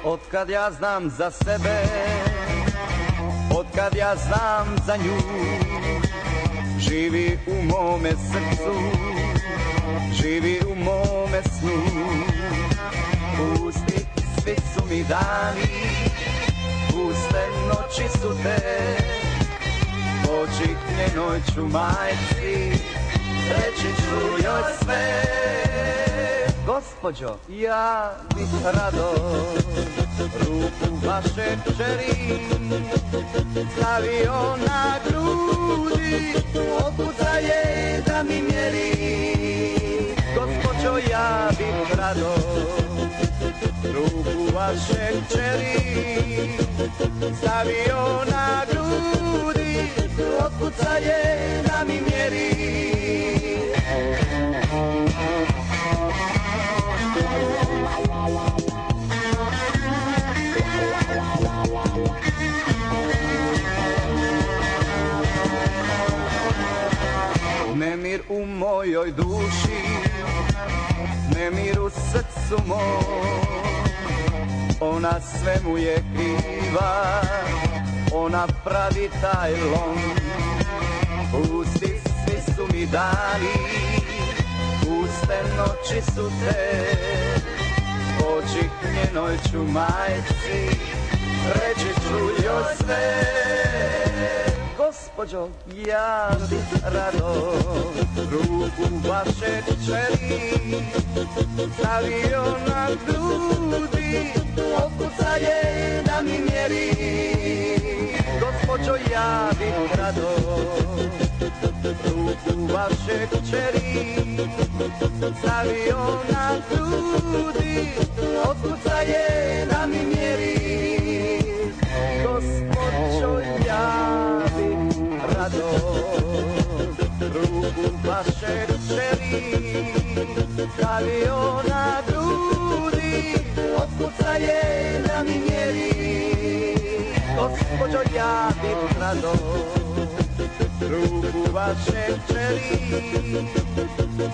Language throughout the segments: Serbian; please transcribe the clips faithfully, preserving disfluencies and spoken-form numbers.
Otkad ja znam za sebe, otkad ja znam za nju, živi u mome srcu, živi u mome snu. Pusti, svi su mi dani, puste noći su te, oči njenoj ću majci, reći ću joj sve. Gospođo, ja bih rado ruku vaše kćeri stavio na grudi, otkuca je da mi mjeri. Gospođo, ja bih rado ruku vaše kćeri stavio na grudi, otkuca je da mi mjeri. Nemir u mojoj duši, nemir u srcu mom, ona svemu je kriva, ona pravi taj lom. Pusti, svi su mi dani, puste noći su te, oči njenoj ću majci, reći ću joj sve. Gospođo, ja bih rado ruku vaše kćeri stavio na grudi, otkuca je da mi mjeri. Gospođo, ja bih rado ruku vaše kćeri stavio na grudi, otkuca je da mi mjeri. Gospođo, ja bih rado ruku vaše kćeri stavio na grudi, otkuca je da mi mjeri. Gospođo, ja bih rado ruku vaše kćeri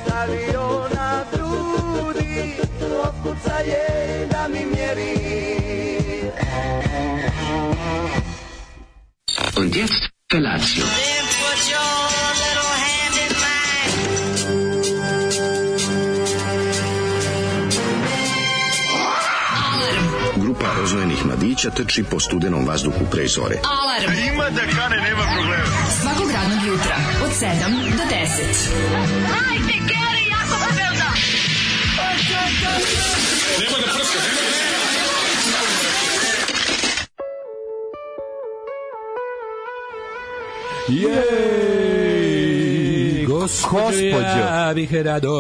stavio na grudi, otkuca je da mi mjeri. Und jetzt Felatio. Then put your little hand in mine. Grupa rozvojenih mladića trči po studenom vazduhu pre zore. Alarm. Ima da kane, nema problema. Svakog radnog jutra od sedam do deset. Hajde, Geri, jako se velda. Nema da prska, nema da prska. Jej, gospođo, ja bih rado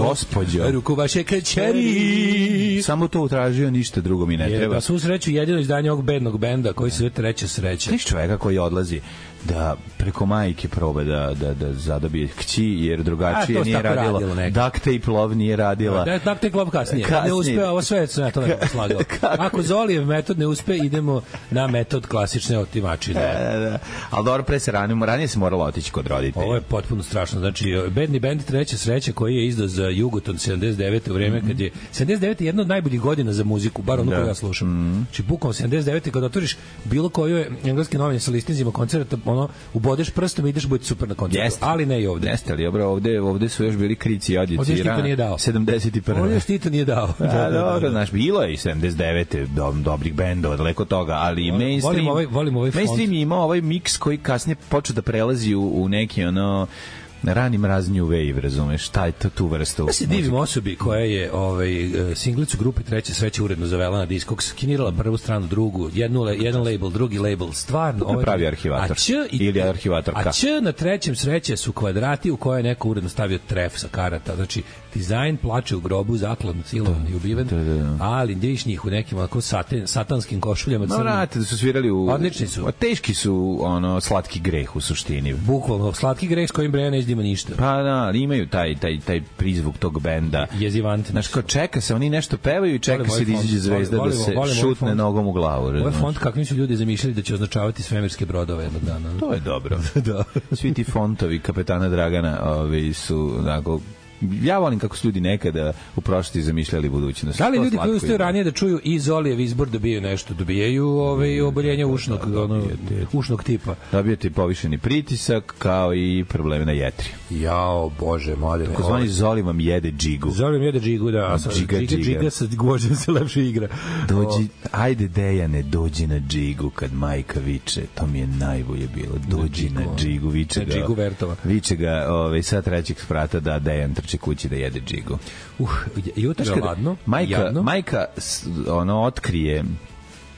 gospođo, ruku vaše kćeri. Samo to utražio, ništa drugo mi ne je, treba. Na svu sreću jedino izdanje ovog bednog benda koji se zove Treća sreća. Znaš čoveka koji odlazi da preko majke proba da, da, da zadobije kći, jer drugačije nije radilo. Duct tape love nije radila. Da, duct tape love kasnije. kasnije. Ne uspe, ovo sve se na to ne slagao. Ako Zolijev metod ne uspe, idemo na metod klasične otimačine. Da, da. Ali dobro, pre se ranimo, ranije se moralo otići kod roditelja. Ovo je potpuno strašno. Znači, bedni bend Treća sreća koji je izdao za Jugoton sedamdeset devete u vreme, mm-hmm. kad je sedamdeset devete jedna od najboljih godina za muziku, bar ono koju ja slušam. Mm-hmm. Znači, bukom sedamdeset devete kad otvoriš bilo koju engleske novine sa listinzima koncerta, ono, ubodeš prstom i ideš biti super na koncertu. Jeste. Ali ne i ovde. Jeste, ali dobro, ovde, ovde su još bili krici i odjeci. Ovde Tito nije dao. sedamdeset prve Ovde Tito nije dao. Da, da, dobro, znaš, bilo je i sedamdeset devete do, dobrih bendova, daleko toga, ali volim, mainstream, volim ovaj, volim ovaj mainstream je imao ovaj miks koji kasnije počeo da prelazi u, u neki, ono, rani mrazni wave, razumeš, šta je tu vrstu. Ja se divim osobi koja je ovaj, singlicu grupe Treća sreća uredno zavela na Discogs, skinirala prvu stranu, drugu, jednu, jedan label, drugi label, stvarno. Ovaj, pravi arhivator. I, ili arhivatorka. A Č na Trećem sreće su kvadrati u koje je neko uredno stavio tref sa karata. Znači, dizajn plače u grobu, zakladno, silovan i ubiven, da, da, da. Ali vidiš njih u nekim onako saten, satanskim košuljama. No, vrate, da su svirali u... Odlični su. A teški su, ono, slatki greh u suštini. Bukvalno, slatki greh s kojim Breja ne izdima ništa. Pa da, ali imaju taj, taj, taj prizvuk tog benda. Jezivantni. Znaš, kao čeka se, oni nešto pevaju i čeka se da izađe zvezda volim, da se volim, šutne nogom u glavu. Ovo je font kakvim su ljudi zamišljali da će označavati svemirske brodove jednog dana. To je dobro. Da. Svi ti fontovi kapetana Dragana ovi su, onako, ja volim kako su ljudi nekada u prošlosti zamišljali budućnost. Da li ljudi koji ustaju ranije da čuju i Zolijev izbor dobijaju nešto? Dobijaju ove oboljenja ušnog, ono, ušnog tipa. Dobijete povišeni pritisak kao i probleme na jetri. Jao, bože, mladene. Tako zvani Zoli vam jede džigu. Zoli vam jede džigu, da. A džiga, džiga, džiga, džiga sa gvožđem se lepše igra. Dođi, ajde Dejane, dođi na džigu kad majka viče. To mi je najbolje bilo. Dođi na džigu, viče ga. Na džigu Vertova. Viče ga ovaj, sa trećeg sprata da Dejan trče kući da jede džigu. Uh, jutro je ladno. Majka, jadno. majka ono, otkrije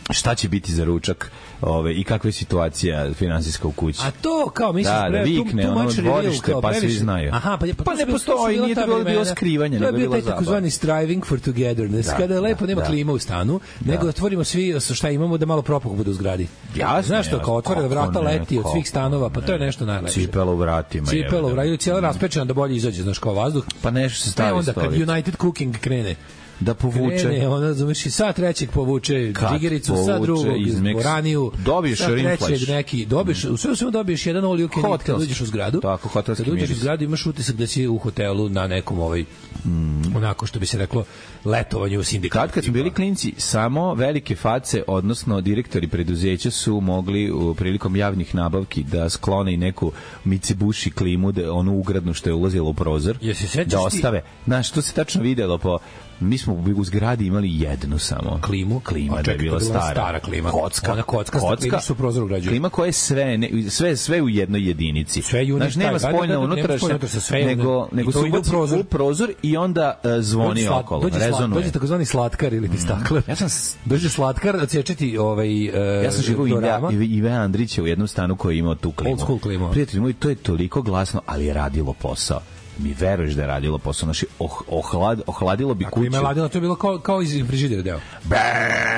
šta će biti za ručak, ove, i kakva je situacija finansijska u kući. A to kao misliš, da, da vikne, tu, tu ono dvorište, pa svi znaju. Aha, pa, pa, pa ne postoji, nije to bilo, bilo skrivanje, to je bio taj zabava. takozvani striving for togetherness, da, kada je lepo, nema da. klima u stanu, da. nego otvorimo svi šta imamo da malo propuh bude u zgradi. Jasne, znaš što, kao otvore vrata ne, leti od svih stanova, pa to je nešto najlepše. Cipelo u vratima. Cipelo u vratima, cijela raspečena da bolje izađe, znaš, kao vazduh. Pa nešto se stavi onda kad United Cooking krene, da povuče. Krene, ona, razumeš, i sa trećeg povuče Kad džigericu, sa drugog boraniju, dobiješ trećeg neki, dobiješ, u sve svemu dobiješ jedan all you can eat kad uđeš u zgradu. Tako, hotelski kad uđeš miris. u zgradu imaš utisak da si u hotelu na nekom ovaj, mm. onako što bi se reklo, letovanju u sindikatu. Kad, kad smo bili klinci, samo velike face, odnosno direktori preduzeća su mogli u prilikom javnih nabavki da sklone i neku Mitsubishi klimu, da, onu ugradnu što je ulazila u prozor, da ostave. Znaš, to se tačno videlo po mi smo u zgradi imali jednu samo klimu, klima da je bila stara. stara klima. Kocka, ona kocka, kocka su prozor ugrađuje. Klima koja je sve, ne, sve, sve u jednoj jedinici. Sve unit, znači, nema spoljna unutrašnja, nego, nego se ubaci prozor. u prozor i onda uh, zvoni slat, okolo, dođe rezonuje. Slat, dođe takozvani slatkar ili ti staklar. Ja sam dođe slatkar da cečeti ovaj uh, ja sam živio Ive, Ive Andrića u jednom stanu koji je imao tu klimu. Old school klimu. Prijatelji moji, to je toliko glasno, ali je radilo posao. Mi veruješ da je radilo posao, naši oh, ohlad, ohladilo bi kuću. Ako ima ladilo, to je bilo kao, kao iz frižidera deo. Be,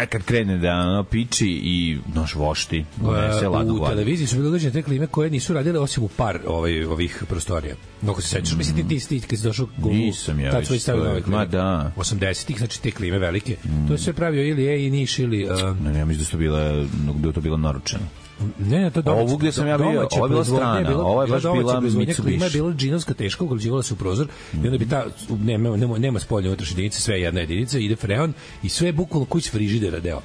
kad krene da ono piči i noš vošti, unese ladu u gladu. televiziji su bile ugrađene te klime koje nisu radile osim u par ovaj, ovih prostorija. Mnogo se sećaš, mm. mislim ti ti, ti kad si došao u... Nisam ja tad već to je, ma da. osamdesetih, znači te klime velike. Mm. To je sve pravio ili E i Niš ili... Uh, ne, ne, mislim da su bile, da je to bilo naručeno. Ne, ne, to je domaće. Ovo gdje sam ja bio, ovo je bila strana, ovo je baš bila Mitsubishi. Klima je bila džinovska teška, ugrađivala se u prozor i onda bi ta, nema, nema, nema spoljne unutrašnje jedinice, sve je jedna jedinica, ide freon i sve je bukvalno kuć frižidera deo.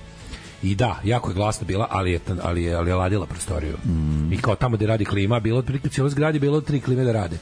I da, jako je glasna bila, ali je, ali je, ali je ladila prostoriju. Mm. I kao tamo gde radi klima, bilo otprilike u cijeloj zgradi, bilo tri klime da rade.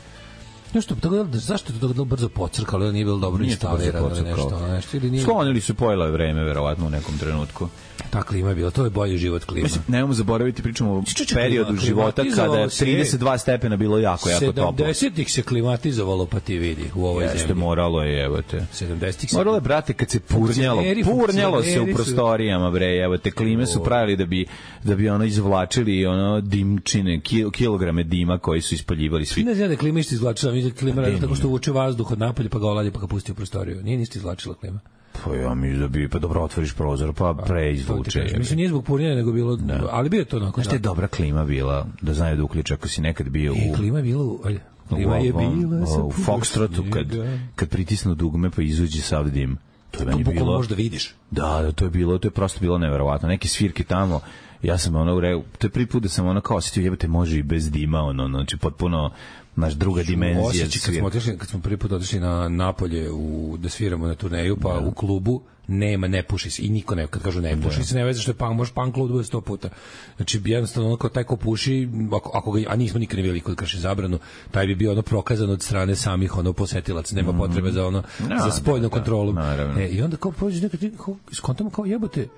Nešto, to, zašto je to brzo pocrkalo, ili nije bilo dobro instalirano nešto, nešto, ili nije... Sklonili su pojelo vreme, verovatno, u nekom trenutku. Ta klima je bila, to je bolji život klima. Mislim, nemamo zaboraviti, pričamo o periodu klima, života kada je trideset dva stepena bilo jako, jako toplo. sedamdesetih se klimatizovalo, pa ti vidi, u ovoj Jeste, zemlji. Jeste, moralo je, evo te. sedamdesetih se... Moralo je, brate, kad se purnjalo, purnjalo se u prostorijama, bre, evo te, klime su pravili da bi, da bi ono izvlačili ono dimčine, kil, kilograme dima koji su ispaljivali svi. Ne znam da klima isto izvlačila, mislim da klima radi tako što uvuče vazduh od napolja, pa ga oladi, pa ga pusti u prostoriju. Nije ništa izvlačila klima. Pa ja mi da bi, pa dobro otvoriš prozor, pa preizvuče. Mislim, nije zbog purnjenja, nego bilo, da. ali bio je to onako. Znaš, je dobra klima bila, da znaju da uključe, ako si nekad bio u... E, klima je bila u... Klima je bila... U Foxtrotu, kad, kad pritisnu dugme, pa izuđe sav dim. To je meni to bilo... možda vidiš. Da, da, to je bilo, to je prosto bilo neverovatno. Neke svirke tamo, ja sam ono, to je prvi put da sam ono kao osjetio, jebate, može i bez dima, ono, znači, potpuno... naš druga dimenzija. Osjeći, kad smo, otišli, kad smo prvi put otišli na Napolje u, da sviramo na turneju, pa da. U klubu nema, ne puši se. I niko ne, kad kažu ne puši da. Se, ne veze što je punk, može punk klub da bude sto puta. Znači, jednostavno, ono kao taj ko puši, ako, ako ga, a nismo nikad ne vidjeli kod krši zabranu, taj bi bio ono prokazan od strane samih ono posetilaca, nema mm. potrebe za ono, no, za spoljnu da, kontrolu. Da, e, I onda kao prođe nekad, kao, skontamo kao jebote,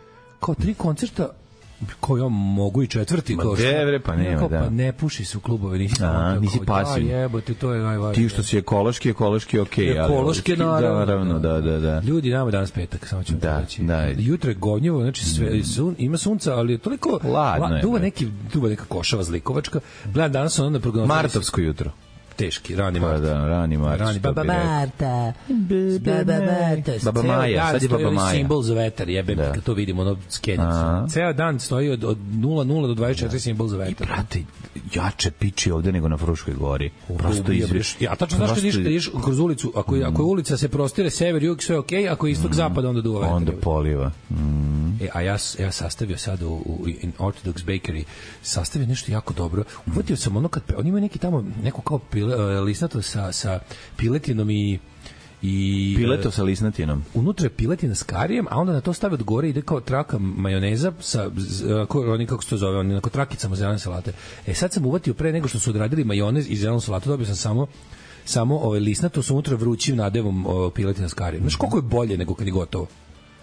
kao tri koncerta, ko ja mogu i četvrti ma kao što devre, pa nema, kao, da. Pa ne puši se u klubove, nisi a, nisi pasivni. Da, jebote, to je najvažnije. Ti što si ekološki, ekološki okej, okay, ali ekološki naravno, naravno, da, da, da. Ljudi, nama danas petak, samo ćemo da, reći. Da. Jutro je govnjevo, znači sve, sun, ima sunca, ali je toliko ladno la, je. Duva neki, duva neka košava zlikovačka. Gledam danas ono na prognozu. Martovsko jutro. Teški, rani Mart. Pa da, rani Mart. Rani Baba Marta. Baba Marta. Baba Maja, sad je Baba Maja. Simbol za vetar, jebe, da. Kad to vidimo, ono skenjica. Ceo dan stoji od, od nula nula do dvadeset četiri da. Simbol za vetar. I, brate, jače piči ovde nego na Fruškoj gori. Prosto izviš. Ja, tačno znaš kad ideš kroz ulicu, ako je, ako je ulica se prostire sever, jug, sve okej, okay, ako je istok, zapad, onda duva vetar. Onda poliva. Mm. E, a ja, ja sastavio sad u, u in Orthodox Bakery, sastavio nešto jako dobro. Uvatio sam ono kad, oni imaju neki tamo, neko kao pile, lisnato sa, sa piletinom i i pileto sa lisnatinom. Unutra je piletina s karijem, a onda na to stave od gore ide kao traka majoneza sa oni kako se to zove, oni onako trakicama zelene salate. E sad sam uvatio pre nego što su odradili majonez i zelenu salatu, dobio sam samo samo ovaj lisnato sa unutra vrućim nadevom piletina s karijem. Znaš koliko je bolje nego kad je gotovo?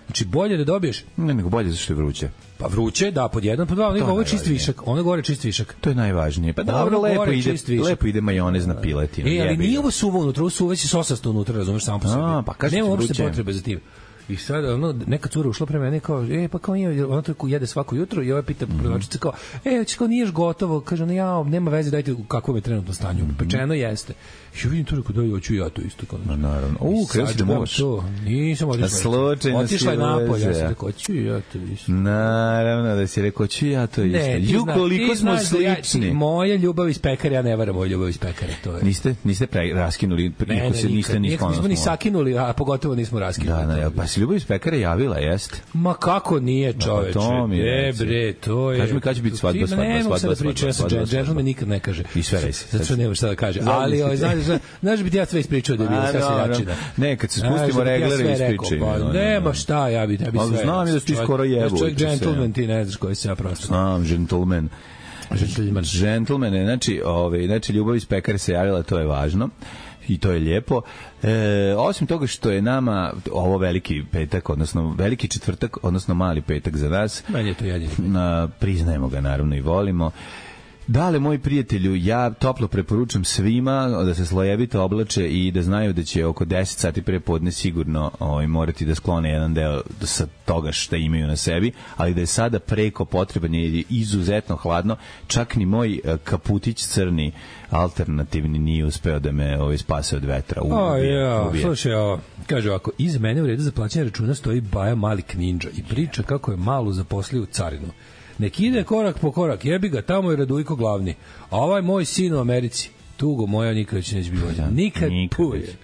Znači bolje da dobiješ. Ne, nego bolje zašto je vruće. Pa vruće, da, pod jedan, pod dva, ono ovo je čist višak, ono gore čist višak. To je najvažnije. Pa dobro, lepo ide, lepo ide majonez na piletinu. E, ali nije ovo suvo unutra, ovo su već sosasto unutra, razumeš, samo po sebi. A, pa kažeš nema uopšte potrebe za tim. I sad, ono, neka cura ušla pre mene kao, e, pa kao nije, ona to jede svako jutro i ovaj pita mm-hmm. prodavačica kao, e, hoće kao niješ gotovo, kaže, ne, ja, nema veze, dajte u kakvom je trenutno stanju. Mm-hmm. Pečeno jeste. I vidim to, rekao, da, hoću ja to isto. Kao, no, naravno. U, krenuo si da moš. Nisam otišla. Otišla je napolje, ja sam rekao, hoću ja to isto. Naravno, da si rekao, hoću ja to isto. Ne, Ju, koliko smo slični. Ja, moja ljubav iz pekare, ja ne varam moju ljubav iz pekare. To je. Niste, niste pre, raskinuli, ne, ne, se niste ni sklono. Nismo ni sakinuli, a pogotovo nismo raskinuli. Da, da, pa si ljubav iz pekare javila, jeste? Ma kako nije, čoveče? To mi je, bre, to je. Kaži mi kada će biti svadba, svadba, svadba, svadba, svadba, svadba. Gentleman nikad ne kaže. I sve resi. Zato što nema šta da kaže. Ali, znaš, znaš bi ti ja sve ispričao da je bilo sve seljačina. Ne, kad se spustimo reglere ispričaju. Nema šta, ja bi tebi sve. Znam da ti skoro jebu. Čovjek gentleman, ti ne znaš koji se ja prosto. Znam, gentleman. Gentleman. Gentleman, znači, ovaj, znači ljubav iz pekare se javila, to je važno. I to je lijepo. E, osim toga što je nama ovo veliki petak, odnosno veliki četvrtak, odnosno mali petak za nas. Meni je to jedini. Na, priznajemo ga naravno i volimo. Dale, moji prijatelju, ja toplo preporučam svima da se slojevito oblače i da znaju da će oko deset sati pre podne sigurno ovaj, morati da sklone jedan deo sa toga što imaju na sebi, ali da je sada preko potreban je izuzetno hladno, čak ni moj kaputić crni alternativni nije uspeo da me ovaj, spase od vetra. Ubije, o, ja, ubije. Slušaj, ovo, kaže ovako, iz mene u redu za plaćanje računa stoji Baja Malik Ninja i priča kako je malu zaposlio u carinu. Nek ide korak po korak, jebi ga, tamo je Radujko glavni. A ovaj moj sin u Americi, tugo moja nikad će neće biti vođen. Nikad, nikad puje.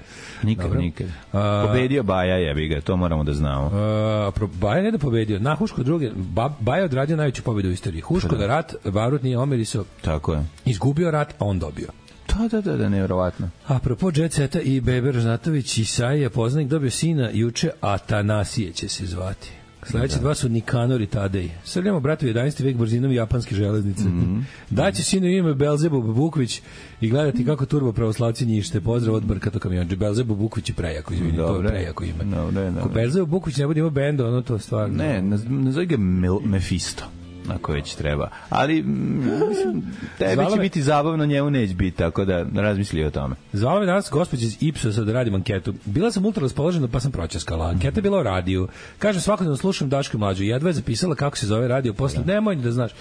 Nikad, Dobro. nikad. A, pobedio Baja, jebi ga, to moramo da znamo. A, pro, Baja ne da pobedio, na Huško druge, ba, Baja odradio najveću pobedu u istoriji. Huško da rat, Barut nije omeriso. Tako je. Izgubio rat, pa on dobio. Da, da, da, da, nevjerovatno. Apropo Jet Seta i Bebe Ražnatović, Isaija poznanik dobio sina juče, Atanasije će se zvati. Sledeće dva su Nikanor i Tadej. Srljamo, bratu, jedanaesti vek brzinom japanske železnice. Mm-hmm. Daće sinu ime Belzebub Bukvić i gledati kako turbo pravoslavci njište. Pozdrav od Brkato kamionđe. Belzebub Bukvić je prejako, izvini, to je prejako ime. Dobre, dobre. Ko Belzebub Bukvić ne bude imao benda, ono to stvarno. Ne, nazove ga Mephisto. Ako već treba. Ali, mislim, tebi Zvala će me... biti zabavno, njemu neće biti, tako da razmisli o tome. Zvala me danas gospođa iz Ipsosa da radim anketu. Bila sam ultra raspoložena, pa sam pročaskala. Anketa je bila o radiju. Kaže, svakodnevno slušam Daško i Mlađu. Jedva je zapisala kako se zove radio. Posle, nemoj da znaš.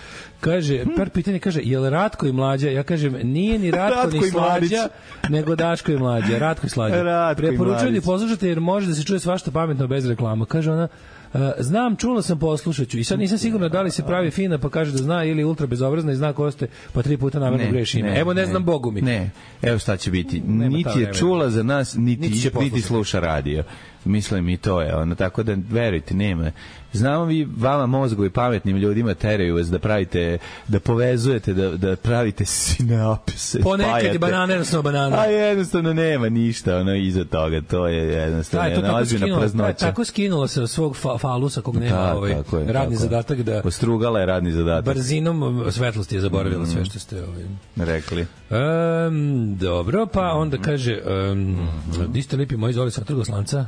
Kaže, par pitanje, kaže, je li Ratko i Mlađa? Ja kažem, nije ni Ratko, Ratko ni Slađa, nego Daško i Mlađa. Ratko i Slađa. Preporučujem da poslušate jer može da se čuje svašta pametno bez reklama. Kaže ona, Uh, znam, čula sam, poslušaću i sad nisam sigurna da li se pravi fina pa kaže da zna ili ultra bezobrazna i zna ko ste pa tri puta namerno greši ime. Evo ne, ne znam, Bogu mi. Ne, evo šta će biti. Nema niti je čula za nas, niti, niti, niti sluša radio. Mislim i to je ono, tako da verujte, nema. Znamo vi, vama mozgovi pametnim ljudima teraju vas da pravite, da povezujete, da, da pravite sinapse. Ponekad je banana, jednostavno banana. A jednostavno nema ništa ono iza toga, to je jednostavno jedna ozbiljna praznoća. Tako skinula se svog fa, falusa kog nema da, ovaj, je, radni tako. Zadatak da... Postrugala je radni zadatak. Brzinom svetlosti je zaboravila mm. sve što ste ovaj... rekli. Um, dobro, pa onda kaže um, di ste lipi moji zoli sa Trgoslanca?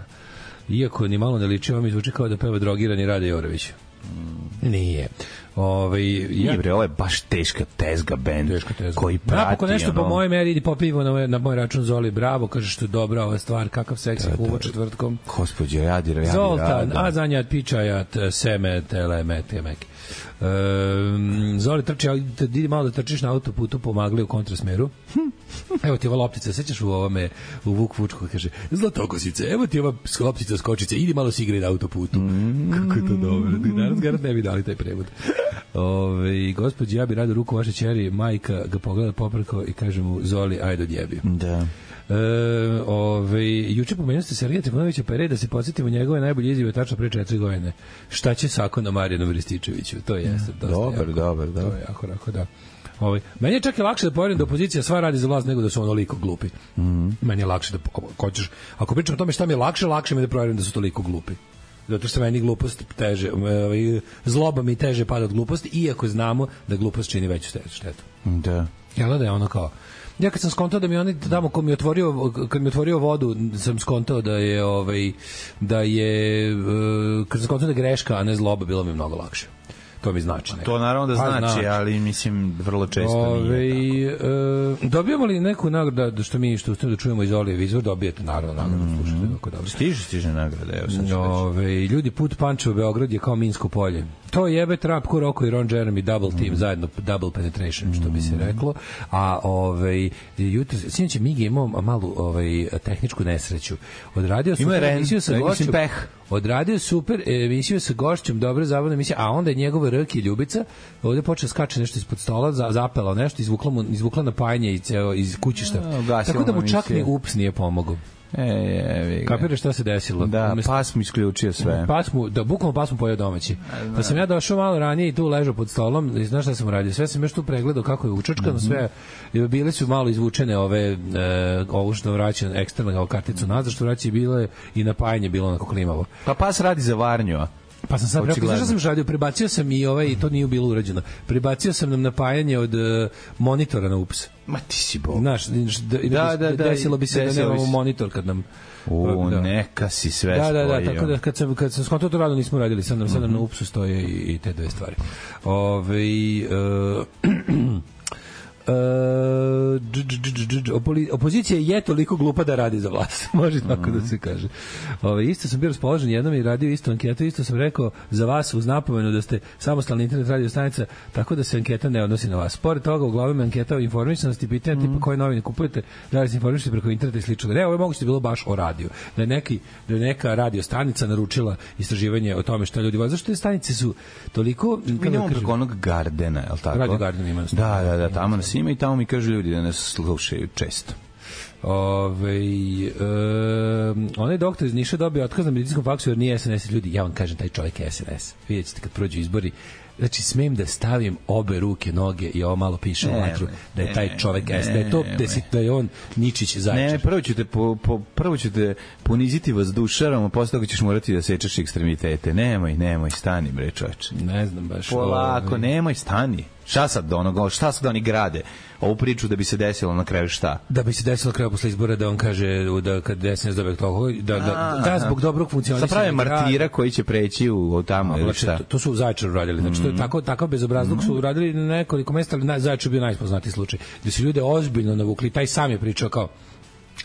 Iako ni malo ne liči, vam izvuči kao da peva drogirani Rade Jorović. Mm. Nije. Ove, ja... Nije bre, ovo je baš teška tezga band teška tezga. Koji prati. Napokon nešto ono... po moje meri idi popivo na, na moj račun Zoli, bravo, kaže što je dobra ova stvar, kakav seksi humor četvrtkom. Gospodje, radi, radi, Zoltan, a zanjat pičajat, seme, tele, temek. Um, Zoli trči, idi malo da trčiš na autoputu po magli u kontrasmeru. Evo ti ova loptica, sećaš u ovome u Vuk Vučko kaže Zlatokosice, evo ti ova loptica skočice, idi malo si igraj na autoputu. Mm. Kako je to dobro. Danas garant ne bi dali taj prevod. Ove, gospođi, ja bi rado ruku vaše ćeri, majka ga pogleda popreko i kaže mu, Zoli, ajde odjebi. Da. E, ove, juče pomenuo ste Sergeja Trifunovića, pa je red da se podsjetimo njegove najbolje izjave tačno pre četiri godine. Šta će Sako na Marijanu Rističeviću? To je jeste. Dobar, dobar, da. To je jako, jako, da. Ovaj meni je čak i lakše da povjerujem da opozicija sva radi za vlast nego da su onoliko glupi. Mhm. Meni je lakše da hoćeš, ako pričam o tome šta mi je lakše, lakše mi je da provjerim da su toliko glupi. Zato što meni glupost teže, zloba mi teže pada od gluposti, iako znamo da glupost čini veću štetu. Da. Jel da je ono kao ja kad sam skontao da mi oni tamo ko mi otvorio kad mi otvorio vodu sam skontao da je ovaj da je kad sam skontao da je greška a ne zloba, bilo mi mnogo lakše. To mi znači. To naravno da znači, znači, ali mislim vrlo često Ove, nije. E, dobijamo li neku nagradu što mi što da čujemo iz Olijev izvor, dobijete naravno nagradu, mm-hmm. slušajte kako dobro. Stiže, stiže nagrada, evo sad ću Ove, ljudi, put Pančevo Beograd je kao Minsko polje. To jebe Trap, Kuroko i Ron Jeremy double team, mm. zajedno double penetration, što bi se reklo. A ovaj jutro sinoć Migi imao malu ovaj tehničku nesreću. Odradio su emisiju sa gošćom. Odradio super emisiju sa gošćom, dobro zabavna emisija, a onda je njegova Rki Ljubica ovde počeo skače nešto ispod stola, za, zapela nešto, izvukla mu izvukla napajanje i ceo iz kućišta. Tako da mu čak ni ups nije pomogao. E, je, kapiraš šta se desilo? Da, Umest... pas mu isključio sve. Pas mu, da, bukvalno pas mu pojeo domaći. Da sam ja došao malo ranije i tu ležao pod stolom i znaš šta sam radio? Sve sam još tu pregledao kako je učačkano, sve, bile su malo izvučene ove, e, ovo što vraća eksterna karticu nazad, što vraća i bilo i napajanje bilo onako klimavo. Pa pas radi za varnju, a? Pa sam sad rekao, zašto sam radio, prebacio sam i ovaj, i to nije bilo urađeno, prebacio sam nam napajanje od uh, monitora na ups. Ma ti si bog. Znaš, da, da, da, da, desilo bi se da nemamo monitor kad nam... U, da. Neka si sve da, spojio. Da, da, tako da kad sam, kad sam skontao to rado nismo radili, sad nam, sad nam na upsu stoje i, i te dve stvari. Ove... Uh, Uh, dž, dž, dž, dž, opozicija je toliko glupa da radi za vlast. Može tako mm. da se kaže. Ove, isto sam bio raspoložen jednom i radio isto anketu, isto sam rekao za vas uz napomenu da ste samostalna internet radio stanica, tako da se anketa ne odnosi na vas. Pored toga, uglavnom je anketa o informisanosti, pitanja mm. tipa koje novine kupujete, da li se informišete preko interneta i slično. Ne, ovo je moguće bilo baš o radiju. Da je, neki, da je neka radio stanica naručila istraživanje o tome šta ljudi vole. Zašto te stanice su toliko... Mi nemamo preko onog Gardena, je li tako? Radio Garden ima. Da, da, da, tamo nas ima i tamo mi kažu ljudi da nas slušaju često. Ove, e, onaj doktor iz Niša dobio otkaz na medicinskom faksu jer nije S N S. Ljudi, ja vam kažem, taj čovjek je S N S. Vidjet ćete kad prođu izbori. Znači, smem da stavim obe ruke, noge i ovo malo piše u vatru, da je taj čovjek S, da je to, da, si, da je on Ničić Zajčar. Ne, prvo ćete, po, po, prvo ćete poniziti vas dušarom, a posle toga ćeš morati da sečeš ekstremitete. Nemoj, nemoj, stani, bre, čoveče. Ne znam baš. Polako, ovaj... nemoj, stani. Šta sad do onoga, šta sad oni grade? Ovu priču da bi se desilo na kraju šta? Da bi se desilo na kraju posle izbora da on kaže da kad S N S dobije toliko, da, da, da zbog dobrog funkcionisanja. Sa prave martira koji će preći u, u tamo ili šta? To, to su u Zaječaru radili. Znači, mm. to je tako, takav bezobrazluk mm. su radili na nekoliko mesta, ali Zaječar bio najpoznatiji slučaj. Gde su ljude ozbiljno navukli. Taj sam je pričao kao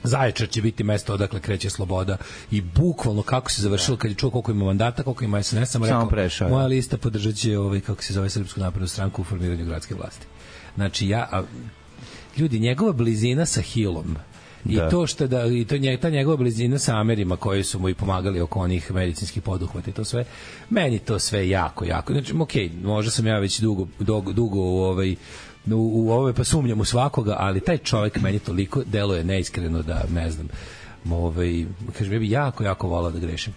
Zaječar će biti mesto odakle kreće sloboda i bukvalno kako se završilo kad je čuo koliko ima mandata, koliko ima S N S, sam rekao, prešao, moja lista podržaće ovaj, kako se zove, Srpsku naprednu stranku u formiranju gradske vlasti. Znači, ja, a, ljudi, njegova blizina sa Hilom i da. to što da i to nje, ta njegova blizina sa Amerima koji su mu i pomagali oko onih medicinskih poduhvata i to sve, meni to sve jako, jako. Znači, okej, okay, možda sam ja već dugo, dugo, dugo u ovaj u, u ove pa sumnjam u svakoga, ali taj čovjek meni toliko deluje neiskreno da ne znam. Ovaj kažem ja bih jako jako volao da grešim.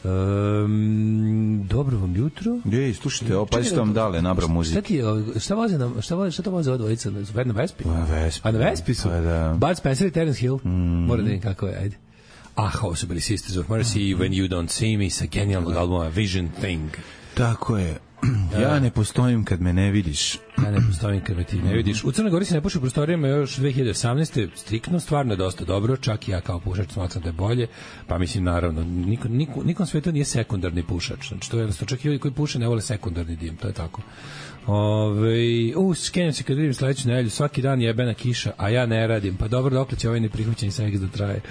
Um, dobro vam jutro. Ej, slušajte, ovo pa ste vam dale nabra muzike. Šta ti šta voze nam, šta voze, šta to voze odvojica na na Vespi? Na Vespi. A na Vespi su. Pa da. Bud Spencer i Terence Hill. Mm. Mora da vidim kako je, ajde. Ah, ovo su bili Sisters of Mercy, mm. When You Don't See Me, sa genijalnog albuma Vision Thing. Tako je. Ja ne postojim kad me ne vidiš. Ja ne postojim kad me ti ne vidiš. U Crnoj Gori se ne puši u prostorijama još dve hiljade osamnaeste. Striktno, stvarno je dosta dobro. Čak i ja kao pušač smatram da je bolje. Pa mislim, naravno, niko, niko, nikom svetu nije sekundarni pušač. Znači, to je jednostavno, čak i ljudi koji puše ne vole sekundarni dim. To je tako. Ove, u, skenjam se kad vidim sledeću nedelju, svaki dan jebena kiša, a ja ne radim. Pa dobro, dokle će ovaj neprihvaćeni seks da traje.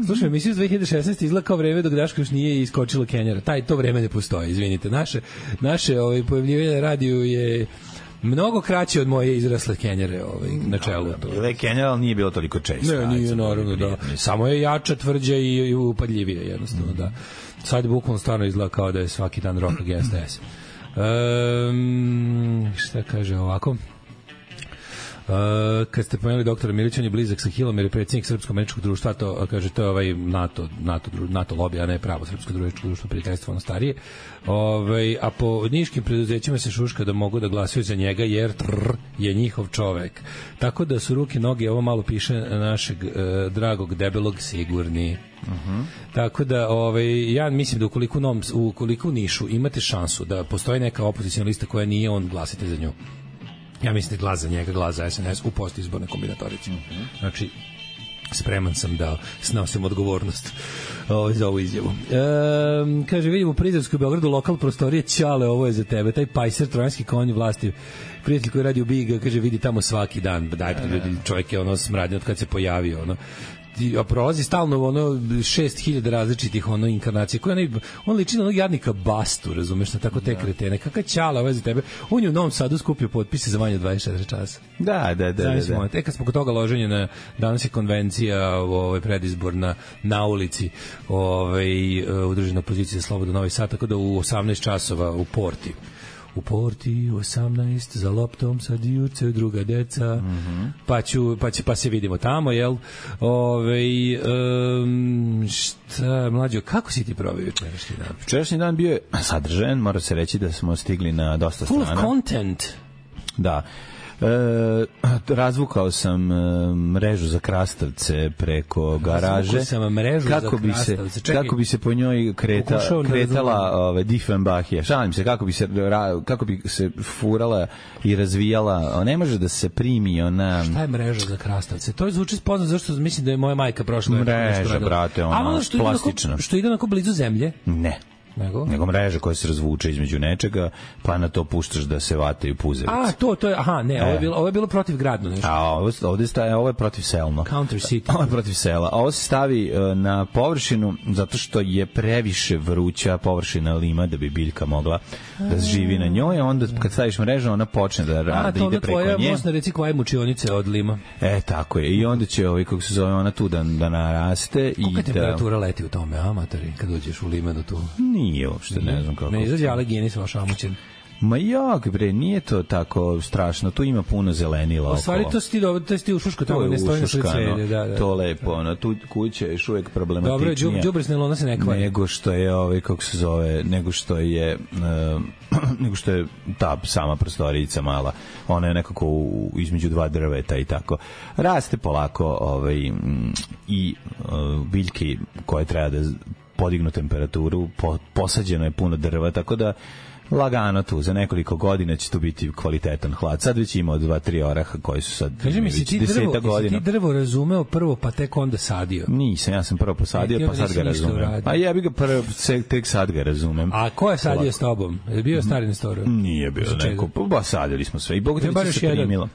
Slušaj, emisiju iz dve hiljade šesnaeste izgleda kao vreme dok Daško još nije iskočilo Kenjara. Taj, to vreme ne postoji, izvinite. Naše, naše ovaj, pojavljivanje na radiju je mnogo kraće od moje izrasle Kenjare ovaj, na čelu. Ile Kenjara nije bilo toliko često. Ne, nije naravno, da. Samo je jača, tvrđa i, i upadljivija, jednostavno, da. Sad je bukvalno stvarno izgleda kao da je svaki dan rock against S. Um, šta kaže ovako? Uh, kad ste pomenuli doktora Milić, on je blizak sa Hilom, jer je predsjednik Srpsko-američkog društva, to kaže, to je ovaj NATO, NATO, NATO lobby, a ne pravo Srpsko-američko društvo prijateljstvo, ono starije. Ove, a po niškim preduzećima se šuška da mogu da glasaju za njega, jer trr, je njihov čovek. Tako da su ruke, noge, ovo malo piše našeg uh, dragog debelog sigurni. Uh-huh. Tako da ovaj, ja mislim da ukoliko, nom, ukoliko u Nišu imate šansu da postoji neka opozicijna lista koja nije, on, glasite za nju. Ja mislim da glas za njega, glas za S N S u postizbornoj kombinatorici. Uh-huh. Znači, spreman sam da snosim odgovornost ovaj, za ovu izjavu. E, kaže, vidimo u Prizrevskoj Beogradu lokal prostorije, Ćale, ovo je za tebe, taj pajser, trojanski konj vlasti, prijatelj koji radi u Biga, kaže, vidi tamo svaki dan, daj, ljudi, čovjek je ono smradnje od kad se pojavio, ono, a prolazi stalno ono šest hiljada različitih ono inkarnacija koje on, on liči na onog jadnika Bastu, razumeš, na tako te kretene. Kakva Ćala ovaj za tebe? On je u Novom Sadu skupio potpise za manje od dvadeset četiri časa. Da, da, da. Znaš, da, da. E kad smo kod toga loženja na danas je konvencija ovaj predizborna na ulici, ovaj udružena opozicija Slobodno Novi Sad, tako da u osamnaest časova u Porti. U Porti u osamnaest za loptom sad juče druga deca. Mm-hmm. Pa ću pa će pa se vidimo tamo, jel? Ovaj um, šta mlađo, kako si ti proveo jučerašnji dan? Jučerašnji dan bio je sadržajan, mora se reći da smo stigli na dosta Full strana. Full of content. Da. E, razvukao sam e, mrežu za krastavce preko garaže. Razvukao sam mrežu kako za bi se, Čekaj, kako bi se po njoj kreta, kretala ove, Diefenbachija. Šalim se, kako bi se, ra, kako bi se furala i razvijala. Ne može da se primi ona... Šta je mreža za krastavce? To je zvuči poznat, zašto mislim da je moja majka prošla. Mreža, brate, ona što plastična. Što ide onako blizu zemlje? Ne. Nego? Nego mreža koja se razvuče između nečega, pa na to puštaš da se vataju puzevice. A, to, to je, aha, ne, e. ovo je bilo, ovo je bilo protivgradno nešto. A, ovo, ovde staje, ovo je protivselno. Counter city. Ovo je protiv sela. A ovo se stavi uh, na površinu zato što je previše vruća površina lima da bi biljka mogla da živi na njoj, a onda kad staviš mrežu, ona počne da, da ide preko nje. A, to je mosna reci koja je mučionice od lima. E, tako je. I onda će, ovaj, kako se zove, ona tu da, da naraste. Kolika i temperatura da... leti u tome, amatori, kad uđeš u limenu tu? Nije uopšte, ne znam kako. Ne izađe Alegini sa vašamućen. Ma jak, bre, nije to tako strašno. Tu ima puno zelenila okolo. U stvari, to si ti, to si ti u Šuško, tamo ne stoji na sve cvelje. Da, da. To lepo, ono, tu kuća je još uvijek problematičnija. Dobro, đubre s nelona se ne kvari. Nego što je, ovaj, kako se zove, nego što je, uh, nego što je ta sama prostorica mala. Ona je nekako u, između dva drveta i tako. Raste polako ovaj, i uh, biljke koje treba da podignu temperaturu, po, posađeno je puno drva, tako da lagano tu, za nekoliko godina će tu biti kvalitetan hlad. Sad već ima od dva, tri oraha koji su sad Kaži mi, si ti, drvo, si ti drvo razumeo prvo, pa tek onda sadio? Nisam, ja sam prvo posadio, pa sad ga razumem. A ja bih ga prvo, tek sad ga razumem. A ko je sadio s tobom? Je bio stari Nestorov? Nije bio neko, pa sadili smo sve. I Bog te se primilo.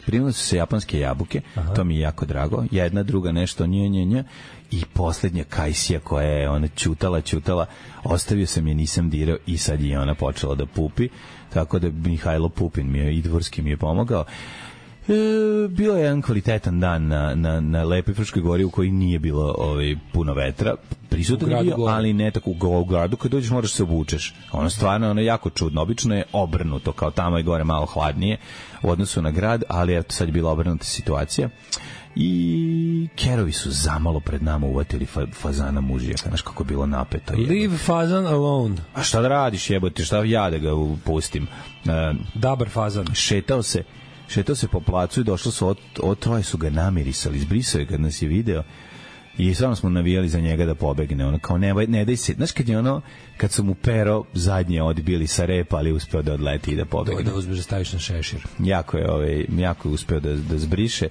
Primile su se japanske jabuke, aha, to mi je jako drago. Jedna, druga nešto, nje, nje, nje. I poslednja kajsija koja je ona čutala, čutala, ostavio sam je, nisam dirao i sad je ona počela da pupi. Tako da Mihajlo Pupin mi je, i Dvorski mi je pomogao. E, bio je jedan kvalitetan dan na, na, na Lepoj Fruškoj gori u kojoj nije bilo ovaj, puno vetra. Prisutan je bio, gore, ali ne tako u gradu. Kad dođeš moraš se obučeš. Ono stvarno ono jako čudno. Obično je obrnuto, kao tamo je gore malo hladnije u odnosu na grad, ali eto sad je bila obrnuta situacija. I kerovi su zamalo pred nama uvatili fa, fazana mužijaka. Znaš kako je bilo napeto. Leave fazan alone. A šta da radiš, jebote, šta ja da ga pustim? Uh, Dabar fazan. Šetao se šetao se po placu i došlo su od, od troje su ga namirisali, izbrisao je kad nas je video i stvarno smo navijali za njega da pobegne, ono kao ne, ne daj se, znaš kad je ono kad su mu pero zadnje odbili sa repa, ali uspeo da odleti i da pobegne, da uzmeš da staviš na šešir, jako je, ovaj, jako je uspeo da, da zbriše.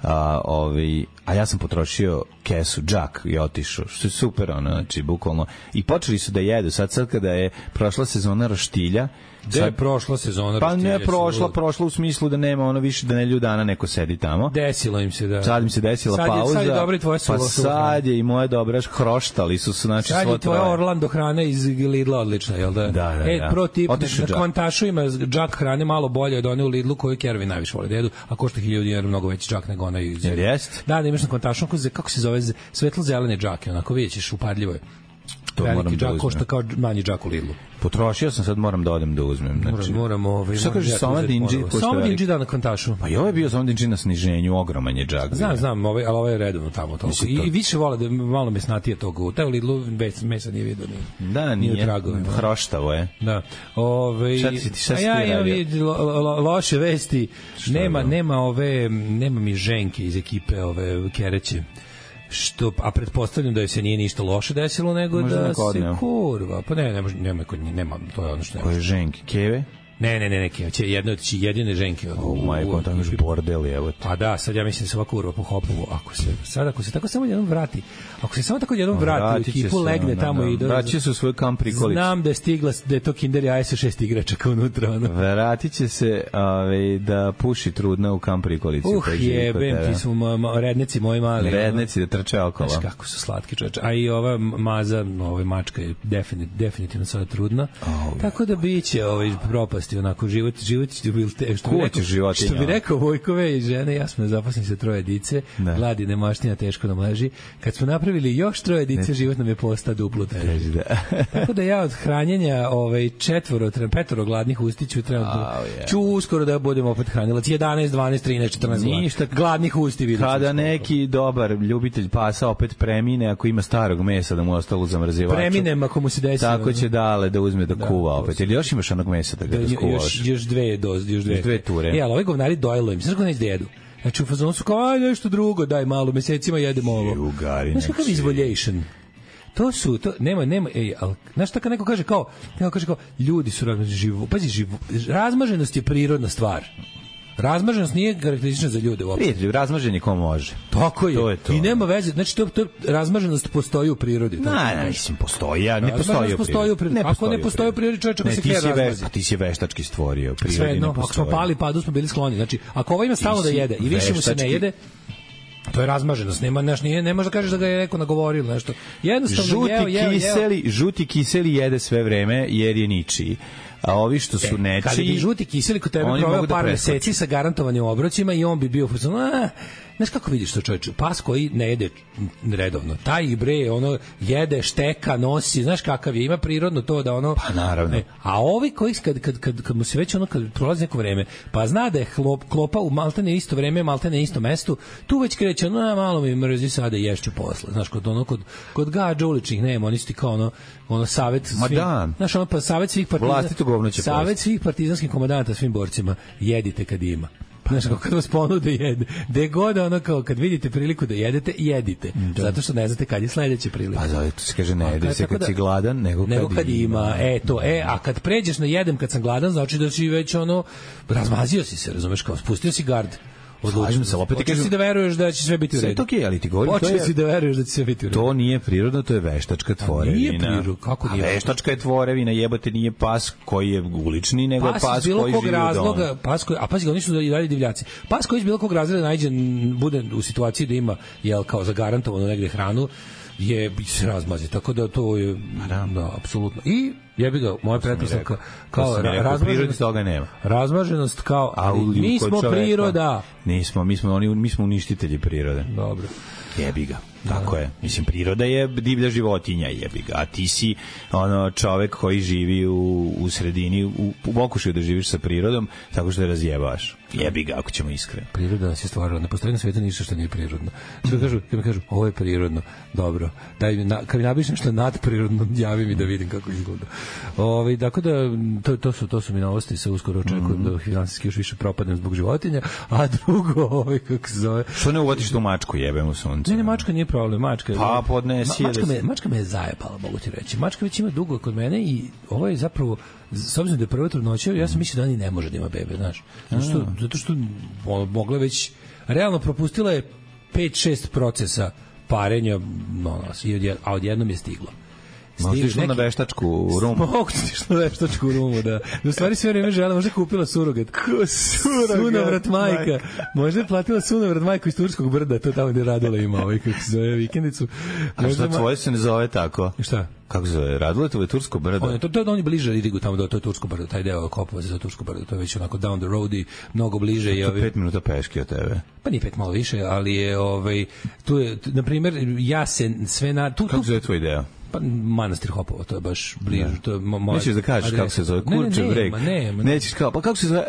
A, ovaj, a ja sam potrošio kesu, džak i otišao, što je super, ono, znači, bukvalno, i počeli su da jedu, sad sad kada je prošla sezona roštilja. Gde je prošla sezona pa roštilja? Pa ne prošla, prošla u smislu da nema ono više, da nedelju dana neko sedi tamo. Desilo im se, da. Sad im se desila sad je, pauza. sad je dobra i tvoja pa sad je i moja dobra, hroštali su, znači, sad je tvoja Orlando hrana iz Lidla odlična, jel da? Da, da, e, da. Pro tip, na kvantašu ima džak hrane malo bolje od one u Lidlu koju Kerovi najviše vole da jedu, a košta hiljadu dinara mnogo veći džak nego onaj iz... Jel jest? Da, da imaš na kvantašu, kako se zove, svetlo zelene džake, onako vidjet ćeš, upadljivo je. To veliki moram da džak uzmem. košta kao manji džak u Lidlu. Potrošio sam, sad moram da odem da uzmem. Znači, Moram, ovaj, šta kaže Soma Dinđi? Soma Dinđi da na Kvantašu. Pa i ovo je bio Soma Dinđi na sniženju, ogroman je džak. Znam, znam, ovaj, ali ovo je redovno tamo toliko. I, I više vole da malo mesnatije toga. U taj Lidlu bez mesa nije vidio ni. Da, nije. Nije tragove. Hroštavo je. Da. Ove, Šta si ti, šta si a ja ti imam radio? i lo, lo, loše vesti. Šta Nema, je? nema ove, nema mi ženke iz ekipe ove Kereće. Što, a pretpostavljam da joj se nije ništa loše desilo, nego Možda da neko se odneo. kurva. Pa ne, ne može, nema, kod nje, nema, to je ono što nema. Koje ženke? Keve? Ne, ne, ne, ne, će jedno od jedine ženke. O, majko, tamo još bordel, evo ti. Pa da, sad ja mislim da se ova kurva po Hopovu, ako se, sad ako se tako samo jednom vrati, ako se samo tako jednom vrati u Vratit će ekipu, se, legne ono, tamo da. i do... Vratit će se u svoj kamp prikolicu. Znam da je stigla, da je to Kinder Jaja sa šest igračaka unutra, ono. Vratit će se ove, da puši trudna u kamp prikolici. Uh, jebem, ti su ma, ma, rednici moji mali. Rednici da trče okolo. Znaš kako su slatki čoveče. A i ova maza, ova mačka je definit, definitivno sada trudna. Oh, tako da biće ovaj propasti onako život, život će bil te, što bi Ko rekao, će životinja? što bi rekao Vojkove i žene, ja smo zaposleni sa troje dice, Da. gladi nemaštinja teško nam leži. Kad smo napravili još troje dice, život nam je posta duplo teži. Da. Tako da ja od hranjenja ovaj četvoro, tre- petoro gladnih ustiću trenutno. Au, je. Ću uskoro da budem opet hranila jedanaest, dvanaest, trinaest, četrnaest Ništa. gladnih usti vidim. Kada neki dobar ljubitelj pasa opet premine, ako ima starog mesa da mu je ostalo u zamrzivaču. Preminem ako mu se desi. Tako će Dale da uzme da, Da, kuva to opet. se- Ili još imaš onog mesa da ga Da, da skuvaš? još, još dve doze, još dve. Još dve ture. E, ali ovi govnari dojelo im. Znaš kako neće da jedu? Znači, u fazonu su kao, aj, nešto drugo, daj malo, mesecima jedemo ovo. Jugari, Znaš kakav nek si. izvoljation? To su, to, nema, nema, ej, ali, znaš šta kad neko kaže kao, neko kaže kao, ljudi su razmaženi živo, pazi, živo, razmaženost je prirodna stvar. Razmaženost nije karakteristična za ljude uopšte. Prijatelj, razmažen je ko može. Tako je. To je to. I nema veze, znači to, to razmaženost postoji u prirodi. Ne, tako ne, kažem. mislim, postoji, ja, ne Razmaženost postoji u postoji u prirodi. prirodi. Ako ne postoji u prirodi, čovječe ko Ne, se ti htje si, ve, razmazi. pa ti si veštački stvorio, u prirodi Sve jedno, ne ako postoji. smo pali padu smo bili skloni. Znači, ako ovo ima stalno da si jede i više mu se ne veštački- jede, to je razmaženost. Nema, naš, nije, ne može da kažeš da ga je neko nagovorio ili nešto. Jednostavno, Žuti jeo, jeo, jeo. kiseli, žuti kiseli jede sve vreme jer je ničiji. A ovi što su nečiji... Kada bi žuti kiseli kod tebe oni proveo mogu da par preskoče. meseci sa garantovanim obrocima i on bi bio u fazonu, a, znaš kako vidiš to čovječe? Pas koji ne jede redovno. Taj bre, ono, jede, šteka, nosi, znaš kakav je, ima prirodno to da ono... Pa naravno. E, a ovi koji, kad, kad, kad, kad mu se već ono, kad prolazi neko vreme, pa zna da je hlop, klopa u maltene isto vreme, maltene isto mestu, tu već kreće, ono, a, malo mi mrzi sada i ješću posle. Znaš, kod ono, kod, kod gađa uličnih nema, oni su ti kao ono, ono, savet svim... Ma da. Znaš, ono, pa savet svih partizana... Vlastito govno će Savet pojesti. svih partizanskih komandanta svim borcima, jedite kad ima. Znaš, kako kad vas ponude jede. Gde god ono kao, kad vidite priliku da jedete, jedite. Da. Zato što ne znate kad je sledeća prilika. Pa zove, to se kaže ne A jede kad- se tako kad da- si gladan, nego kad, nego kad ima. E, to, e, a kad pređeš na jedem kad sam gladan, znači da si već ono, razmazio si se, razumeš, kao spustio si gard. Slažem se, opet ti Počeo kažem- si da veruješ da će sve biti u Sve je redu. to okej, ali ti govorim, to Počeo je- si da veruješ da će sve biti u redu. To nije prirodno, to je veštačka tvorevina. nije prirodno, kako nije? A veštačka je tvorevina, jebote, nije pas koji je ulični, nego Pas, pas, iz bilo koji kog živi u razloga, domu. pas koji, a pazi, oni su i dalje divljaci. Pas koji iz bilo kog razloga najđe, bude u situaciji da ima, jel, kao zagarantovano negde hranu, je se razmazi, tako da to je da, da apsolutno. I jebi ga, moja pretpostavka kao To sam i rekao, u prirodi razmaženost, toga nema. razmaženost kao A u mi kod smo čoveka- priroda. Nismo, mi smo oni mi smo uništitelji prirode. Dobro. Jebi ga. Tako je. Mislim, priroda je divlja životinja, jebi ga. A ti si ono čovek koji živi u, u sredini, u, u pokušaju da živiš sa prirodom, tako što je razjebaš. Jebi ga, ako ćemo iskreno. Priroda nas je stvarala. Ne postoji na svijetu ništa što nije prirodno. Što mi kažu, kad mi kažu, ovo je prirodno. Dobro. Daj mi, na, kad mi napiš nešto nadprirodno, javi mi da vidim kako izgleda. Ovaj dakle da to, to su to su mi novosti, se uskoro očekujem da finansijski još više propadnem zbog životinja, a drugo, ovaj kako se zove. Što ne uvatiš tu mačku, jebem u sunce? Ne, ne, mačka nije problem, mačka. Pa, podnesi Ma, je da mačka, se- me, mačka me je zajebala, mogu ti reći. Mačka već ima dugo kod mene i ovo je zapravo, s obzirom da je prva trudnoća, ja sam mislio da ni ne može da ima bebe, znaš. Zato što, zato što ono, mogla već, realno propustila je pet šest procesa parenja, no, no, i odjed, a odjednom je stiglo. Možda Stiže išla na neki- veštačku rumu. Mogu ti išla na veštačku rumu, da. Da u stvari sve vreme žela, možda je kupila surogat. Ko surogat? Sunovrat majka. Možda je platila sunovrat majku iz Turskog brda, to tamo gde Radula ima, ovaj, kako se zove, vikendicu. A Možda što ma- tvoje se ne zove tako? Šta? Kako se zove? Raduletovo je tursko brdo. On je, to, to, on je bliže Ridigu tamo, da to je Tursko brdo, taj deo Kopova za Tursko brdo, to je već onako down the road i mnogo bliže. I To ovi, pet minuta peške od tebe. pa nije pet, malo više, ali je, ovaj, tu je, t- na primjer, ja se sve na... Tu, Kako tu, se zove tvoj deo? Pa Manastir Hopovo, to je baš blizu. Da. To je mo- Nećeš da kažeš kako se zove, Kurčev breg. Ne, ne, ne. Nećeš kao, pa kako se zove?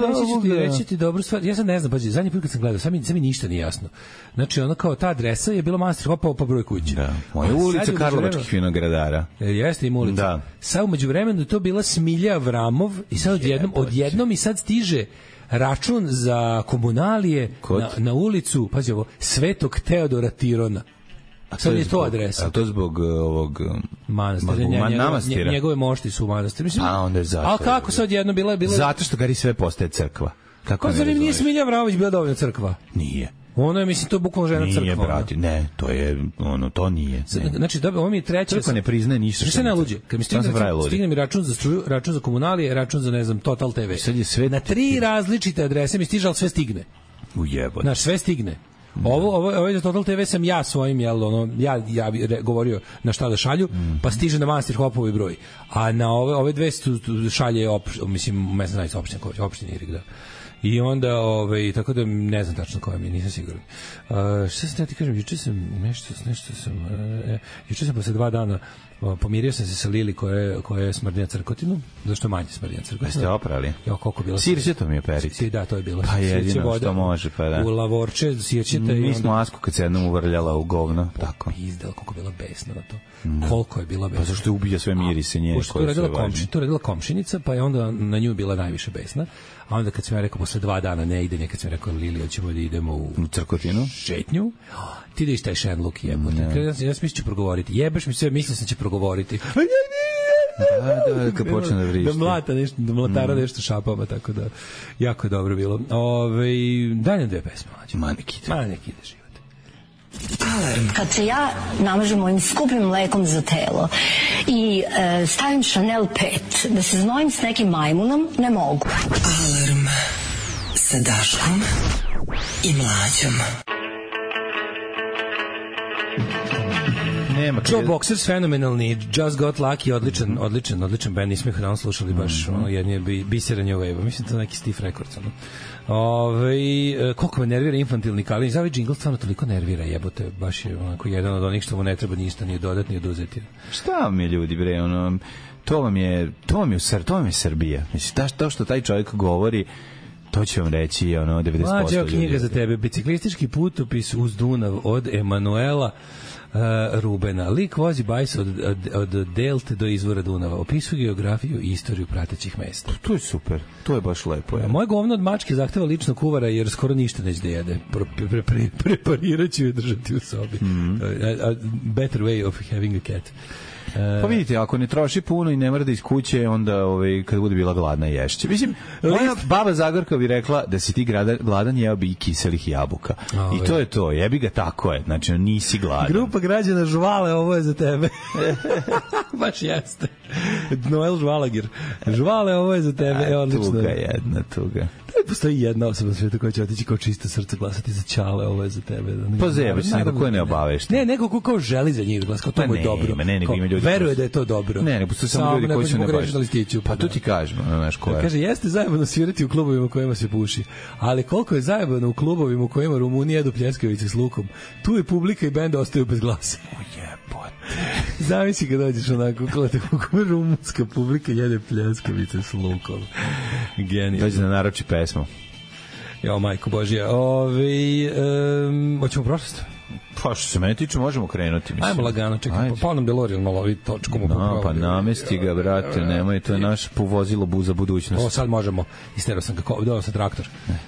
Pa reći ću ti, reći ti dobru stvar. Ja sad ne znam, pađi, zadnji put kad sam gledao, sad mi, sad mi ništa nije jasno. Znači, ono kao ta adresa je bila Manastir Hopovo pa broj kuće. Da. Moja ulica Karlovačkih vinogradara. Jeste im ulica. Da. Sad umeđu vremenu je to bila Smilja Avramov i sad odjednom, odjednom i sad stiže račun za komunalije na, na ulicu, pazi ovo, Svetog Teodora Tirona. A sad je to zbog, adresa. A to zbog uh, ovog manastira, zbog njegove, manastira. Njegove mošti su u manastiru. Mislim, a onda je zato. A kako sad jedno bila bila? Zato što Gari sve postaje crkva. Kako pa zar nije Smilja Avramović bila dovoljno crkva? Nije. Ono je, mislim, to je bukvalno žena nije, crkva. Nije, brati, ne, to je, ono, to nije. Ne. Znači, dobro, ovo mi je treća... Crkva ne priznaje ništa. Što se ne luđe? Kad mi stigne, stigne mi račun za struju, račun za komunalije, račun za, ne znam, Total te ve. Sad je sve... Na tri različite adrese mi stiže, ali sve stigne. Ujebot. Znaš, sve stigne. Ovo ovo ovo za Total te ve sam ja svojim jel ono ja ja bih govorio na šta da šalju, mm. pa stiže na Manastir Hopovo broj. A na ove ove dve šalje op, mislim mesna zajednica opština koja opština Irig, da. I onda ovaj tako da ne znam tačno koja mi, nisam siguran. Uh, šta sam ti kažem, juče sam nešto nešto sam uh, juče sam posle dva dana uh, pomirio sam se sa Lili koja je koja je smrdnja crkotinu, zašto manje smrdnja crkotinu. Jeste oprali? Jo, koliko bilo. Sirće mi je perić. Si, da, to je bilo. Pa jedino što može, pa da. U lavorče sirćete i mi smo asku kad se jednom uvrljala u govno, tako. Izdal koliko bila besna na to. Mm. Koliko je bila besna. Pa zašto je ubija sve mirise nje koje je radila komši, to je radila komšinica, pa je onda na nju bila najviše besna. A onda kad sam ja rekao posle dva dana ne ide, nekad sam rekao Lili, hoćemo da idemo u, u crkotinu, šetnju. Ti ideš taj Shenlock jebote. Ja, ja sam mislio će progovoriti. Jebeš mi sve, mislim sam će progovoriti. Da, da, kad počne da vrišti. Da mlata nešto, da mlatara mm. nešto šapama, tako da jako je dobro bilo. Ove, daj nam dve pesme. Ma nek ide. Ma nek ide život. Alarm. Kad se ja namažem mojim skupim mlekom za telo i e, stavim Chanel pet da se znojim s nekim majmunom, ne mogu. Alarm sa Daškom i Mlađom. Nema Joe Boxers fenomenalni, Just Got Lucky, odličan, odličan, odličan band, nismo ih dan slušali baš, mm -hmm. ono, jedni je bisera New Wave, mislim to neki Steve Records, ono. Ove, koliko me nervira infantilni Kalin, za ovaj džingl stvarno toliko nervira, jebote, baš je onako jedan od onih što mu ne treba ništa ni dodati ni oduzeti. Šta mi je ljudi, bre, ono, to vam je, to vam je, to vam je Srbija, mislim, ta, to što taj čovjek govori, to ću vam reći, ono, devedeset posto ljudi. Mlađa knjiga za tebe, biciklistički putopis uz Dunav od Emanuela Uh, Rubena. Lik vozi bajs od, od, od Delte do izvora Dunava. Opisuje geografiju i istoriju pratećih mesta. To je super. To je baš lepo. Je. Moje govno od mačke zahteva ličnog kuvara jer skoro ništa neće da jede. Pre, pre, pre, preparirat ću je držati u sobi. Mm -hmm. a, a better way of having a cat. Pa vidite, ako ne troši puno i ne mora da iz kuće, onda ovaj, kad bude bila gladna ješće. Mislim, moja baba Zagorka bi rekla da si ti gladan, gladan jeo bi i kiselih jabuka. Ove. I to je to, jebi ga, tako je. Znači, nisi gladan. Grupa građana Žvale, ovo je za tebe. Baš jeste. Noel Žvalagir. Žvale, ovo je za tebe. A, odlično. Tuga jedna, tuga. Da postoji jedna osoba na svijetu koja će otići kao čisto srce glasati za Ćale, ovo je za tebe. Pa zebe, nego ko je ne obavešta. Ne, nego ko kao želi za njih da glasa, kao to mu je dobro. Ne, nego ima ljudi. Veruje da je to dobro. Ne, ne, postoje samo ljudi koji su ne baš. Pa to ti kažem, znaš ko je. Kaže, jeste zajebano svirati u klubovima u kojima se puši, ali koliko je zajebano u klubovima u kojima Rumuni jedu pljeskavice s lukom, tu je publika i bend ostaju bez glasa. O jebote. Zamisli kad dođeš onako, kako rumunska publika jede pljeskavice s lukom. Genijalno. Dođe na naroči pesmu. Jo, majko Božija. Ove, um, hoćemo prošlost? Pa što se mene tiče, možemo krenuti. Mislim. Ajmo lagano, čekaj, pa, pa nam DeLorean malo ovi točku mu popravili. No, pa namesti ga, brate, nemoj, to je naš povozilo buza budućnost. O, sad možemo. Isterao sam kako, dao sam traktor. Ne.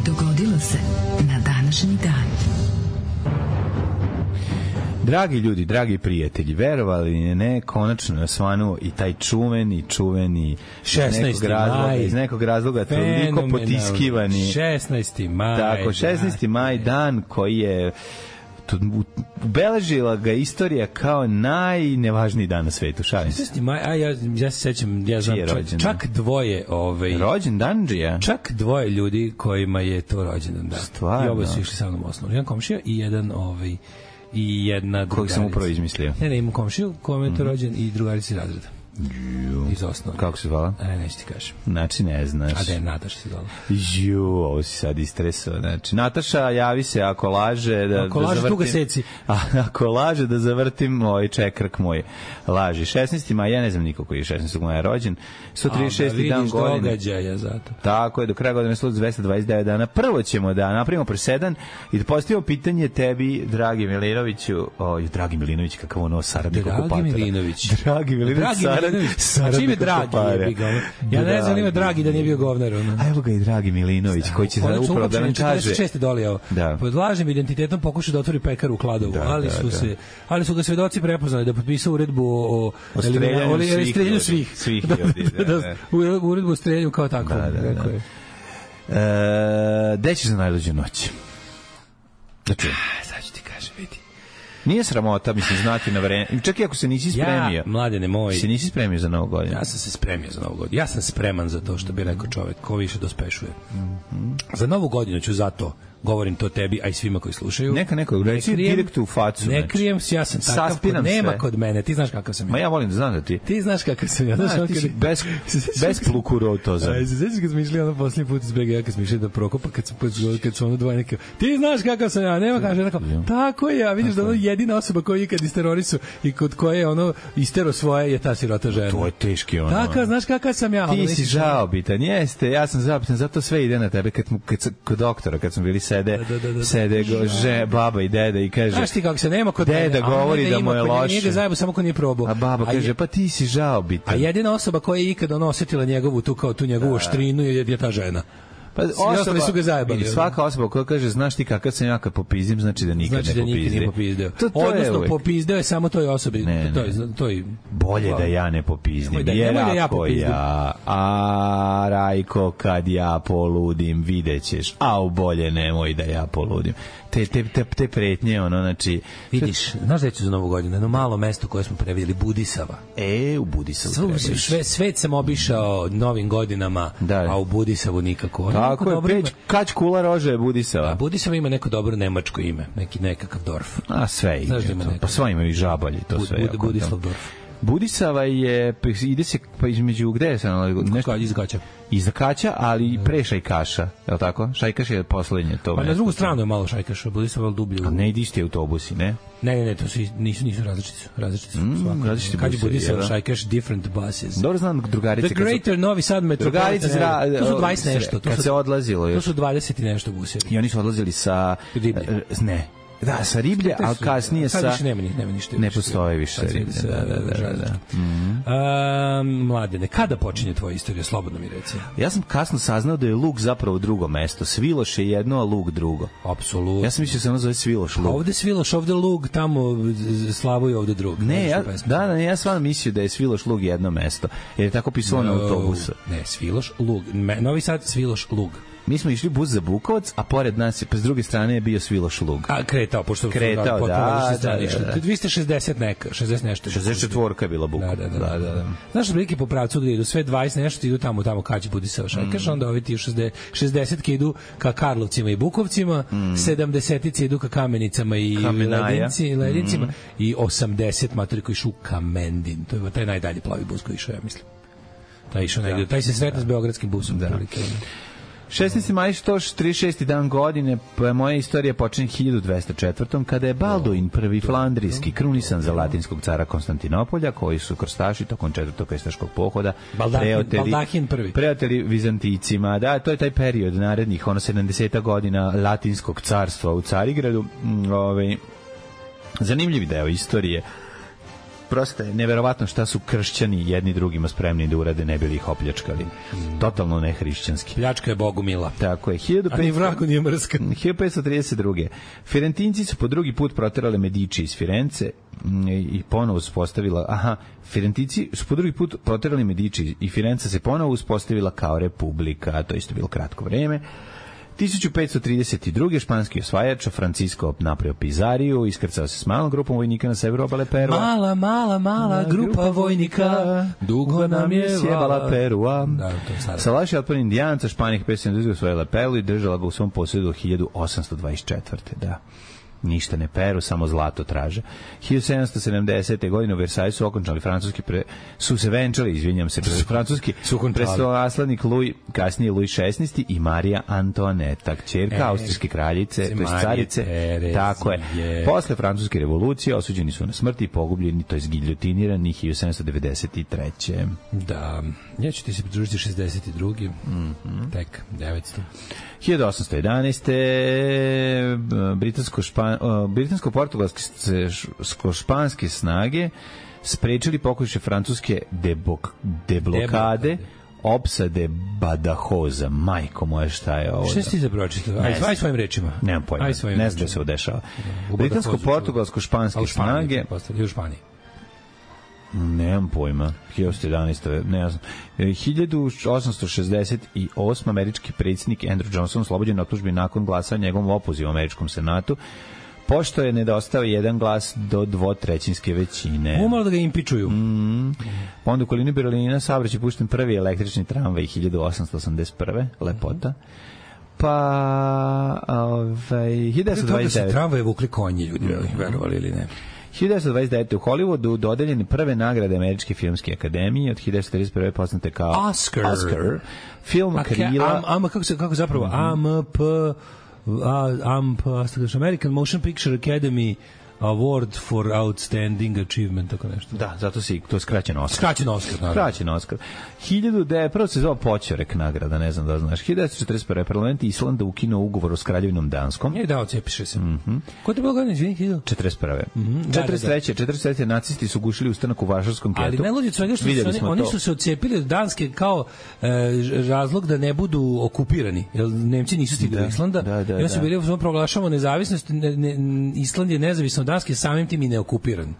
Dogodilo se na današnji dan. Dragi ljudi, dragi prijatelji, verovali ne, konačno je osvanuo i taj čuveni, čuveni šesnaesti maj, iz nekog razloga toliko potiskivani šesnaesti maj. Tako, šesnaesti maj, dan koji je ubeležila ga istorija kao najnevažniji dan na svetu. Šalim se. šesnaesti maj, a ja, ja se sećam, ja znam, čak, čak dvoje ovaj, rođendanđija. Čak dvoje ljudi kojima je to rođendan dan. Stvarno. I oba su išli sa mnom osnovu. Jedan komšija i jedan ovaj i jedna drugarica. Kojeg sam upravo izmislio. Ne, ne, imam komšiju kojom je to rođen i drugarici razreda. Iz osnovne. Kako se zvala? E, neću ti kažem. Znači, ne znaš. A da je Nataša se zvala. Ju, ovo si sad istresao. Znači, Nataša, javi se ako laže da, ako da laže, zavrtim. tu ga seci. A, ako laže da zavrtim ovaj čekrk moj. Laži. šesnaesti maja, ja ne znam niko koji je šesnaestog maja rođen. sto trideset šesti dan godine. Događaja zato. Tako je, do kraja godine je dvesta dvadeset devet dana. Prvo ćemo da napravimo presedan i da postavimo pitanje tebi, dragi Milinoviću. Oj, dragi Milinović, kakav ono saradnik okupatora. Dragi Milinović. Dragi Milinović, saradnik čime dragi je ja ne znam ima dragi da nije bio govnar. A evo ga i dragi Milinović, koji će sada upravo da nam kaže. četrdeset šeste dolijao. Da. Pod lažnim identitetom pokušao da otvori pekaru u Kladovu, da, ali, da, su da. se, ali su ga svedoci prepoznali da potpisao uredbu o, o streljanju svih. streljanju svih. svih da, ljudi, da, da, da, uredbu o streljanju kao tako. Da, da, da. E, gde ćeš za najluđu noć? Znači, sad ću ti kažem, vidi. Nije sramota, mislim, znati na vreme. Čak i ako se nisi spremio. Ja, mladene moj. Se nisi spremio za Novu godinu. Ja sam se spremio za Novu godinu. Ja sam spreman za to što bi rekao čovek, ko više dospešuje. Mm-hmm. Za Novu godinu ću zato, govorim to tebi, a i svima koji slušaju. Neka neko reci direkt u facu. Ne krijem se, ja sam takav, kod, nema sve. Kod mene. Ti znaš kakav sam ja. Ma ja volim da znam da ti. Ti znaš kakav sam ja. Da, znaš, ti kad... si bez, bez plukurotoza. Aj, se sećaš kad smo išli ono posljednji put iz B G, ja kad smo išli da Prokopa, kad, sam, kad su ono dvoje neke, ti znaš kakav sam ja, nema kaže, tako, tako je, ja vidiš da ono jedina osoba koja je kad isterorisu i kod koje je ono istero svoje je ta sirota žena. To je teški ono. Tako, znaš kakav sam ja. Ti si žaobitan, jeste, ja sam žaobitan, zato sve ide na tebe, kad, kad, kod doktora, kad smo bili sede, da, da, da, da. sede go, že, baba i deda i kaže, znaš ti kako se nema kod deda mene, govori da, da mu je loše. Njega zajebu samo ko nije probao. A baba a kaže, je, pa ti si žaobitan. A jedina osoba koja je ikada ono osjetila njegovu tu kao tu njegovu oštrinu je, je ta žena. Pa osoba, su ga zajebali. Svaka osoba koja kaže, znaš ti kakav sam ja kad popizdim, znači da nikad znači ne popizdim. Znači da popizdeo. To, to odnosno, popizdeo je samo toj osobi. Ne, to je, to je, bolje da ja ne popizdim. Da, jer da ja ako popizdim. ja, a Rajko, kad ja poludim, videćeš, a u bolje nemoj da ja poludim. Te, te, te, te pretnje, ono, znači... Vidiš, znaš da ću za Novu godinu, jedno malo mesto koje smo previdjeli, Budisava. E, u Budisavu treba sve, svet sam obišao novim godinama, da. A u Budisavu nikako. Tako je, peć, Kać Kula Rože je Budisava. A Budisava ima neko dobro nemačko ime, neki nekakav dorf. A sve ime, pa sva imaju i žabalji, to Bud, sve. Bud, Budislav dorf. Budisava je, ide se pa između, gde je sad? Nešto, iz Kaća. Iz Kaća, ali pre Šajkaša, je li tako? Šajkaš je poslednje to. Pa na drugu stranu je malo Šajkaša, Budisava je dublje. A ne ide isti autobusi, ne? Ne, ne, ne, to su, nisu, nisu različiti su. Različiti su. Mm, različiti Kad je Budisava, Šajkaš, different buses. Dobro znam drugarice. The Greater Novi Sad Metropolitan. Drugarice, to su dvadeset nešto. Kad se odlazilo. To su dvadeset i nešto buseva. I oni su odlazili sa... Ne. Da, sa Riblje, a kasnije sa... Sad nema, nema ništa. Ne postoji više Riblje. Da, da, da, da. Mm-hmm. A, mladene, kada počinje tvoja istorija? Slobodno mi reci. Ja sam kasno saznao da je Lug zapravo drugo mesto. Sviloš je jedno, a Lug drugo. Apsolutno. Ja sam mislio da se ono zove Sviloš Lug. Ovde Sviloš, ovde Lug, tamo Slavu je ovde drug. Ne, ja, da, da, ja stvarno mislio da je Sviloš Lug jedno mesto. Jer je tako pisalo no, na autobusu. Ne, Sviloš Lug. Novi Sad, Sviloš Lug. Mi smo išli bus za Bukovac, a pored nas je, pa s druge strane je bio Sviloš Lug. A kretao, pošto kretao, da, da, da, da. dvesta šezdeset neka, šezdeset nešto. šezdeset četiri je bila Bukovac. Da, da, da. da, da. Znaš, prilike po pravcu gde idu sve dvadeset nešto idu tamo, tamo Kać Budisava Šajkaš, mm. onda ovi ti šezdeset idu ka Karlovcima i Bukovcima, mm. sedamdeset idu ka Kamenicama i Ledinci, Ledincima mm. i osamdeset matori koji išu u Kamendin. To je taj najdalji plavi bus koji išao, ja mislim. Taj išao negde, taj se sretna s beogradskim busom. Da. šesnaesti maj, sto trideset šesti dan godine, moja istorija počinje hiljadu dvesta četvrtom kada je Balduin prvi flandrijski krunisan za latinskog cara Konstantinopolja, koji su krstaši tokom četvrtog krstaškog pohoda Baldahin prvi preoteli Vizanticima. Da, to je taj period narednih, ono sedamdeset godina latinskog carstva u Carigradu. Ove, zanimljiv deo istorije. Prosto je neverovatno šta su kršćani jedni drugima spremni da urade, ne bili ih opljačkali. Mm. Totalno nehrišćanski. Pljačka je Bogu mila. Tako je. A ni vragu nije mrska. hiljadu petsto trideset druge. Firentinci su po drugi put proterali Medici iz Firence i ponovo uspostavila... Aha, Firentinci su po drugi put proterali Medici i Firenca se ponovo uspostavila kao republika. To isto bilo kratko vreme. hiljadu petsto trideset druge španski osvajač Francisco napravio Pizariju, iskrcao se s malom grupom vojnika na severu obale Perua. Mala, mala, mala grupa, grupa vojnika, dugo nam je sjebala Perua. Da, Salaši otpor indijanca, Španija petsto sedamdeset osvojila Peru i držala ga u svom posjedu hiljadu osamsto dvadeset četvrte. Da. ništa ne peru, samo zlato traže. hiljadu sedamsto sedamdesete. godine u Versajsu okončali francuski pre, su se venčali, izvinjam se, francuski prestolonaslednik Louis, kasnije Louis šesnaesti i Marija Antoaneta, kćerka e, austrijske kraljice, to jest carice, tako je. je. Posle francuske revolucije osuđeni su na smrt i pogubljeni, to jest giljotinirani hiljadu sedamsto devedeset treće. Da, ja ću ti se pridružiti šezdeset druge. Mm-hmm. Tek, devetsto. hiljadu osamsto jedanaeste. Britansko-špan, britansko-portugalsko-španske snage sprečili pokušaj francuske debok, deblokade, deblokade. Opsade Badajoza. Majko moje, šta je ovo? Šta si ti za pročitao? Aj, aj svojim rečima. Nemam pojma, ne znam da se udešava. Britansko-portugalsko-španske snage... U Španiji. Nemam pojma. hiljadu jedanaeste. Ne znam. hiljadu osamsto šezdeset osme. američki predsjednik Andrew Johnson oslobođen optužbi nakon glasa njegovom opozivu u američkom senatu, pošto je nedostao jedan glas do dvotrećinske većine. Umalo da ga impičuju. Mm. Onda u okolini Berlina saobraćaj pušten prvi električni tramvaj hiljadu osamsto osamdeset prve. Lepota. Pa ovaj hiljadu devetsto dvadeset devete. Tramvaje vukli konji, ljudi, mm. verovali ili ne. hiljadu devetsto dvadeset devete. u Hollywoodu dodeljene prve nagrade Američke filmske akademije, od hiljadu devetsto trideset prve. poznate kao Oscar. Oscar. Film Krila. Am, am, kako, se, kako zapravo? Mm -hmm. A M P A M P American Motion Picture Academy Award for Outstanding Achievement, tako nešto. Da, zato si, to je skraćen Oscar. Skraćen Oscar, naravno. Skraćen Oscar. hiljadu devetsto prvo se zvao Poćorek nagrada, ne znam da znaš. hiljadu devetsto četrdeset prve. parlament Islanda ukinuo ugovor s Kraljevinom Danskom. Je dao, cepiše se. Mm -hmm. Ko te bilo godine, izvini, hiljadu? četrdeset prve. Mm -hmm. četrdeset treće. četrdeset treće. nacisti su gušili ustanak u Varšavskom getu. Ali najluđe svega što su oni, oni su se odcepili od Danske kao e, razlog da ne budu okupirani. Jer Nemci nisu stigli da, do Islanda. Da, da, I oni su da. bili, smo proglašavamo nezavisnost, ne, ne, Island je nezavisno od Danske, samim tim i neokupiran.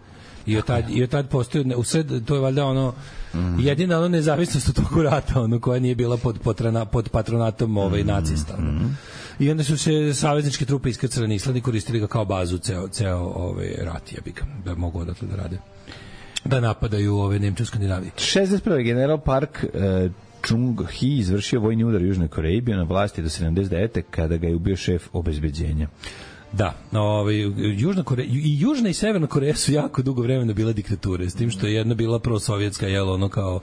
I od tad, i od tad postoji, usred, to je valjda ono, mm. jedina ono nezavisnost od tog rata, ono koja nije bila pod, potrana, pod patronatom ovaj, nacista. Ono. Mm. I onda su se savezničke trupe iskrcale na Island i koristili ga kao bazu ceo, ceo ovaj, rat, ja bih da mogu odatle da rade. Da napadaju ove Nemče u Skandinaviji. šezdeset prve. general Park uh, Chung-hee izvršio vojni udar u Južnoj Koreji, bio na vlasti do sedamdeset devete. kada ga je ubio šef obezbeđenja. Da, ovaj Južna Koreja i Južna i Severna Koreja su jako dugo vremena bila diktature, s tim što je jedna bila prosovjetska, jel, ono kao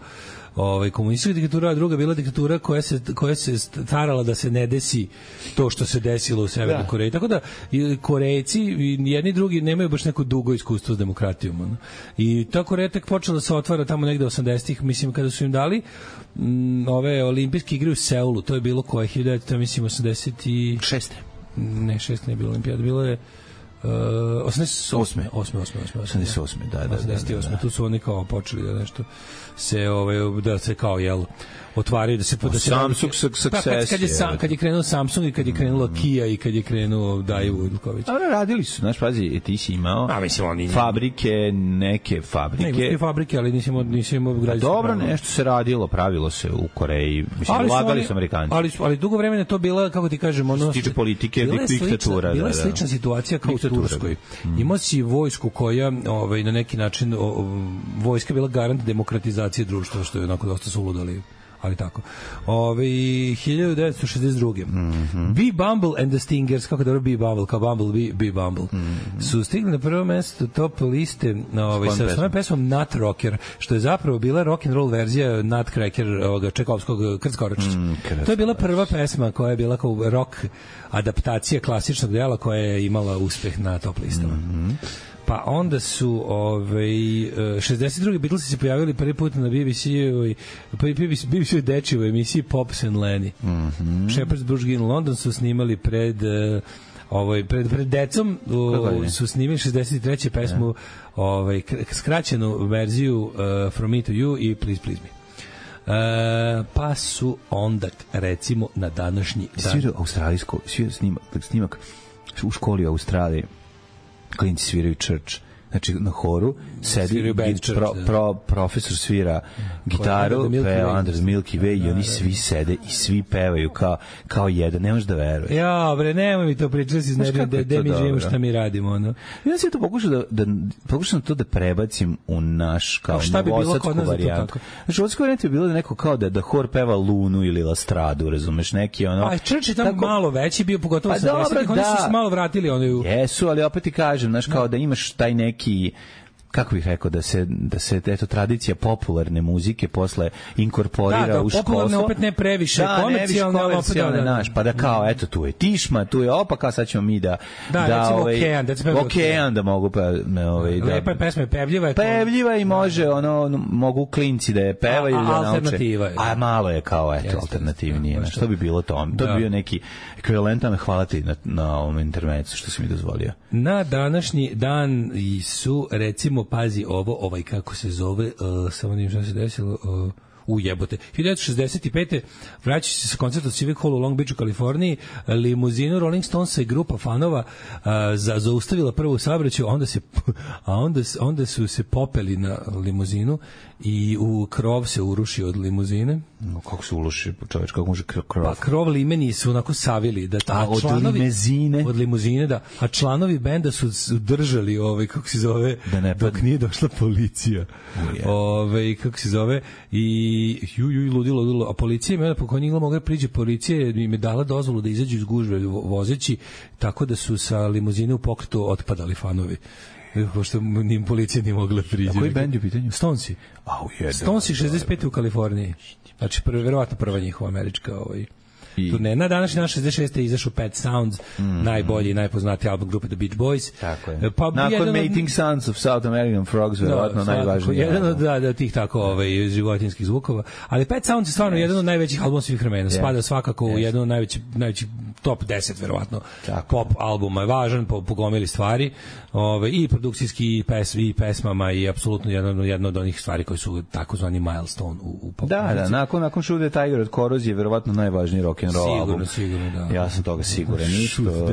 ovaj komunistička diktatura, a druga bila diktatura koja se koja se starala da se ne desi to što se desilo u Severnoj da. Koreji. Tako da i Korejci i jedni i drugi nemaju baš neko dugo iskustvo s demokratijom. Ono. I ta Koreja tek počela da se otvara tamo negde osamdesetih, mislim, kada su im dali m, ove olimpijske igre u Seulu. To je bilo koje hiljadu devetsto, mislim, osamdeset šeste. Ne, šest ne bilo olimpijada, bilo je uh, osamdeset osme. osme, osme, osme, osamdeset osme, da, da, osamdeset osme. Da, da. Tu su oni kao počeli da nešto se ovaj da se kao jel otvaraju da se da se Samsung success. Pa kad, kad je sam, kad je krenuo Samsung i kad je krenulo Kia i kad je krenuo Daewoo Ilković. Ali radili su, znaš, pazi, ti si imao a mislim oni fabrike, neke fabrike. Neke fabrike, ali nismo nismo gradili. Dobro, nešto se radilo, pravilo se u Koreji. Mislim, ulagali su Amerikanci. Ali ali dugo vremena to bila, kako ti kažem, ono tiče politike, diktatura, bila je slična situacija kao u Turskoj. Imao si vojsku koja, ovaj, na neki način o, vojska bila garant demokratizacije društva, što je onako dosta suludali, ali tako. Ove, hiljadu devetsto šezdeset druge. Mm-hmm. Bee Bumble and the Stingers, kako dobro Bee Bumble, kao Bumble, Bee Bumble, mm-hmm. su stigli na prvo mesto top liste ove, sa svojom pesmom Nut Rocker, što je zapravo bila rock and roll verzija Nutcracker, ovoga Čekovskog Krckoračić. Mm, to je bila prva pesma koja je bila kao rock adaptacija klasičnog dela koja je imala uspeh na top listama. Mm-hmm. Pa onda su ovaj šezdeset druge. Beatlesi se pojavili prvi put na B B C-ovoj B B C dečivoj emisiji Pops and Lenny. Mhm. Shepherd's Bush in London su snimali pred uh, ovaj pred pred decom uh, su snimili šezdeset treće pesmu, yeah. ovaj skraćenu verziju uh, From Me to You i Please Please Me. Uh, pa su onda recimo na današnji dan svirao australijsko snimak, snimak u školi u Australiji, klinci sviraju Church. znači na horu sedi band git, pro, pro, profesor svira gitaru, peva Under the Milky Way i oni svi sede i svi pevaju kao, kao jedan, ne možeš da veruješ. Ja, bre, nemoj mi to pričati, si iznervio, da, da mi živimo šta mi radimo. Ono. Ja sam to pokušao da, da, pokušao to da prebacim u naš kao novosadsku bi varijantu. Znači, novosadska varijanta je bilo da neko kao da, da hor peva Lunu ili Lastradu, razumeš, neki ono... A Church je tamo tako, malo veći bio, pogotovo pa sa desetih, oni su se malo vratili. Oni u... Jesu, ali opet ti kažem, znaš, kao da imaš taj neki kako bih rekao, da se, da se eto, tradicija popularne muzike posle inkorporira da, da, u školstvo. Popularne opet ne previše, da, komercijalne, ne više komercijalne, da, da, naš, pa da kao, eto, tu je Tišma, tu je opa, kao sad ćemo mi da... Da, da recimo ovaj, Okean, da se peva Okean, da mogu pa... Ovaj, da, lepa je pesma, je pevljiva je. Pevljiva i može, ono, mogu klinci da je pevaju ili da nauče. Alternativa je. A malo je kao, eto, yes, alternativnije. Yes, što bi bilo to? To bi bio neki ekvivalentan, hvala ti na, na ovom intermecu što si mi dozvolio. Na današnji dan su, recimo, pazi ovo, ovaj kako se zove, uh, samo nijem šta se desilo, uh, u jebote. hiljadu devetsto šezdeset pete vraćajući se sa koncerta Civic Hall u Long Beachu, Kaliforniji, limuzinu Rolling Stonesa i grupa fanova uh, za, zaustavila prvu saobraćaj, onda se a onda, onda su se popeli na limuzinu i u krov se urušio od limuzine. No, kako se uruši čoveč, kako može krov? Pa krov limeni su onako savili da ta, od članovi, limuzine od limuzine, da, a članovi benda su držali ovaj kako se zove da ne dok nije došla policija. Oh, ovaj kako se zove i ju ju ludilo, ludilo, a policija me po konjima mogla priđe, policija im je dala dozvolu da izađu iz gužve vozeći, tako da su sa limuzine u pokretu otpadali fanovi. Pošto nim policija nije mogla priđe. A koji bend je u pitanju? Stonesi. Stonesi šezdeset pete u Kaliforniji. Znači, prvo, verovatno prva njihova američka ovaj, I... turne. Na današnji dan šezdeset šeste je izašao Pet Sounds, mm. najbolji i najpoznatiji album grupe The Beach Boys. Tako je. Pa, nakon Mating od... Sounds of South American Frogs, verovatno no, najvažniji. Jedan od da, da, tih tako ovaj, životinskih zvukova. Ali Pet Sounds je stvarno yes. jedan od najvećih albuma svih vremena. Yes. Spada svakako yes. u jedan od najvećih, najvećih top deset, verovatno, tako. Pop albuma. Je važan po, po gomili stvari. Ove, i produkcijski i, pes, i pesmama i apsolutno jedno, jedno od onih stvari koji su takozvani milestone u, u pop. Da, da, nakon, nakon Shoot the Tiger od Korozije je verovatno najvažniji rock'n'roll album. Sigurno, da. Ja sam toga siguran. Isto,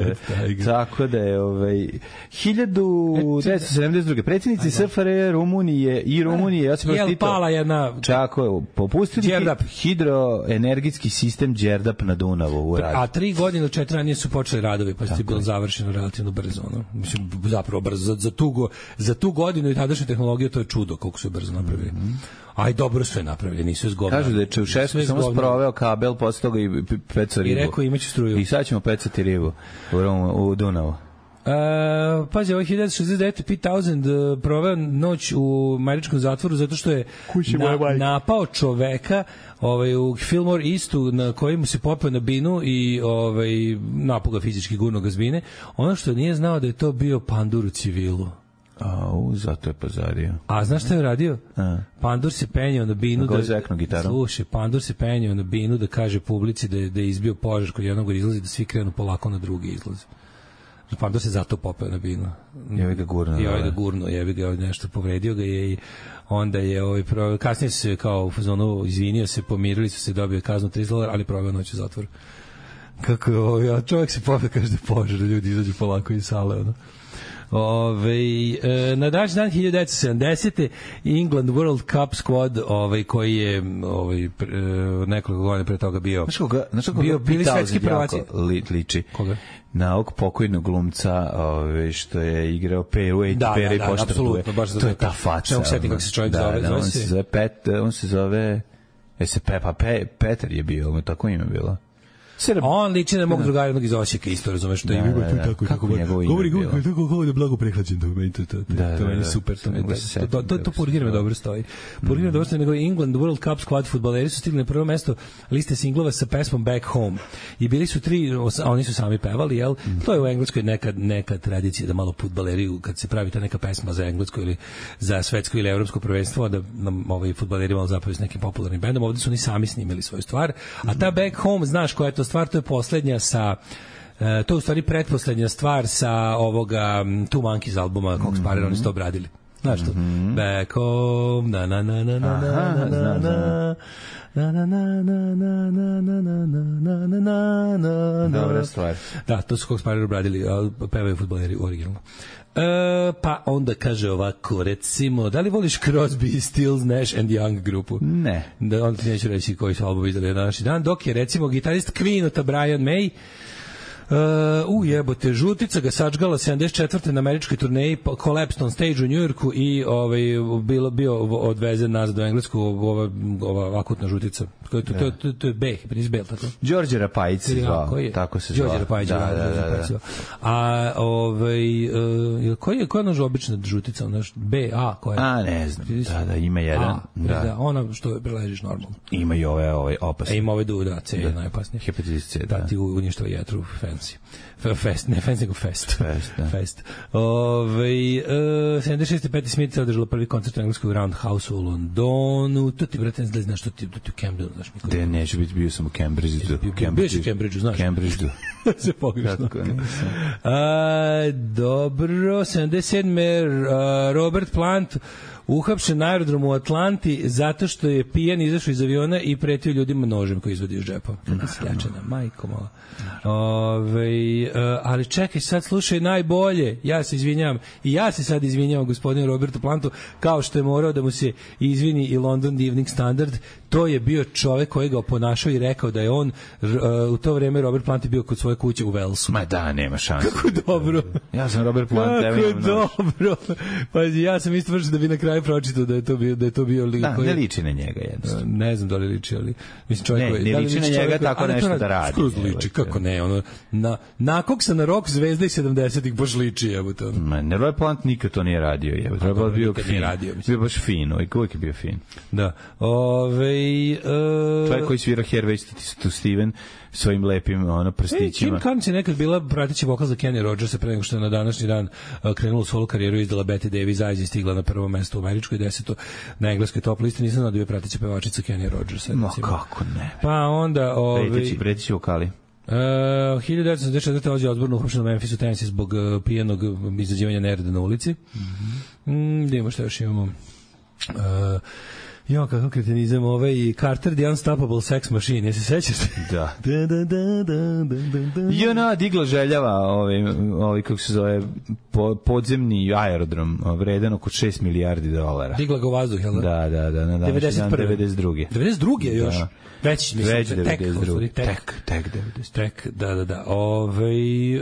tako da je ovaj, hiljadu devetsto sedamdeset druge predsjednici S F R J Rumunije i Rumunije, ja sam Jel pala jedna... Čako je, popustili Đerdap. Hidroenergetski sistem Đerdap na Dunavu u radu. A tri godine ili četiri ranije su počeli radovi, pa je bilo završeno relativno brzo. No? Mislim, zapravo brzo. Za, za, tu, go, za tu godinu i tadašnju tehnologiju to je čudo koliko su brzo napravili. Mm -hmm. Aj, dobro sve napravili, nisu zgovnali. Kažu da je Čaušesku samo sproveo kabel, posle toga i pecao ribu. I rekao imaću struju. I sad ćemo pecati ribu u, u Dunavu. Uh, pazi, ovaj hiljadu devetsto šezdeset devete Pete Townshend uh, proveo noć u američkom zatvoru zato što je na, napao čoveka ovaj, u Fillmore Eastu na kojemu se popeo na binu i ovaj, napao ga fizički, gurno ga zbine. Ono što nije znao da je to bio pandur u civilu. Au, zato je pazario. A znaš šta je radio? A. Pandur se penjao na binu da, da slušaj, Pandur se penjao na binu da kaže publici da je, da je izbio požar kod jednog izlazi, da svi krenu polako na drugi izlaz. Pandur se zato popeo na binu. Jevi ga gurno. I ovaj ga gurno, jevi ga nešto povredio ga je i onda je ovaj pro... kasnije se kao u fazonu izvinio se, pomirili su se, dobio kaznu trideset dolara, ali proveo noć u zatvoru. Kako je ovaj, a čovjek se popeo kaže da požar, ljudi izađu polako iz sale, ono. Ove, e, na današnji dan hiljadu devetsto sedamdesete England World Cup squad ovaj, koji je ovaj, pre, nekoliko godina pre toga bio znaš koga, znaš koga bio bili svetski prvaci li, liči koga? Na ovog pokojnog glumca ovaj, što je igrao P U A da, Pere da, da, apsolutno, baš to je ta faca ne sjetim kako se čovjek da, zove, da, zove on se zove Pet, on se zove je se Pepa Pe, Petar je bio, tako ime bilo. Srb. On liči na mog drugara jednog iz Osijeka, isto razumeš, što je ima tu tako kako njegovo ime govori govori tako govori da blago prehlađen, to meni to to to je super, to to to Purgirme dobro stoji. Purgirme dobro stoji, nego England World Cup squad fudbaleri su stigli na prvo mesto liste singlova sa pesmom Back Home i bili su tri, oni su sami pevali, jel? To je u Engleskoj neka neka tradicija da malo fudbaleri kad se pravi ta neka pesma za englesko ili za svetsko ili evropsko prvenstvo da nam ovaj fudbaleri malo zapevaju s nekim popularnim bendom, ovde su oni sami snimili svoju stvar, a ta Back Home, znaš koja je to stvar, to je poslednja sa uh, to je u stvari pretposlednja stvar sa ovoga Two Monkeys albuma Cox Sparrer, mm -hmm. oni su to obradili. Znaš to? Mm -hmm. Back home, na na na na na na na na Na na na na na na na na na na na na. Dobra stvar. Da, to su Cox Spider obradili, pevaju fudbaleri originalno. E, pa onda kaže ovako, recimo, da li voliš Crosby, Stills, Nash and Young grupu? Ne. Da, onda ti neću reći koji su albumi izdali na današnji dan, dok je recimo gitarist Queenota Brian May Uh, u jebote, žutica ga sačgala sedamdeset četvrte na američkoj turneji, collapsed on stage u Njujorku i ovaj, bilo, bio odvezen nazad u Englesku, ova, ova akutna žutica. To, to, to, to, to je B, Brisbane, tako? Đorđe Rapajić se zvao, tako se zvao. Đorđe Rapajić, da, da, da, da. A ovaj, uh, koji je, koja je naša obična žutica? Naš B, A, koja je? A, ne znam, da, da, ima jedan. A, da. da, ona što preležiš normalno. Ima i ove, ove opasne. E, ima ove du, da, C je najopasnije. Hepatitis C, da. Da, ti uništava jetru, fancy. Fest, ne fancy, nego fest. Fest, da. Fest. Ove, uh, sedamdeset šeste Patti Smith je održala prvi koncert u engleskog Roundhouse u Londonu. To ti, brate, ne znaš što ti, to ti u Cambridgeu, znaš. De, neću biti, bio sam u Cambridgeu. Bio si u Cambridgeu, znaš. Cambridgeu. Se pogrešno. A, dobro, sedamdeset sedme Uh, Robert Plant uhapšen na aerodromu u Atlanti zato što je pijan izašao iz aviona i pretio ljudima nožem koji izvodi iz džepa. Kako sljačena, majko mala. Ove, uh, ali čekaj, sad slušaj najbolje. Ja se izvinjam. I ja se sad izvinjam gospodinu Robertu Plantu, kao što je morao da mu se izvini i London Evening Standard. To je bio čovek koji ga oponašao i rekao da je on uh, u to vreme Robert Plant je bio kod svoje kuće u Walesu. Ma da, nema šanse. Kako dobro. Ja sam Robert Plant. Kako je dobro. Pa ja sam isto vrši da bi na kraju pročitao da je to bio da je to bio lik da, koji ne liči na njega jednostavno. Ne znam da li liči, ali mislim čovjek ne, koji ne da li liči na njega čovjek, tako nešto da radi. Skroz liči, kako ne, ono na nakog se na rock zvezda iz sedamdesetih baš liči, evo to. Ma, ne, Robert Plant nikad to nije radio, je. Trebalo bio fin. Radio, bio baš fino, i uvijek je bio fin. Da. Ovaj uh, čovjek koji svira Hervey to Steven svojim lepim ono prstićima. Kim Carnes je nekad bila prateći vokal za Kenny Rogersa pre nego što je na današnji dan uh, krenula u solo karijeru i izdala Betty Davis Eyes i stigla na prvo mesto u američkoj, deseto na engleskoj top listi. Nisam znao da je prateća pevačica Kenny Rogersa. No kako ne. Pa onda ovaj preteći, preteći vokali. Uh, hiljadu devetsto sedamdeset četvrte Ozzy Osbourne uhapšen u Memphisu, Tennessee zbog uh, pijenog izazivanja nereda na ulici. Mm-hmm. Mm, da imamo šta još imamo. Uh, Jo, kakav kretenizam, ovaj Carter the Unstoppable Sex Machine, jesi se sećaš? Da. I ona digla željava, ovaj, ovaj, kako se zove, po, podzemni aerodrom, vredan oko šest milijardi dolara. Digla ga u vazduh, jel da? Da, da, da, na današnji dan devedeset druge. devedeset druge još? Da. Već, mislim, Već devedeset druge. Tek, tek, tek devedeset. Tek, da, da, da. Ove,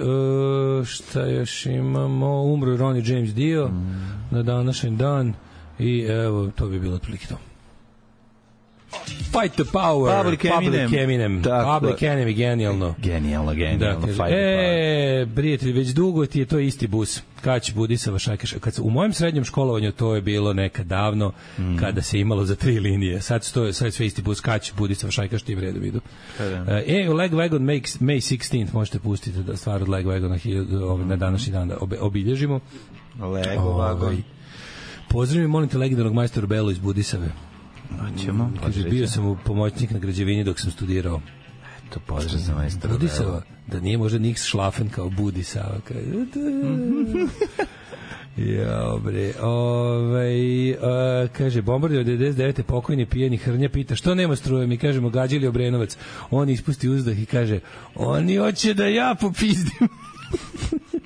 uh, šta još imamo? Umro Ronnie James Dio mm. na današnji dan i evo, to bi bilo otprilike to. Fight the power, Public Eminem, Public Eminem, Public Enemy, genijalno. Genijalno, genijalno. Da, kaže, e, prijatelj, već dugo ti je to isti bus. Kać Budisava Šajkaša. Kad u mojem srednjem školovanju to je bilo nekad davno, mm. kada se imalo za tri linije. Sad stoje, sad je sve isti bus. Kać Budisava Šajkaš, ti vredu vidu. E, Leg Wagon May sixteenth možete pustiti da stvar od Leg Wagona na današnji dan da obilježimo. Lego Wagon. Pozdravim, molim te legendarnog majstora Belu iz Budisave. Ćemo, kaže, bio sam u pomoćnik na građevini dok sam studirao. Eto, pozdrav za majstora Budisava, da nije možda Nix Šlafen kao Budisava. Ja, bre, ovaj, uh, kaže, bombardio devedeset devete pokojni pijeni Hrnja pita, što nema struje, mi kažemo, gađili Obrenovac. On ispusti uzdah i kaže, oni hoće da ja popizdim.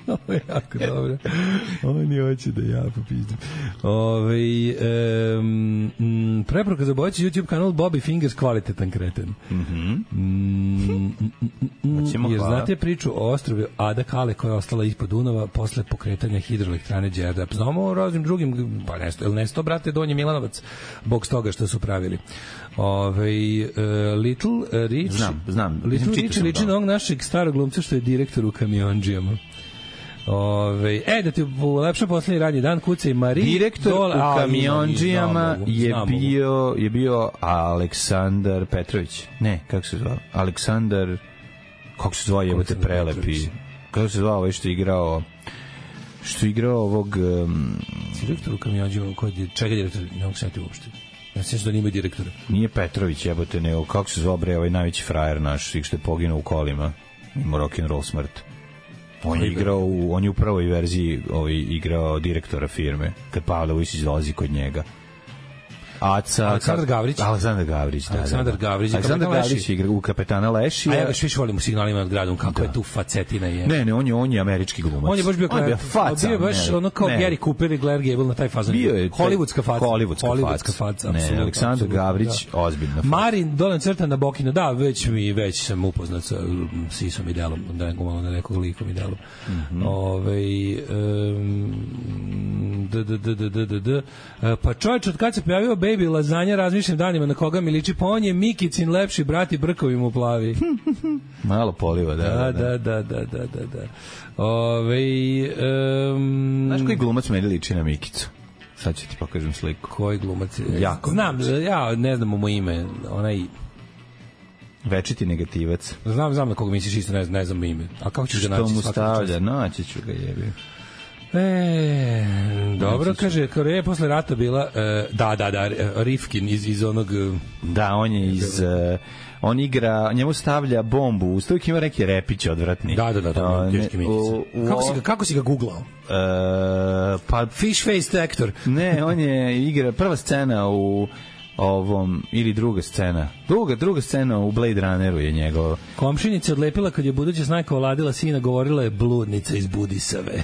Ovo je jako dobro. Oni hoće da ja popizdim. Ove, um, preporuka za bojeći YouTube kanal Bobby Fingers, kvalitetan kreten. Mm-hmm. Mm, mm, mm, jer znate priču o ostrovi Ada Kale koja je ostala ispod Dunava posle pokretanja hidroelektrane Đerdap. Znamo o raznim drugim, pa nesto, ili nesto, brate, Donji Milanovac, bog s toga što su pravili. Ove, uh, Little Rich, znam, znam. Little Rich liči na ovog našeg starog glumca što je direktor u Kamionđijama. Ove, e, da ti ulepša poslednji radnji dan, kuca i Mari. Direktor dole, u Kamionđijama je bio, je bio Aleksandar Petrović. Ne, kako se zvao? Aleksandar, kako se zvao, jebote prelepi. Kako se zvao ovaj što je igrao, što je igrao ovog... Um, direktor u Kamionđijama, čega je direktor? Ne mogu se njeti uopšte. Ja se da nima direktora. Nije Petrović, jebote, nego kako se zvao bre ovaj najveći frajer naš, što je poginuo u kolima. Ima rock'n'roll smrt. On je igrao u, on je u prvoj verziji ovaj, igrao direktora firme, kad Pavle Vujsić dolazi kod njega. Aca, Aleksandar Gavrić. Aleksandar Gavrić, da. Aleksandar da, da. Gavrić, Aleksandar Gavrić igra u Kapetana Lešija. A ja ga više volim u Signalima nad gradom, kako da. je tu facetina je. Ne, ne, on je, on je američki glumac. On je baš bio, on je bio faca. Bio je baš ne, ono kao ne. Gary Cooper i Claire Gable na taj fazon. Bio je hollywoodska faca. Hollywoodska, hollywoodska faca. Ne, Aleksandar Gavrić, da. ozbiljna faca. Marin Dolan crta na Bokinu, da, već mi već sam upoznat sa sisom i delom, da nekog malo na nekog likom i delom. Mm-hmm. Ovaj um, d, d, d, d, d, d, d. Pa čovječ, od kad se pojavio Baby Lazanja, razmišljam danima na koga mi liči, pa on je Mikicin lepši brat i brkovi mu plavi. Malo poliva, da. Da, da, da, da, da, da. da. Ove, um, znaš koji glumac meni liči na Mikicu? Sad ću ti pokažem sliku. Koji glumac? Jako. Znam, ja ne znam mu ime, onaj... Večiti negativac. Znam, znam na koga misliš, isto ne znam, ne znam ime. A kako ćeš ga naći? Što mu stavlja? Naći ću ga, jebi. E, dobro, kaže, Koreja je posle rata bila, e, da, da, da, Rifkin iz, iz onog... Da, on je iz... Uh, on igra, njemu stavlja bombu, uvijek ima neki repić odvratni. Da, da, da, da, teški Mikica. Kako si ga, kako si ga googlao? Uh, pa... Fish-faced actor. Ne, on je igra, prva scena u ovom, ili druga scena. Druga, druga scena u Blade Runneru je njegov. Komšinica odlepila kad je buduća snajka oladila sina, govorila je bludnica iz Budisave.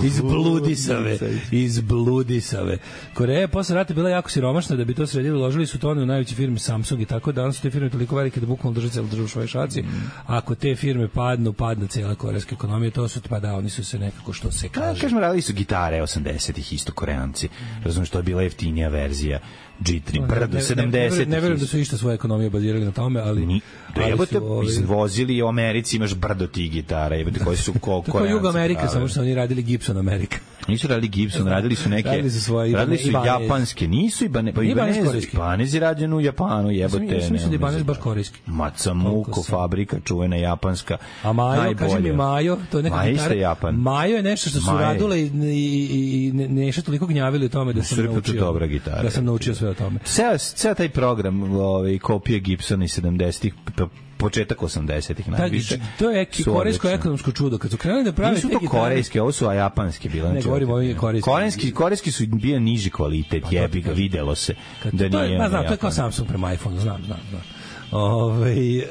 iz Bludisave. Iz Bludisave. Koreja je posle rata bila jako siromašna, da bi to sredili, uložili su to u najveće firme Samsung i tako, danas su te firme toliko velike da bukvalno drže celu državu u svojoj šaci. Mm. Ako te firme padnu, padne cijela korejska ekonomija, to su, pa da, oni su se nekako, što se kaže. Kažemo, radili su gitare osamdesetih isto Koreanci. Razumiješ, to je bila jeftinija verzija G tri, brdo, sedamdesetih. Ne verujem da su išta svoje ekonomije bazirali na tome, ali... Ni, ali jebote, ovi... izvozili u Americi, imaš brdo tih gitara, jebote, koji su ko, Koreanci. Tako Jug Amerika, samo što oni radili Gibson Amerika. Nisu radili Gibson, radili su neke... Radili su svoje... Radili su Ibanez. Japanske, nisu Ibanez, pa Ibanez, Ibanez je rađen u Japanu, jebote. Ja sam mislim da Ibanez baš korejski. Macamuko, fabrika, čuvena japanska. A Majo, kaži mi Majo, to je neka gitara. Japan. Majo je nešto što su radile i, i, i nešto toliko gnjavili o tome da sam naučio. Dobra gitara. Da sam naučio sve o tome. Ceo taj program, ovaj, kopije Gibsona iz sedamdesetih, početak osamdesetih najviše. To je korejsko ekonomsko čudo. Kad su krenuli da prave te gitare... Nisu to korejske, ovo su japanske bile. Ne, govorim o ovim korejskim. Korejski, korejski su bio niži kvalitet, jebi ga, videlo se. Da to nije, je, znam, to je kao Samsung prema iPhone, znam, znam, znam. Ove, e,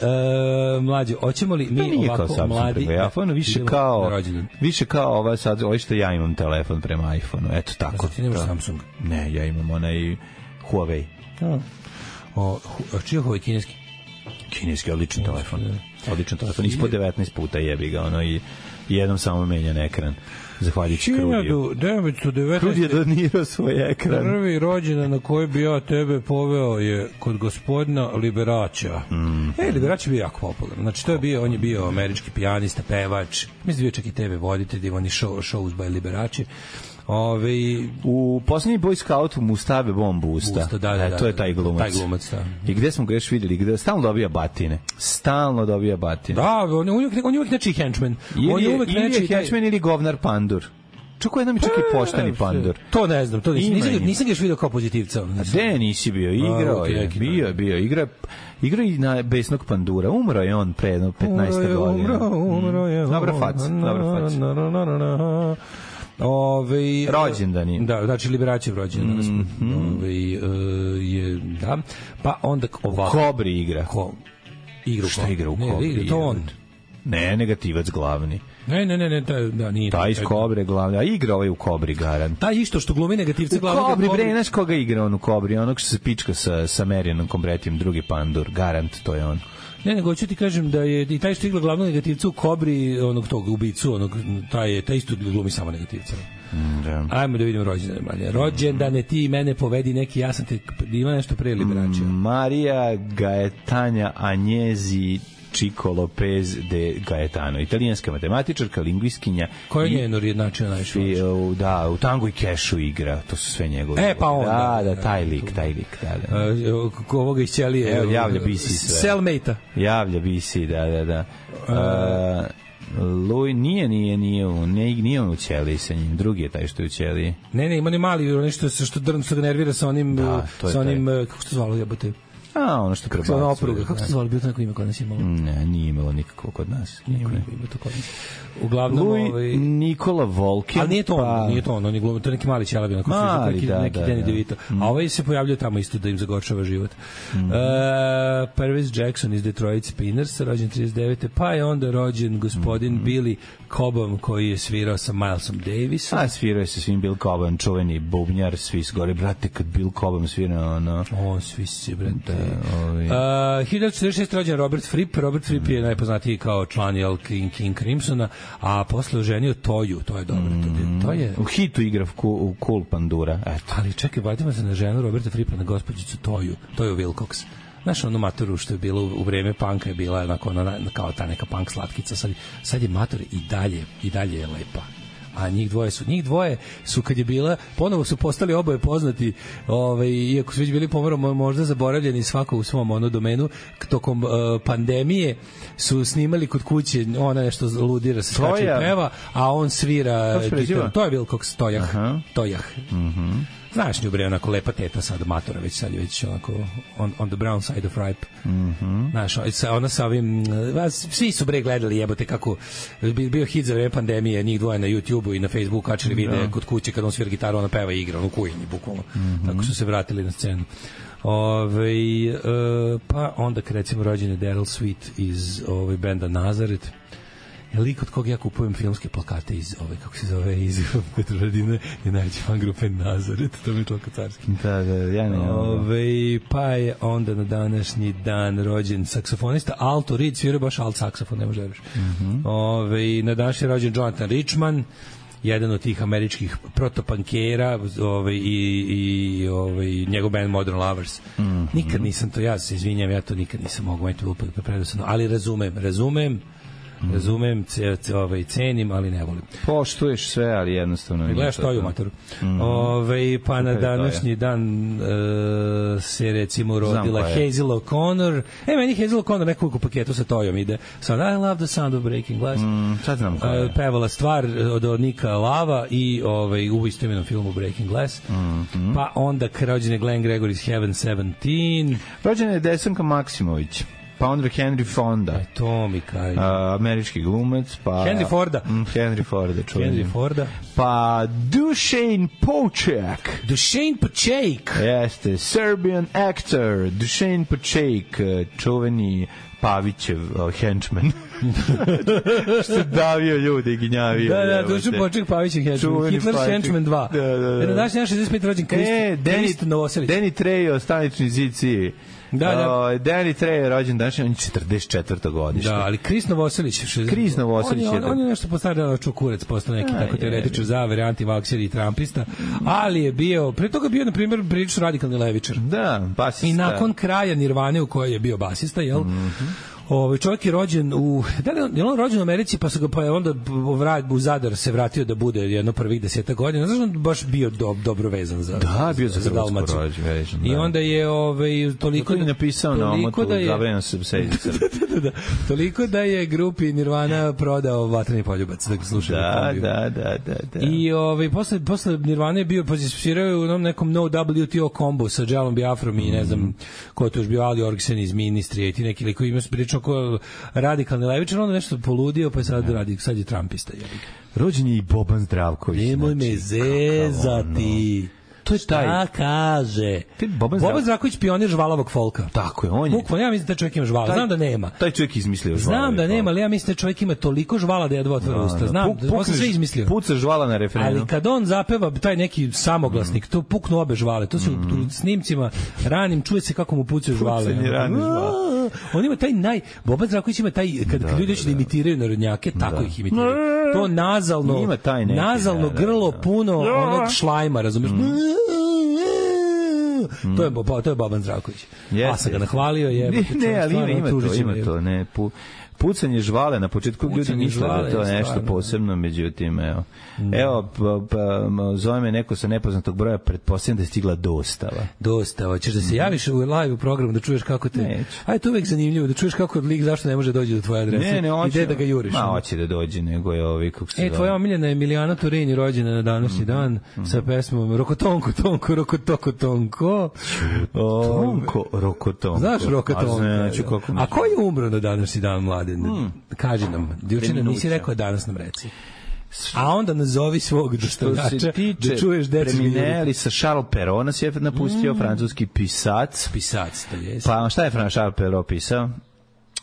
mlađe, hoćemo li mi pa ovako mladi iPhone više kao više kao ova sad, ovo što ja imam telefon prema iPhoneu, eto tako. Ti nemaš Samsung? Ne, ja imam onaj Huawei. A. O, čiji je Huawei kineski? Kineski, odličan telefon. Odličan telefon, ispod devetnaest puta jebi ga, ono, i jednom samo menjan ekran. Zahvaljujući Krudiju. devetsto devetnaeste Krudi je donirao svoj ekran. Prvi rođendan na koji bi ja tebe poveo je kod gospodina Liberača. Mm. E, Liberač je bio jako popularan. Znači, to je bio, on je bio američki pijanista, pevač. Mislim da bio čak i te ve voditelj, oni show, shows by Liberači. Ove, u poslednji Boy Scout mu stave bombu u usta. usta da, da, da, e, to je taj glumac. Taj glumac, da. I gde smo ga još videli? Gde stalno dobija batine. Stalno dobija batine. Da, on je uvijek, on je uvijek nečiji henchman. Ili on je uvijek ili nečiji je henchman ili govnar pandur. Čako je nam čak i pošteni pandur. To ne znam, to nisam, nisam, nisam ga još vidio kao pozitivca. A de nisi bio, igrao je, bio je, bio, igra, igra i na besnog pandura. Umro je on pre jedno petnaest godina. Umro, umro je. Dobra fac, dobra fac. Ove, rođendani. Da, znači Liberačev rođendan. Mm -hmm. Ove, je, da. Pa onda ovako. Kobri igra. Ko, igra Šta igra u Kobri? Ne, igra, to on. Ne, negativac glavni. Ne, ne, ne, ne, taj, da, nije. Taj iz Kobre glavni, a igra ovaj u Kobri, garant. Taj isto što glumi negativce glavni. U Kobri, bre, znaš koga igra on u Kobri? Onog što se pička sa, sa Marijanom Kombretijem, drugi pandur, garant, to je on. Ne, nego ću ti kažem da je i taj što igra glavnog negativca u Kobri, onog tog ubicu, onog, taj, taj isto glumi samo negativca. Mm, da. Ajmo da vidimo rođendane, Marija. Rođendane, ti mene povedi neki, ja sam te, ima nešto pre Liberača. Marija Gaetanja Agnesi Chico Lopez de Gaetano, italijanska matematičarka, lingvistkinja. Koja je njeno jednačina najviše? Da, u Tangu i Kešu igra, to su sve njegove. E, pa on. Da, da, taj lik, taj lik, da, da. Uh, ovoga iz Ćelije. Evo, javlja B C sve. Cellmate-a. Javlja B C, da, da, da. Uh, Louis, nije, nije, nije, nije, nije on u Ćeliji sa njim, drugi je taj što je u Ćeliji. Ne, ne, ima ne mali, nešto što, što, što ga nervira sa onim, da, sa onim, kako se zvalo, jebote? A, ono što prebacuje. Kako se opruga, kako se zvali, bilo to neko ime kod nas imalo? Ne, nije imalo nikako kod nas. Niko nije ima to kod nas. Uglavnom, Louis ovaj... Nikola Volkin. Ali nije to on, pa... nije to on, on je glumio, to je neki mali ćelavi, onako Mali, neki, da, neki da, Danny da. DeVito. Mm. A ovaj se pojavljuje tamo isto da im zagorčava život. Mm. Uh, Pervis Jackson iz Detroit Spinners, rođen trideset devete Pa je onda rođen gospodin mm. Billy Cobham, koji je svirao sa Milesom Davisom. A svirao je sa svim Bill Cobham, čuveni bubnjar, svi gore, brate, kad Bill Cobham svirao, ono... O, svi se, brate. Da, ovi... uh, hiljadu četrdeset šeste rođen Robert Fripp. Robert Fripp mm. je najpoznatiji kao član Jel King, King Crimsona, a posle oženio Toju, to je dobro. Mm. To je... U hitu igra u, u Cool Pandura, eto. Ali čekaj, vratimo se na ženu Roberta Frippa, na gospođicu Toju, Toju Wilcox. Znaš, onu maturu što je bilo u, u vreme panka je bila onako, ona, kao ta neka punk slatkica, sad, sad je mator i dalje, i dalje je lepa. A njih dvoje su, njih dvoje su kad je bila, ponovo su postali oboje poznati, ovaj, iako su već bili pomalo možda zaboravljeni svako u svom ono domenu, tokom uh, pandemije su snimali kod kuće, ona nešto ludira se skače i peva, a on svira gitaru. To je Wilcox, Tojah. Aha. Tojah. Mhm. Znaš nju, bre, onako lepa teta sad matora, već sad je već onako on, on the brown side of ripe. Mm-hmm. Znaš, ona sa ovim, svi su, bre, gledali, jebote, kako bio hit za vreme pandemije, njih dvoje na YouTubeu i na Facebooku kačili videe kod kuće kad on svira gitaru, ona peva i igra, ono kujini, bukvalno. Mm-hmm. Tako su se vratili na scenu. Ove, e, pa onda, kad recimo rođen je Daryl Sweet iz ove, benda Nazaret, je lik od koga ja kupujem filmske plakate iz ove, kako se zove, iz Petrovaradine, je najveći fan grupe Nazaret, to mi je toliko carski. Da, da, ja ne. Ove, pa je onda na današnji dan rođen saksofonista Alto Reed, svirao baš alt saksofon, ne može da veriš. Mm-hmm. Ove, na današnji rođen Jonathan Richman, jedan od tih američkih protopankera, ovaj, i, i ovaj, njegov band Modern Lovers. Mm-hmm. Nikad nisam to, ja se izvinjam, ja to nikad nisam mogu, meni to bilo predosadno, ali razumem, razumem, Mm. razumem, ce, ce, ovaj, cenim, ali ne volim. Poštuješ sve, ali jednostavno... Gledaš Toju, matoru. Mm. Ove, pa na današnji dan uh, se recimo rodila Hazel O'Connor. E, meni Hazel O'Connor nekoliko paketu sa Tojom ide. Sad, I love the sound of breaking glass. Mm, sad znam koja je. Uh, pevala stvar od, od Nika Lava i ovaj, u istoimenom filmu Breaking Glass. Mm-hmm. Pa onda rođen je Glenn Gregory's Heaven sedamnaest. Rođen je Desanka Maksimović. Pa onda Henry Fonda. Aj, to mi kaj. Uh, američki glumac. Pa, Henry Forda. Mm, Henry Forda, čujem. Henry Forda. Pa Dušan Poček. Dušan Poček. Jeste, Serbian actor. Dušan Poček, čuveni Pavićev uh, henchman. Što davio ljude i ginjavio. Da, da, Dušan Poček, Pavićev henchman. Hitler's Henchman dva. Da, da, da. Na današnji šezdeset peti rođen Krist, e, Krist Novoselić. Danny Trejo, stanični zici. Da, da. Uh, Danny Trejo je rođen danas, on je četrdeset četvrte godište. Da, ali Kris Novoselić, Kris Novoselić on je, on, on je nešto postavljao čukurec, postao neki tako teoretičar zavere, antivakser i trampista, ali je bio, pre toga bio na primjer prilično radikalni levičar. Da, basista. I nakon kraja Nirvane u kojoj je bio basista, jel? Mm-hmm. Ovaj čovjek je rođen u da je on rođen u Americi, pa se ga pa je onda u Zadar se vratio da bude jedno prvih deset godina. Znači on baš bio do, dobro vezan za da, bio za, za Dalmaciju. Da. I onda je ovaj toliko je napisao na omotu da je Gabriel Subsedica. da, da, toliko da je grupi Nirvana prodao Vatreni poljubac, da ga slušaju. Da, da, da, da, da. I ovaj posle posle Nirvane je bio pozicionirao u onom nekom No W T O kombo sa Jelom Biafrom i ne znam ko je to još bio, Ali Orgsen iz Ministrije i ti neki liko ima pričao ko radikalni levičar, onda nešto poludio, pa je sad radi, sad je trumpista. Rođen je i Boban Zdravković. Nemoj me zezati. To je taj. Šta kaže? Boban Zdravković, Zdravković pionir žvalavog folka. Tako je, on je. Bukvalno, ja mislim da čovjek ima žvala. Taj, znam da nema. Taj čovjek izmislio žvala. Znam da nema, ali ja mislim da čovjek ima toliko žvala da jedva otvara usta. Znam, Puk, on se sve izmislio. Puca žvala na referendum. Ali kad on zapeva taj neki samoglasnik, mm. to puknu obe žvale. To se mm. u snimcima ranim čuje se kako mu pucaju žvale. Pucanje rane žvale. On ima taj naj... Boban Zdravković ima taj... Kad, da, kad ljudi hoće da, da imitiraju narodnjake, tako da. Ih imitiraju. To nazalno... Ima taj neki, nazalno da, grlo da, da. puno onog šlajma, razumiješ? Mm. Mm. To je to je Boban Zdravković. Yes, A sam ga nahvalio je. Ne, ne, ali ima, ima to, ima to, ne. Pu, pucanje žvale na početku Pucanje ljudi misle da je to žvale, nešto stvarno. posebno, međutim, evo. Evo, pa, pa, zove me neko sa nepoznatog broja, pretpostavljam da je stigla dostava. Dostava. Ćeš da se javiš u live u programu da čuješ kako te... Neću. Aj, to je uvek zanimljivo, da čuješ kako lik zašto ne može doći do tvoje adrese. Ne, ne, hoće. Ide da ga juriš. Ma, hoće da dođe, nego je ovi, kako se E, zove. tvoja omiljena Emilijana Torini rođena na današnji dan sa pesmom Rokotonko, tonko, rokotoko, tonko. Tonko, rokotonko. Znaš Rokotonko? A znači, kako A ko je umro na današnji dan, Mladen? Kaži nam. Juče nam nisi rekao, danas nam reci. A onda nazovi svog dostavljača da čuješ decu. Premineli sa Charles Perrault nas je napustio, mm. francuski pisac. Pisac, to je. Pa šta je Charles Perrault pisao?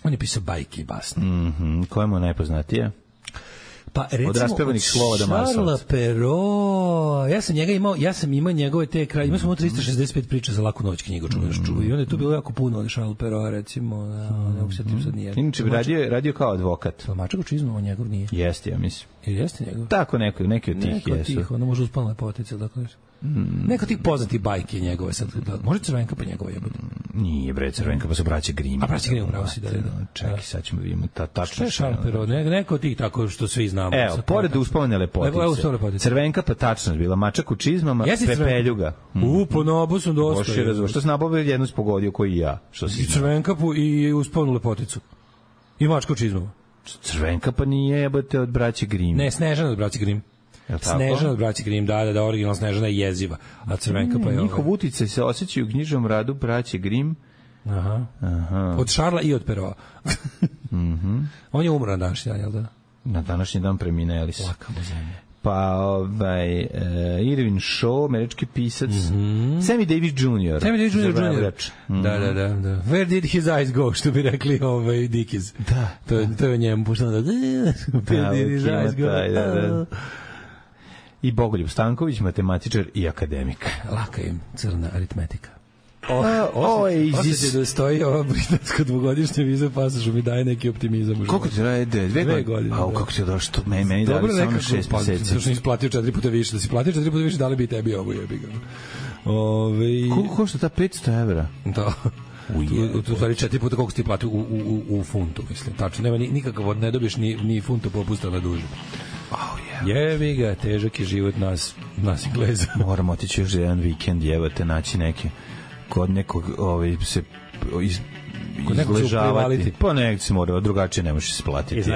On je pisao bajke i basne. Mhm, koje mu je najpoznatije? Pa recimo od raspevanih slova do maslaca. Charles Perrault, ja sam njega imao, ja sam imao njegove te kraj, imao sam tristo šezdeset pet priča za laku noć knjigu, čuvaš, čuvaj. I onda je tu bilo jako puno od Charles Perrault, recimo, ne mogu se tim sad nije. Inače bi radio, radio kao advokat. Mačak u čizmu, on njegov nije. Jeste, ja mislim. Ili jeste njegov? Tako, neko, neki od tih neko jesu. Neko od tih, ono može uspalna lepotica, dakle. Mm. Neko tih poznatih bajke njegove sad, da, može Crvenka pa njegove jebote. Nije bre Crvenka, pa su braće Grimm. A braće Grimm pravo si da, da. Čekaj, sad ćemo vidimo ta tačno. Šta je Charles Perrault? Ne, neko od tih tako što svi znamo. Evo, pored uspomene lepotice. Evo, evo lepotice. Crvenka pa tačno bila, mačak u čizmama, pepeljuga. Mm. U, po nabu sam dosta. Boši razumio. Što se nabavio jednu spogodio koji ja. Što si I Crvenka i uspomenu lepoticu. I mačka u čizmama. Crvenka pa nije jebote od braće Grimm. Ne, Snežana od braće Grimm. Snežana od braće Grimm, da, da, da, originalna Snežana je jeziva, a Crvenka pa je... Njihov uticaj se osjećaju u knjižnom radu braće Grimm. Aha. Aha. Od Charlesa i od Perraulta. Mhm. On je umro na današnji dan, jel da? Na današnji dan premineli su. Laka mu zemlja. Pa, ovaj, uh, Irvin Shaw, američki pisac, mm -hmm. Sammy Davis junior Sammy Davis junior junior Mm -hmm. Da, da, da, da. Where did his eyes go, što bi rekli ovaj Dickies. Da. To, to je njemu pušteno da... Where did his eyes go? Taj, da, da. I Bogoljub Stanković, matematičar i akademik. Laka im crna aritmetika. Oh, oh, osjeća da stoji ova britanska dvogodišnja viza pasošu mi daje neki optimizam. Koliko ti traje? Dve, dve godine. A kako ti je došlo? To meni, meni dali samo šest meseci. Dobro, što nisi platio četiri puta više. Da si platio četiri puta više, dali bi tebi ovo jebi ga. Ove... Koliko košta ta petsto evra? Da. U, u stvari četiri puta koliko si ti platio u, u, u, u funtu, mislim. Tačno, nema nikakav, ne dobiješ ni, ni funtu popusta na duže. Oh, yeah. Jebi ga, težak je život nas, nas Ingleza. Moramo otići još jedan vikend, jebate, naći neke kod nekog ovaj, se iz, izležavati. Pa nekog se mora, drugačije ne možeš se platiti.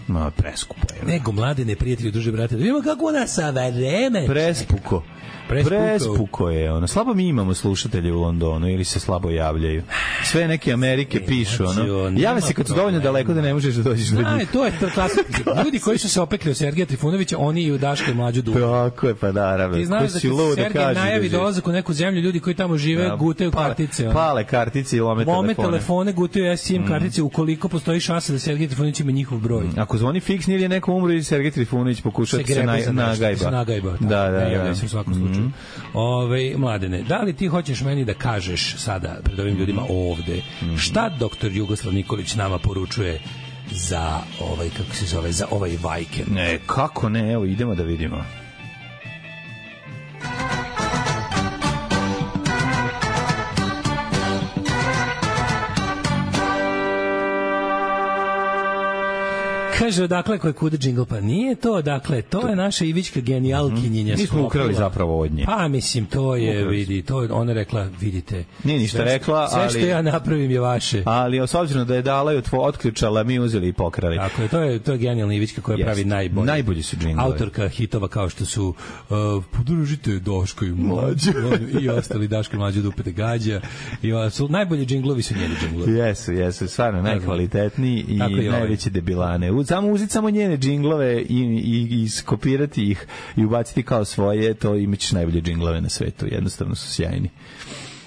Ma, preskupo je. Nego, mlade neprijatelji, duže brate, da vidimo kako nas sada vreme. Prespuko. Prespuko. Prespuko je ono. Slabo mi imamo slušatelje u Londonu ili se slabo javljaju. Sve neke Amerike e, pišu ono. Jave se kad su dovoljno daleko da ne možeš da dođeš do njih. To je to klasično. Ljudi koji su se opekli od Sergeja Trifunovića, oni i u Daška i Mlađu Dubu. Tako je, pa naravno. Ti znaš da kad Sergej najavi dolazak u neku zemlju, ljudi koji tamo žive gutaju kartice. Pale kartice i lome telefone. Lome telefone, gutaju S I M kartice ukoliko postoji šansa da Sergej Trifunović ima njihov broj. Ako zvoni fiksni ili je neko umro i Sergej Trifunović pokuša se nagajba. Da, da, da. Ove, Mladene, da li ti hoćeš meni da kažeš sada pred ovim ljudima ovde šta doktor Jugoslav Nikolić nama poručuje za ovaj, kako se zove, za ovaj vikend? Ne, kako ne, evo idemo da vidimo. Kaže, odakle koje kude džingl, pa nije to, dakle, to je naša Ivićka genijalkinjenja. Mi smo ukrali zapravo od nje. Pa, mislim, to je, ukrali. Vidi, to je, ona rekla, vidite. Nije ništa sve, rekla, sve ali... Sve što ja napravim je vaše. Ali, s obzirom da je dala i otključala, mi uzeli i pokrali. Tako je, to je, to je genijalna Ivićka koja yes. pravi najbolje. Najbolji su džinglovi. Autorka hitova kao što su uh, podržite Daško i Mlađu. I ostali Daško i Mlađu Dupete Gađa. I su, najbolji džinglovi su njeni džinglovi. Jesu, jesu, stvarno, najkvalitetniji i najveće debilane. Samo uzeti samo njene džinglove i, i, i skopirati ih i ubaciti kao svoje, to imaćeš najbolje džinglove na svetu. Jednostavno su sjajni.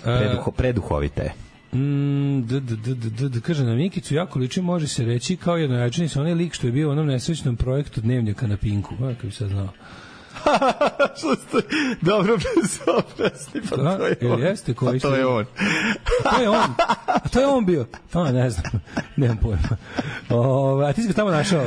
Preduho, preduhovite. Mm, d, d, d, d, d, kaže na Mikicu, jako liči, može se reći kao jednojačini sa onaj lik što je bio u onom nesrećnom projektu Dnevnjaka na Pinku. A, kako bi sad znao. Što ste dobro bezobrazni, pa to je on. Jeste, koji pa to je on. To je on. A to je on bio. Pa ne znam. Nemam pojma. O, a ti si ga tamo našao.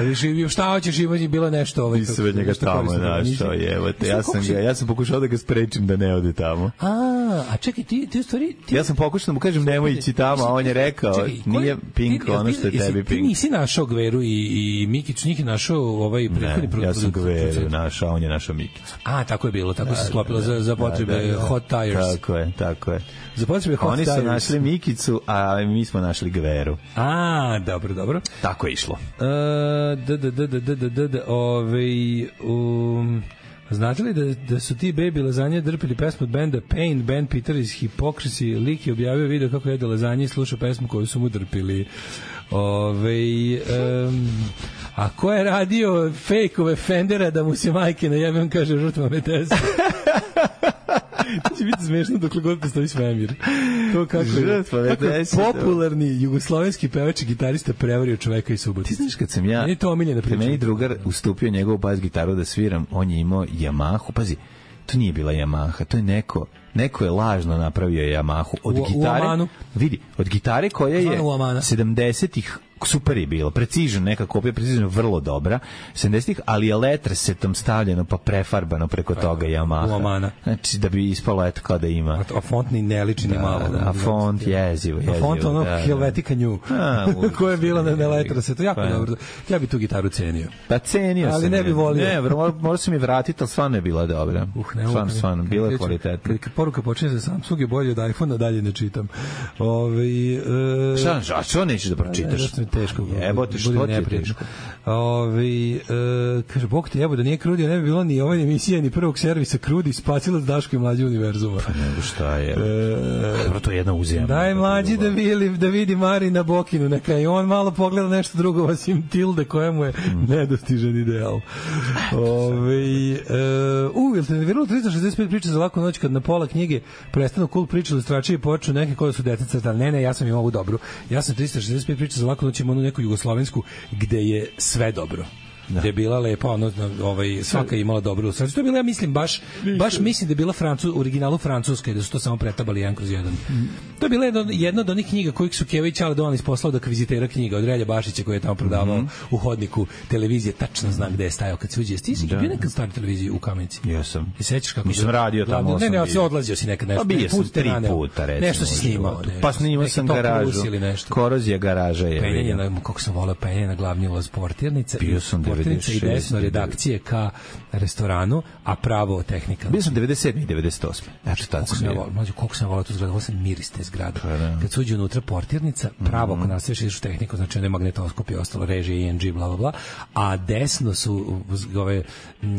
Šta hoćeš, ima bilo nešto. Ovaj, Nisam od njega tamo našao, je. Evo te, ja sam, ga, ja sam pokušao da ga sprečim da ne ode tamo. A, A, a čekaj, ti, ti u stvari... Ti... Ja sam pokušao da mu kažem nemoj ići tamo, a on je rekao, čekaj, nije Pink ti, ono što je tebi Pink. Ti nisi našao Gveru i, i Mikić, njih je našao ovaj prethodni produkt. Ja sam Gveru našao, on je našao Mikić. A, tako je bilo, tako da, se sklopilo da, za, za potrebe da, da, da. Hot Tires. Tako je, tako je. Za potrebe Hot Oni Tires. Oni su našli Mikicu, a mi smo našli Gveru. A, dobro, dobro. Tako je išlo. Uh, da, da, da, da, da, da, da, ovaj... Um, znate li da, da su ti Baby Lazanje drpili pesmu od benda Pain, band Peter iz Hypocrisy, lik je objavio video kako jede lazanje i sluša pesmu koju su mu drpili. Ove, um, a ko je radio fejkove Fendera da mu se majke najebem, kaže žrtva Metesa. To će biti smešno dokle god postoji svemir. To kako je, kako je popularni jugoslovenski pevač i gitarista prevario čoveka iz Subotice. Ti znaš kad sam ja, meni to omiljena priča. Meni drugar ustupio njegovu bas gitaru da sviram, on je imao Yamahu, pazi, to nije bila Yamaha, to je neko, neko je lažno napravio Yamahu od u, gitare. U vidi, od gitare koja je sedamdesetih super je bilo, precižno, neka kopija precižno vrlo dobra, sedamdesetih, ali je letresetom stavljeno pa prefarbano preko toga Yamaha. Znači da bi ispalo eto kao da ima. A, a font ni ne liči ni malo. Da, a font jezivo, jezivo. A font ono da, Helvetica New, koja je bila na, na letresetu, jako pa, dobro. Ja bi tu gitaru cenio. Pa cenio ali sam. ne bi volio. Ne, možda se mi vratiti, ali stvarno je bila dobra. Uh, ne, stvarno, stvarno, bila je kvalitetna. Kad poruka počne za Samsung je bolje od iPhone-a, dalje ne čitam. Ove, e, šta, a što nećeš da pročitaš? Teško. Jebote, što ti je teško? Ove, e, kaže, Bog te jebo, da nije Krudi, ne bi bilo ni ove emisije, ni prvog servisa Krudi, Spacilac Daško i Mlađe univerzuma. Pa nego šta je? E, Dobro, to je jedna uzijama. Daj Mlađi da vidi, da vidi Mari na Bokinu, neka i on malo pogleda nešto drugo, osim Tilde, koja mu je nedostižan ideal. Ove, e, u, jel te nerviralo trista šezdeset pet priča za laku noć kad na pola knjige prestanu cool priče ilustračije i počnu neke koje su deca crtali. Ne, ne, ja sam im ovu dobru. Ja sam trista šezdeset pet priča za laku noć imao neku jugoslovensku gde je sve dobro. Da. Gde je bila lepa, ono, ovaj, svaka je imala dobru ilustraciju. To je bila, ja mislim, baš, baš mislim da je bila Francu, u originalu francuska i da su to samo pretabali jedan kroz jedan. Mm. To je bila jedna, jedna od onih knjiga kojih su Keva i Ćale Dovanis poslao da kvizitera knjiga od Relja Bašića koji je tamo prodavao mm -hmm. u hodniku televizije, tačno zna gde je stajao kad se uđe. Ti si bio nekad stari televiziju u Kamenici? Jesam. I sećaš kako nisam radio tamo. Ne, ne, ja se odlazio si nekad nešto. Pa bio sam tri puta, recimo. Nešto si snimao. Pa snimao sam garažu. Korozija garaža je. Penjanje na, kako sam voleo, penjanje na glavni ulaz portirnice. Bio sam devedeset šest redakcije ka restoranu, a pravo tehnika. Bio sam devedeset sedam i devedeset osam. Znači, tad sam bio. Mlađo, koliko sam volao tu zgradu, ovo sam miris te zgrade. Kad se uđe unutra portirnica, pravo, ako nastaviš ideš u tehniku, znači ono je magnetoskop i ostalo, režije, I N G, bla, bla, bla, a desno su ove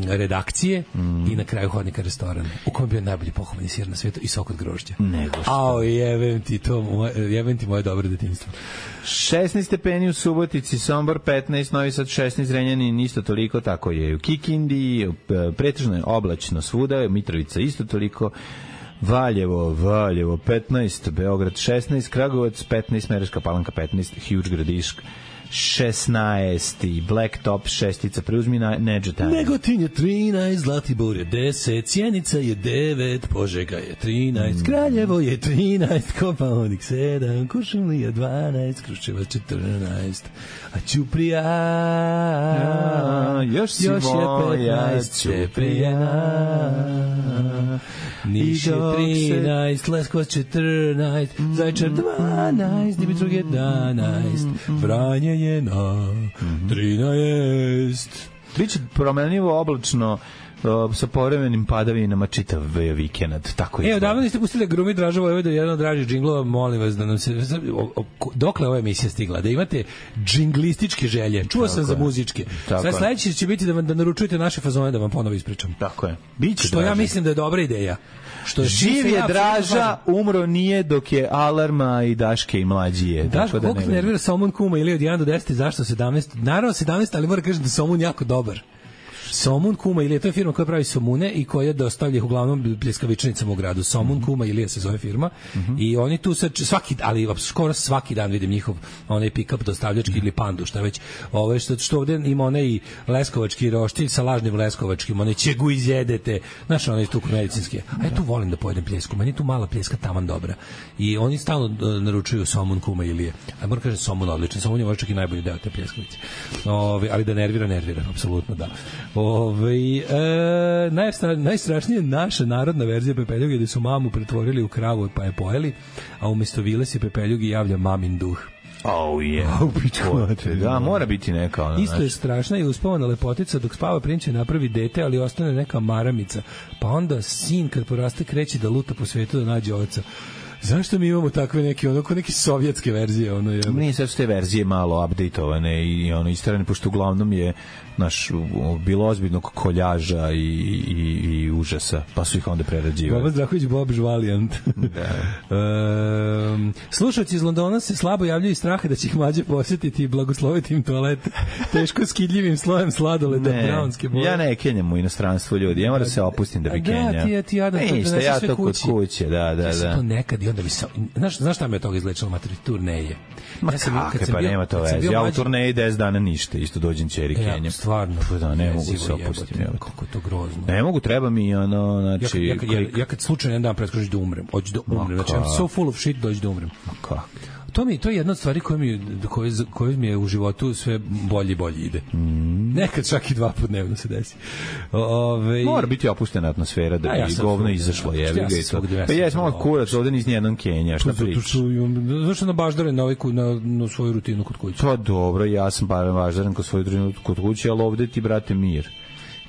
redakcije mm. i na kraju hodnika restoran, u kojem je bio najbolji pohovani sir na svijetu i sok od grožđa. Nego što. Ao, jebem ti to, jebem ti moje dobro detinjstvo. šesnaest stepeni u Subotici, Sombor petnaest, Novi Sad šesnaest, Zrenjanin isto toliko, tako je u Kikindi, pretežno je oblačno svuda, Mitrovica isto toliko, Valjevo, Valjevo petnaest, Beograd šesnaest, Kragujevac petnaest, Smederevska Palanka petnaest, Huge Gradišk šesnaest i Blacktop šestica, preuzmi na Neđetan. Negotin je trinaest, Zlatibor je deset, Sjenica je devet, Požega je trinaest, mm. Kraljevo je trinaest, Kopaonik sedam, Kuršumlija dvanaest, Kruševac četrnaest, a Ćuprija ja, još si još moja Ćuprijena. Niš je trinaest, Leskovac četrnaest, Zaječar dvanaest, Dimitrov jedanaest, Vranje je na trinaest. Biće promenljivo oblačno sa povremenim padavinama čitav vikend, tako je. E, odavno niste pustili Grumi Draža Vojvoda, jedan od dražih džinglova, molim vas da nam se... Dokle ova emisija stigla? Da imate džinglističke želje. Čuo sam za muzičke. Sad sledeće će biti da, vam, da naručujete naše fazone da vam ponovo ispričam. Tako je. Biće što draže. Ja mislim da je dobra ideja. Što živ je Draža, umro nije dok je Alarma i Daške i Mlađije. Daško, da koliko nervira Somun Kuma ili od jedan do deset, zašto sedamnaest? Naravno sedamnaest, ali moram kažem da Somun jako dobar. Somun Kuma Ilija, to je firma koja pravi somune i koja dostavlja ih uglavnom pljeskavičnicama u gradu. Somun mm-hmm. Kuma Ilija se zove firma mm-hmm. i oni tu sad svaki, ali skoro svaki dan vidim njihov onaj pick-up dostavljački mm-hmm. ili pandu, šta već. Ovo što, što ovde ima onaj leskovački roštilj sa lažnim leskovačkim, onaj čegu izjedete, znaš, onaj tu medicinski. A ja tu volim da pojedem pljesku, meni tu mala pljeska taman dobra. I oni stalno naručuju Somun Kuma Ilije. A moram kažem Somun odličan, Somun je možda čak i najbolji deo te pljeskavice. Ove, ali da nervira, nervira, apsolutno da. Ove, e, najstra, najstrašnije je naša narodna verzija pepeljuge gde su mamu pretvorili u kravu pa je pojeli, a umesto vile se pepeljugi javlja mamin duh. Oh yeah. Da, mora biti neka ona. Isto je strašna i uspavana lepotica dok spava prinče napravi dete, ali ostane neka maramica. Pa onda sin kad poraste kreće da luta po svetu da nađe oca. Zašto mi imamo takve neke onako neke sovjetske verzije, ono je. Nije sad su te verzije malo updateovane i ono istrane, pošto uglavnom je naš bilo ozbiljnog koljaža i, i, i užasa, pa su ih onda prerađivali. Boba Zdrahović, Bob Žvalijant. Da. um, slušalci iz Londona se slabo javljaju iz straha da će ih mlađe posjetiti i blagosloviti im toalete teško skidljivim slojem sladoleda brownske boje. Ja ne kenjam u inostranstvu, ljudi, ja moram se opustim da bi kenjao. Da, ti, ti jadan, e, to ja to kod kuće, da, da, da. Ja to nekad i onda bi se, znaš, znaš šta me od toga izlečilo, materi, turneje. Ma ja sam, kakve, pa bio, nema to veze. Ja u turneji deset dana ništa, isto dođem ćeri kenjam. Stvarno, pa da, ne mogu se opustiti. Kako je to grozno. Ne mogu, treba mi ono, znači... Ja, ja, ja, ja kad slučajno jedan dan preskočiš da umrem, hoću da umrem, znači I'm so full of shit, dođu da umrem. Ma kako? To mi to je jedna od stvari koja mi koje koje mi je u životu sve bolje i bolje ide. Mm. Nekad čak i dva puta dnevno se desi. Ove mora biti opuštena atmosfera da bi ja govno izašlo, je ja to. Pa jes malo kurac, ovde ni jedan Kenja, šta pričaš? Zašto na baždaren na ovaj na, na svoju rutinu kod kuće? Pa dobro, ja sam pa baždaren kod svoju rutinu kod kuće, al ovde ti brate mir.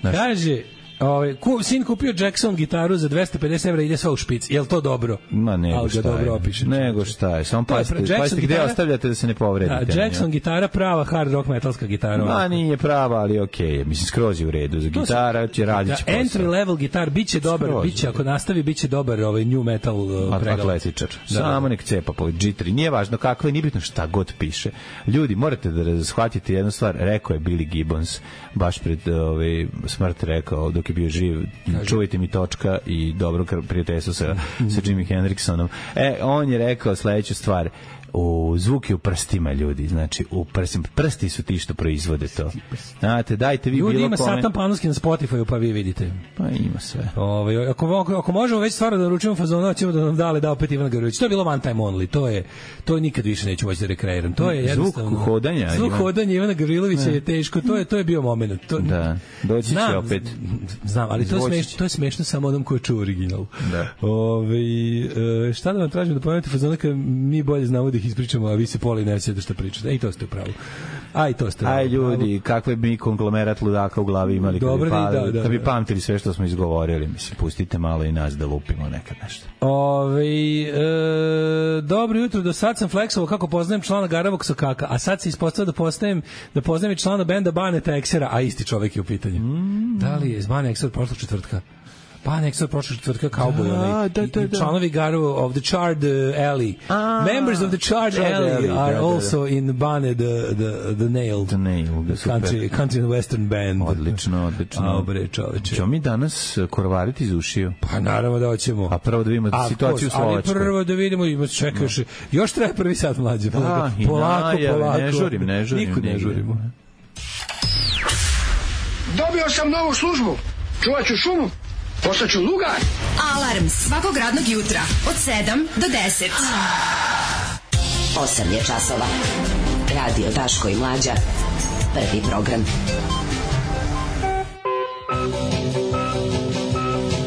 Znaš, kaže Ove, ku, sin kupio Jackson gitaru za dvesta pedeset evra, ide sva u špic. Je li to dobro? Ma nego šta dobro je. Opiše, nego šta je. Samo pazite, pazite gde ostavljate da se ne povredite. A Jackson gitara prava hard rock metalska gitara. Ma nije prava, ali okej. Okay. Mislim, skroz je u redu. Za gitara će raditi posao. Entry level gitar biće dobar, skroz, biće, ako nastavi, biće dobar ovaj new metal uh, atletičar. Da, samo nek cepa po džitri. Nije važno kakve, nije bitno šta god piše. Ljudi, morate da shvatite jednu stvar. Rekao je Billy Gibbons, baš pred ovaj, smrt rekao, dok je bio živ, čuvajte mi točka i dobro prijateljstvo sa, sa Jimi Hendrixonom. E, on je rekao sledeću stvar. U zvuk je u prstima, ljudi, znači u prstima, prsti su ti što proizvode to. Znate, dajte vi ljudi, bilo ima kome. Satan Panuski na Spotify, pa vi vidite. Pa ima sve. Ove, ako, ako, ako možemo već stvarno da naručimo fazona, ćemo da nam dale da opet Ivana Gavrilović. To je bilo one time only, to je, to nikad više neću moći da rekreiram. To je jednostavno. Zvuk hodanja. Zvuk Ivan... hodanja Ivana Gavrilovića je teško, to je, to je bio moment. To, da, doći će znam, opet. Znam, ali to je, smešno, to je smešno samo onom ko čuva original. Da. Ove, šta da vam tražim da pomenete fazona kad mi bolje znamo da ih ispričamo, a vi se poli ne sjede šta pričate. E, i to ste u pravu. Aj, to ste. Aj, ljudi, kakve bi konglomerat ludaka u glavi imali kad bi, pa, da, da, da bi pamtili sve što smo izgovorili. Mislim, pustite malo i nas da lupimo nekad nešto. Ove, e, dobro jutro, do sad sam flexovao kako poznajem člana Garavog Sokaka, a sad se ispostavio da poznajem da poznajem i člana benda Baneta Eksera, a isti čovek je u pitanju. Mm. Da li je iz Bane Ekser prošlog četvrtka? Pa nek se prošle četvrtka Cowboy, da, onaj, da, da, da. Članovi Garu of the Charred uh, Alley. A, Members of the Charred Alley, alley are da, da, also da. in Bane the, the, the Nailed. The Nailed, the country, country and Western band. Odlično, odlično. A, bre, čoveče. Ćemo mi danas korvariti iz ušiju? Pa naravno da hoćemo. A prvo da vidimo a, situaciju u Slovačkoj. Ali prvo da vidimo, ima se čeka još, još treba prvi sat mlađe. Da, polako, polako, polako. Ne žurim, ne žurim. Nikud ne žurimo. Dobio sam novu službu. Čuvat ću šumu. Postaću lugar. Alarm svakog radnog jutra od sedam do deset. osam je časova. Radio Daško i Mlađa. Prvi program.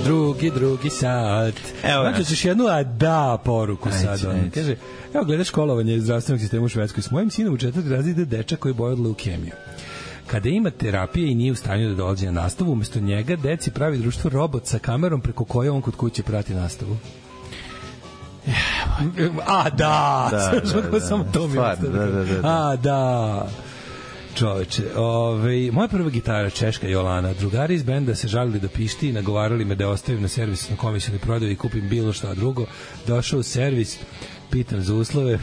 Drugi, drugi sat. Evo znači, ćeš jednu a da poruku sad. Kaže, evo gledaš školovanje zdravstvenog sistema u Švedskoj. S mojim sinom u četvrti razred ide dečak koji boje od leukemiju. Kada ima terapije i nije u stanju da dolazi na nastavu, umesto njega deci pravi društvo robot sa kamerom preko koje on kod kuće prati nastavu. A, da! Da, da, da. Samo to mi da, da, da, da. A, da! Čoveče, ove, moja prva gitara, Češka Jolana, drugari iz benda se žalili da pišti i nagovarali me da ostavim na servis na komisijnoj prodaju i kupim bilo šta drugo. Došao u servis, pitam za uslove,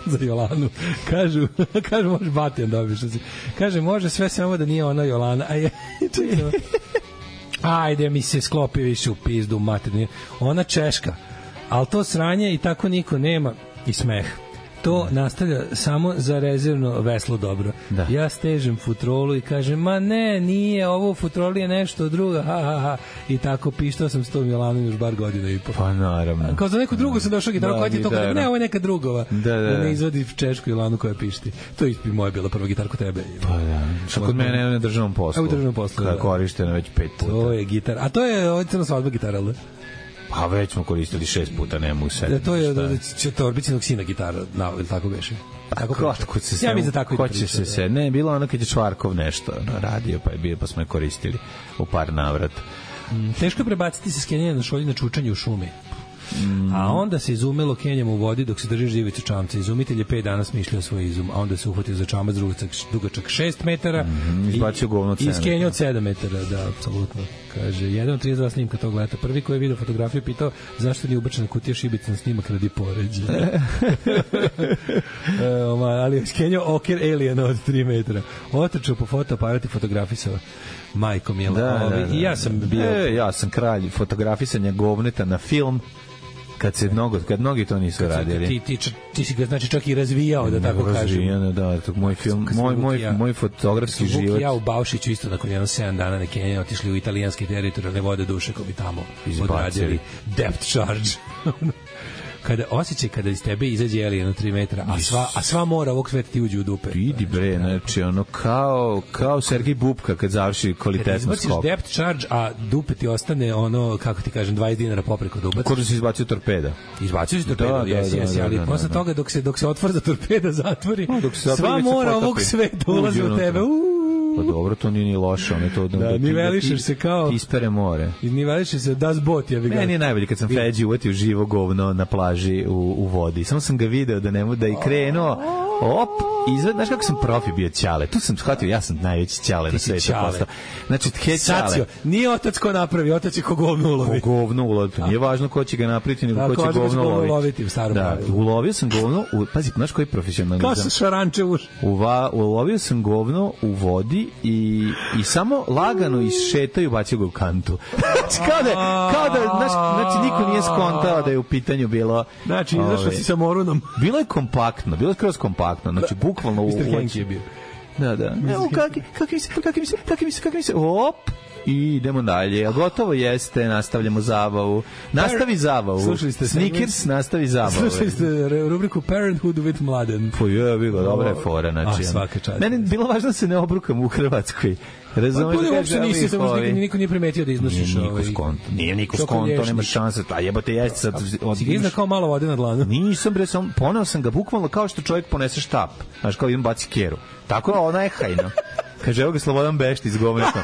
za Jolanu. Kažu, kažu može Batijan dobiš. Kaže, može sve samo da nije ona Jolana. A je, čekaj, ajde mi se sklopi više u pizdu materni. Ona Češka. Ali to sranje i tako niko nema i smeh. To nastavlja samo za rezervno veslo dobro. Da. Ja stežem futrolu i kažem, ma ne, nije, ovo u futroli je nešto drugo, ha, ha, ha. I tako pištao sam s tom Jelanom još bar godina i po. Pa naravno. Kao za neku drugu sam došao gitaru, koja ti je to kada, ne, ovo je neka drugova. Da, da, da. Da ne izvodi češku Jelanu koja pišti. To je moja bila prva gitar kod tebe. Pa da. Što kod mene je na državnom poslu. Evo u državnom poslu, da. Korištena već pet puta. To je gitar. A to je, ovo je crna svadba gitara, ali? Pa već smo koristili šest puta, ne mogu sedeti. Da, to je da, Torbicinog sina gitara, na, ili tako beše. Tako ko, ko se ja mi za tako ko će se se ne bilo ono kad je Čvarkov nešto no, radio pa je bio pa smo je koristili u par navrata. Mm, teško je prebaciti se s Kenjanja na šolji na čučanje u šumi. Mm. A onda se izumelo Kenjam u vodi dok se drži živicu čamca. Izumitelj je pet dana smišljao svoj izum, a onda se uhvatio za čamac dugačak šest metara mm, izbacio govno od sedam. I iskenjao od sedam metara, da, apsolutno. Kaže, jedan od trideset dva snimka tog leta. Prvi koji je vidio fotografiju pitao zašto nije ubačena kutija šibica na snimak radi poređenja. e, ali je iskenjao oker aliena od tri metra. Otrčao po fotoaparat i fotografisao. Majko Mila. Da, Ove, da, da. I ja sam bio... E, ja sam kralj fotografisanja govneta na film. Kad se mnogo, kad mnogi to nisu radili. Ti, ti, ti si ga znači čak i razvijao, da tako kažem. Razvijano, da, to moj film, moj, moj, ja, moj fotografski život. Ja u Baušiću isto nakon jedno sedam dana na Kenjanje otišli u italijanske teritorijalne vode duše ko bi tamo odradili depth charge. Kada osjećaj kada iz tebe izađe alien na tri metra, a sva, a sva mora ovog sveta ti uđe u dupe. Vidi bre, znači ono kao, kao Sergej Bubka kad završi kvalitetno skok. Kada izbaciš depth charge, a dupe ti ostane ono, kako ti kažem, dvadeset dinara popreko da ubaciš. Kako da si izbacio torpeda? Izbacio si torpeda, da, jesi, jesi, ali da, posle da, toga dok se, dok se otvor za torpeda zatvori, no, dok se sva mora ovog sveta ulazi u tebe. Uuu. Pa dobro, to nije ni loše, ono je to... Da, nivelišeš se kao... Ispere more. Nivelišeš se das bot, ja bih ga... Meni je najbolje kad sam Feđi uvatio živo govno na plaži u, u vodi. Samo sam ga video da ne da i krenuo, op, izved, znaš kako sam profi bio Ćale. Tu sam shvatio, ja sam najveći Ćale na svetu postao. Znači, tke Ćale. Nije otac ko napravi, otac je ko govno ulovi. Ko govno ulovi. Nije važno ko će ga napraviti, nego ko će govno uloviti. Da, ulovio sam govno, u, pazi, znaš koji profesionalizam? Kao sa šaranče uš. Uva, ulovio sam govno u vodi i, i samo lagano išetaju bacio ga u kantu. Znači, kao da, kao da znaš, znači, niko nije skontao da je u pitanju bilo... Znači, izašao si sa morunom. Bilo je kompaktno, bilo je skroz kompaktno, znači, bukvalno u mister je bio. Da, da. Evo, kaki, kaki mi se, kaki mi se, kaki mi se, kaki mi se, op! I idemo dalje. A gotovo jeste, nastavljamo zabavu. Nastavi zabavu. Slušali ste Snickers, nastavi zabavu. Slušali ste rubriku Parenthood with Mladen. Po je, bilo, dobra je fora. Znači, ah, svaka čast. Meni bilo važno da se ne obrukam u Hrvatskoj. Razumeš da uopšte nisi, samo niko, niko nije primetio da iznosiš ovaj. Nije niko skonto, nije niko skonto, nema šanse. A jebote, jeste sad... Si ga izna kao malo vode na dlanu? Nisam, bre, sam, poneo sam ga bukvalno kao što čovjek ponese štap. Znaš, kao idem baci keru. Tako je ona je hajno. Kaže, evo ga Slobodan Bešti iz govneta.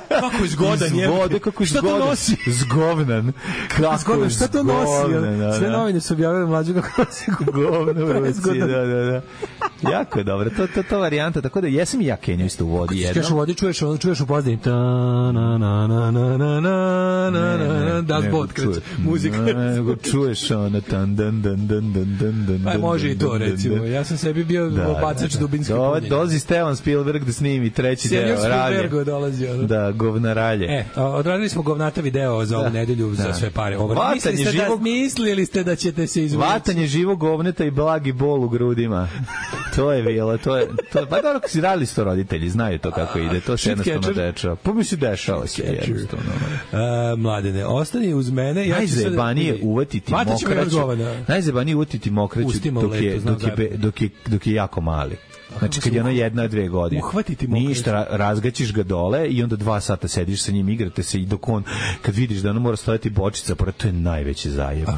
Kako izgodan je. Iz vode, kako izgodan. Šta to nosi? Zgovnan. Kako zgodan, šta to nosi? Zgovnan, da, sve novine su objavili mlađu kako nosi govno u ruci. Da, da, da. Jako je dobro. To, to, to varijanta. Tako da jesam i ja Kenju isto u vodi jednom. Kažeš u vodi, čuješ, čuješ u pozadini. Ta, na, na, na, na, na, na, na, na, das bot kreće. Muzika. Nego čuješ ono tan, dan, dan, dan, dan, dan, dan. Pa može i to, recimo. Ja sam sebi bio bacač dubinski punjenje. Dolazi Stevan Spielberg da snimi treći Senior deo. Spielberg dolazi. Ono. Da, govnaralje. E, odradili smo govnata video za ovu nedelju za sve pare. Mislili ste, živog... da, mislili ste da ćete se izvući. Vatanje živog govneta i blagi bol u grudima. To je bilo, to je... To, pa dobro, si radili sto roditelji, znaju to kako ide. To se jednostavno dešava. Pa mi se dešava se jednostavno. Uh, mladene, ostani uz mene. Ja najzajebanije sad... uvatiti mokraću. Najzajebanije uvatiti mokraću dok je, dok, je, dok, je, dok je jako mali. Znači kad je ono jedna, dve godine. Uhvatiti ništa, razgaćiš ga dole i onda dva sata sediš sa njim, igrate se i dok on, kad vidiš da ono mora stojati bočica, pored, to je najveći zajeb. A,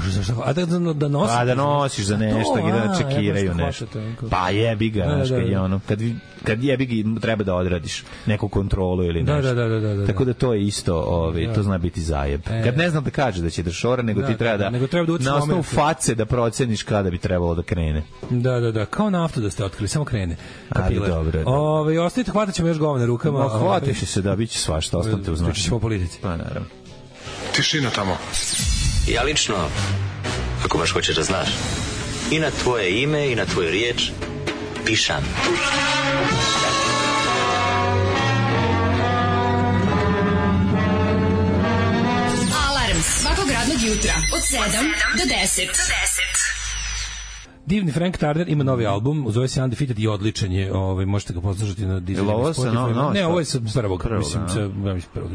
a da, da, da nosiš? Pa da nosiš za nešto i da čekiraju nešto. Pa jebi ga, znaš, kad je ono, kad, kad jebi ga treba da odradiš neku kontrolu ili nešto. Da, da, da, da, da. Tako da to je isto, ovaj, to zna biti zajeb. Kad ne znam da kaže da će da šora, nego ti treba da, na osnovu face da proceniš kada bi trebalo da krene. Da, da, da, kao naftu da ste otkrili, samo krene. Ali dobro. Ove, ostavite, hvatat ćemo još govne rukama. Ma, hvatiš se da, bit će svašta, ostavite uz noć. Pričat ćemo o politici. Pa, naravno. Tišina tamo. Ja lično, ako baš hoćeš da znaš, i na tvoje ime i na tvoju riječ pišam. Alarm svakog radnog jutra od sedam do deset. Divni Frank Turner ima novi album, zove se Undefeated i odličan je, ovaj, možete ga poslušati na Deezeru. Ovo se, no, no, ne, ovo je sa prvog, prvog mislim, sa, ja mislim prvog,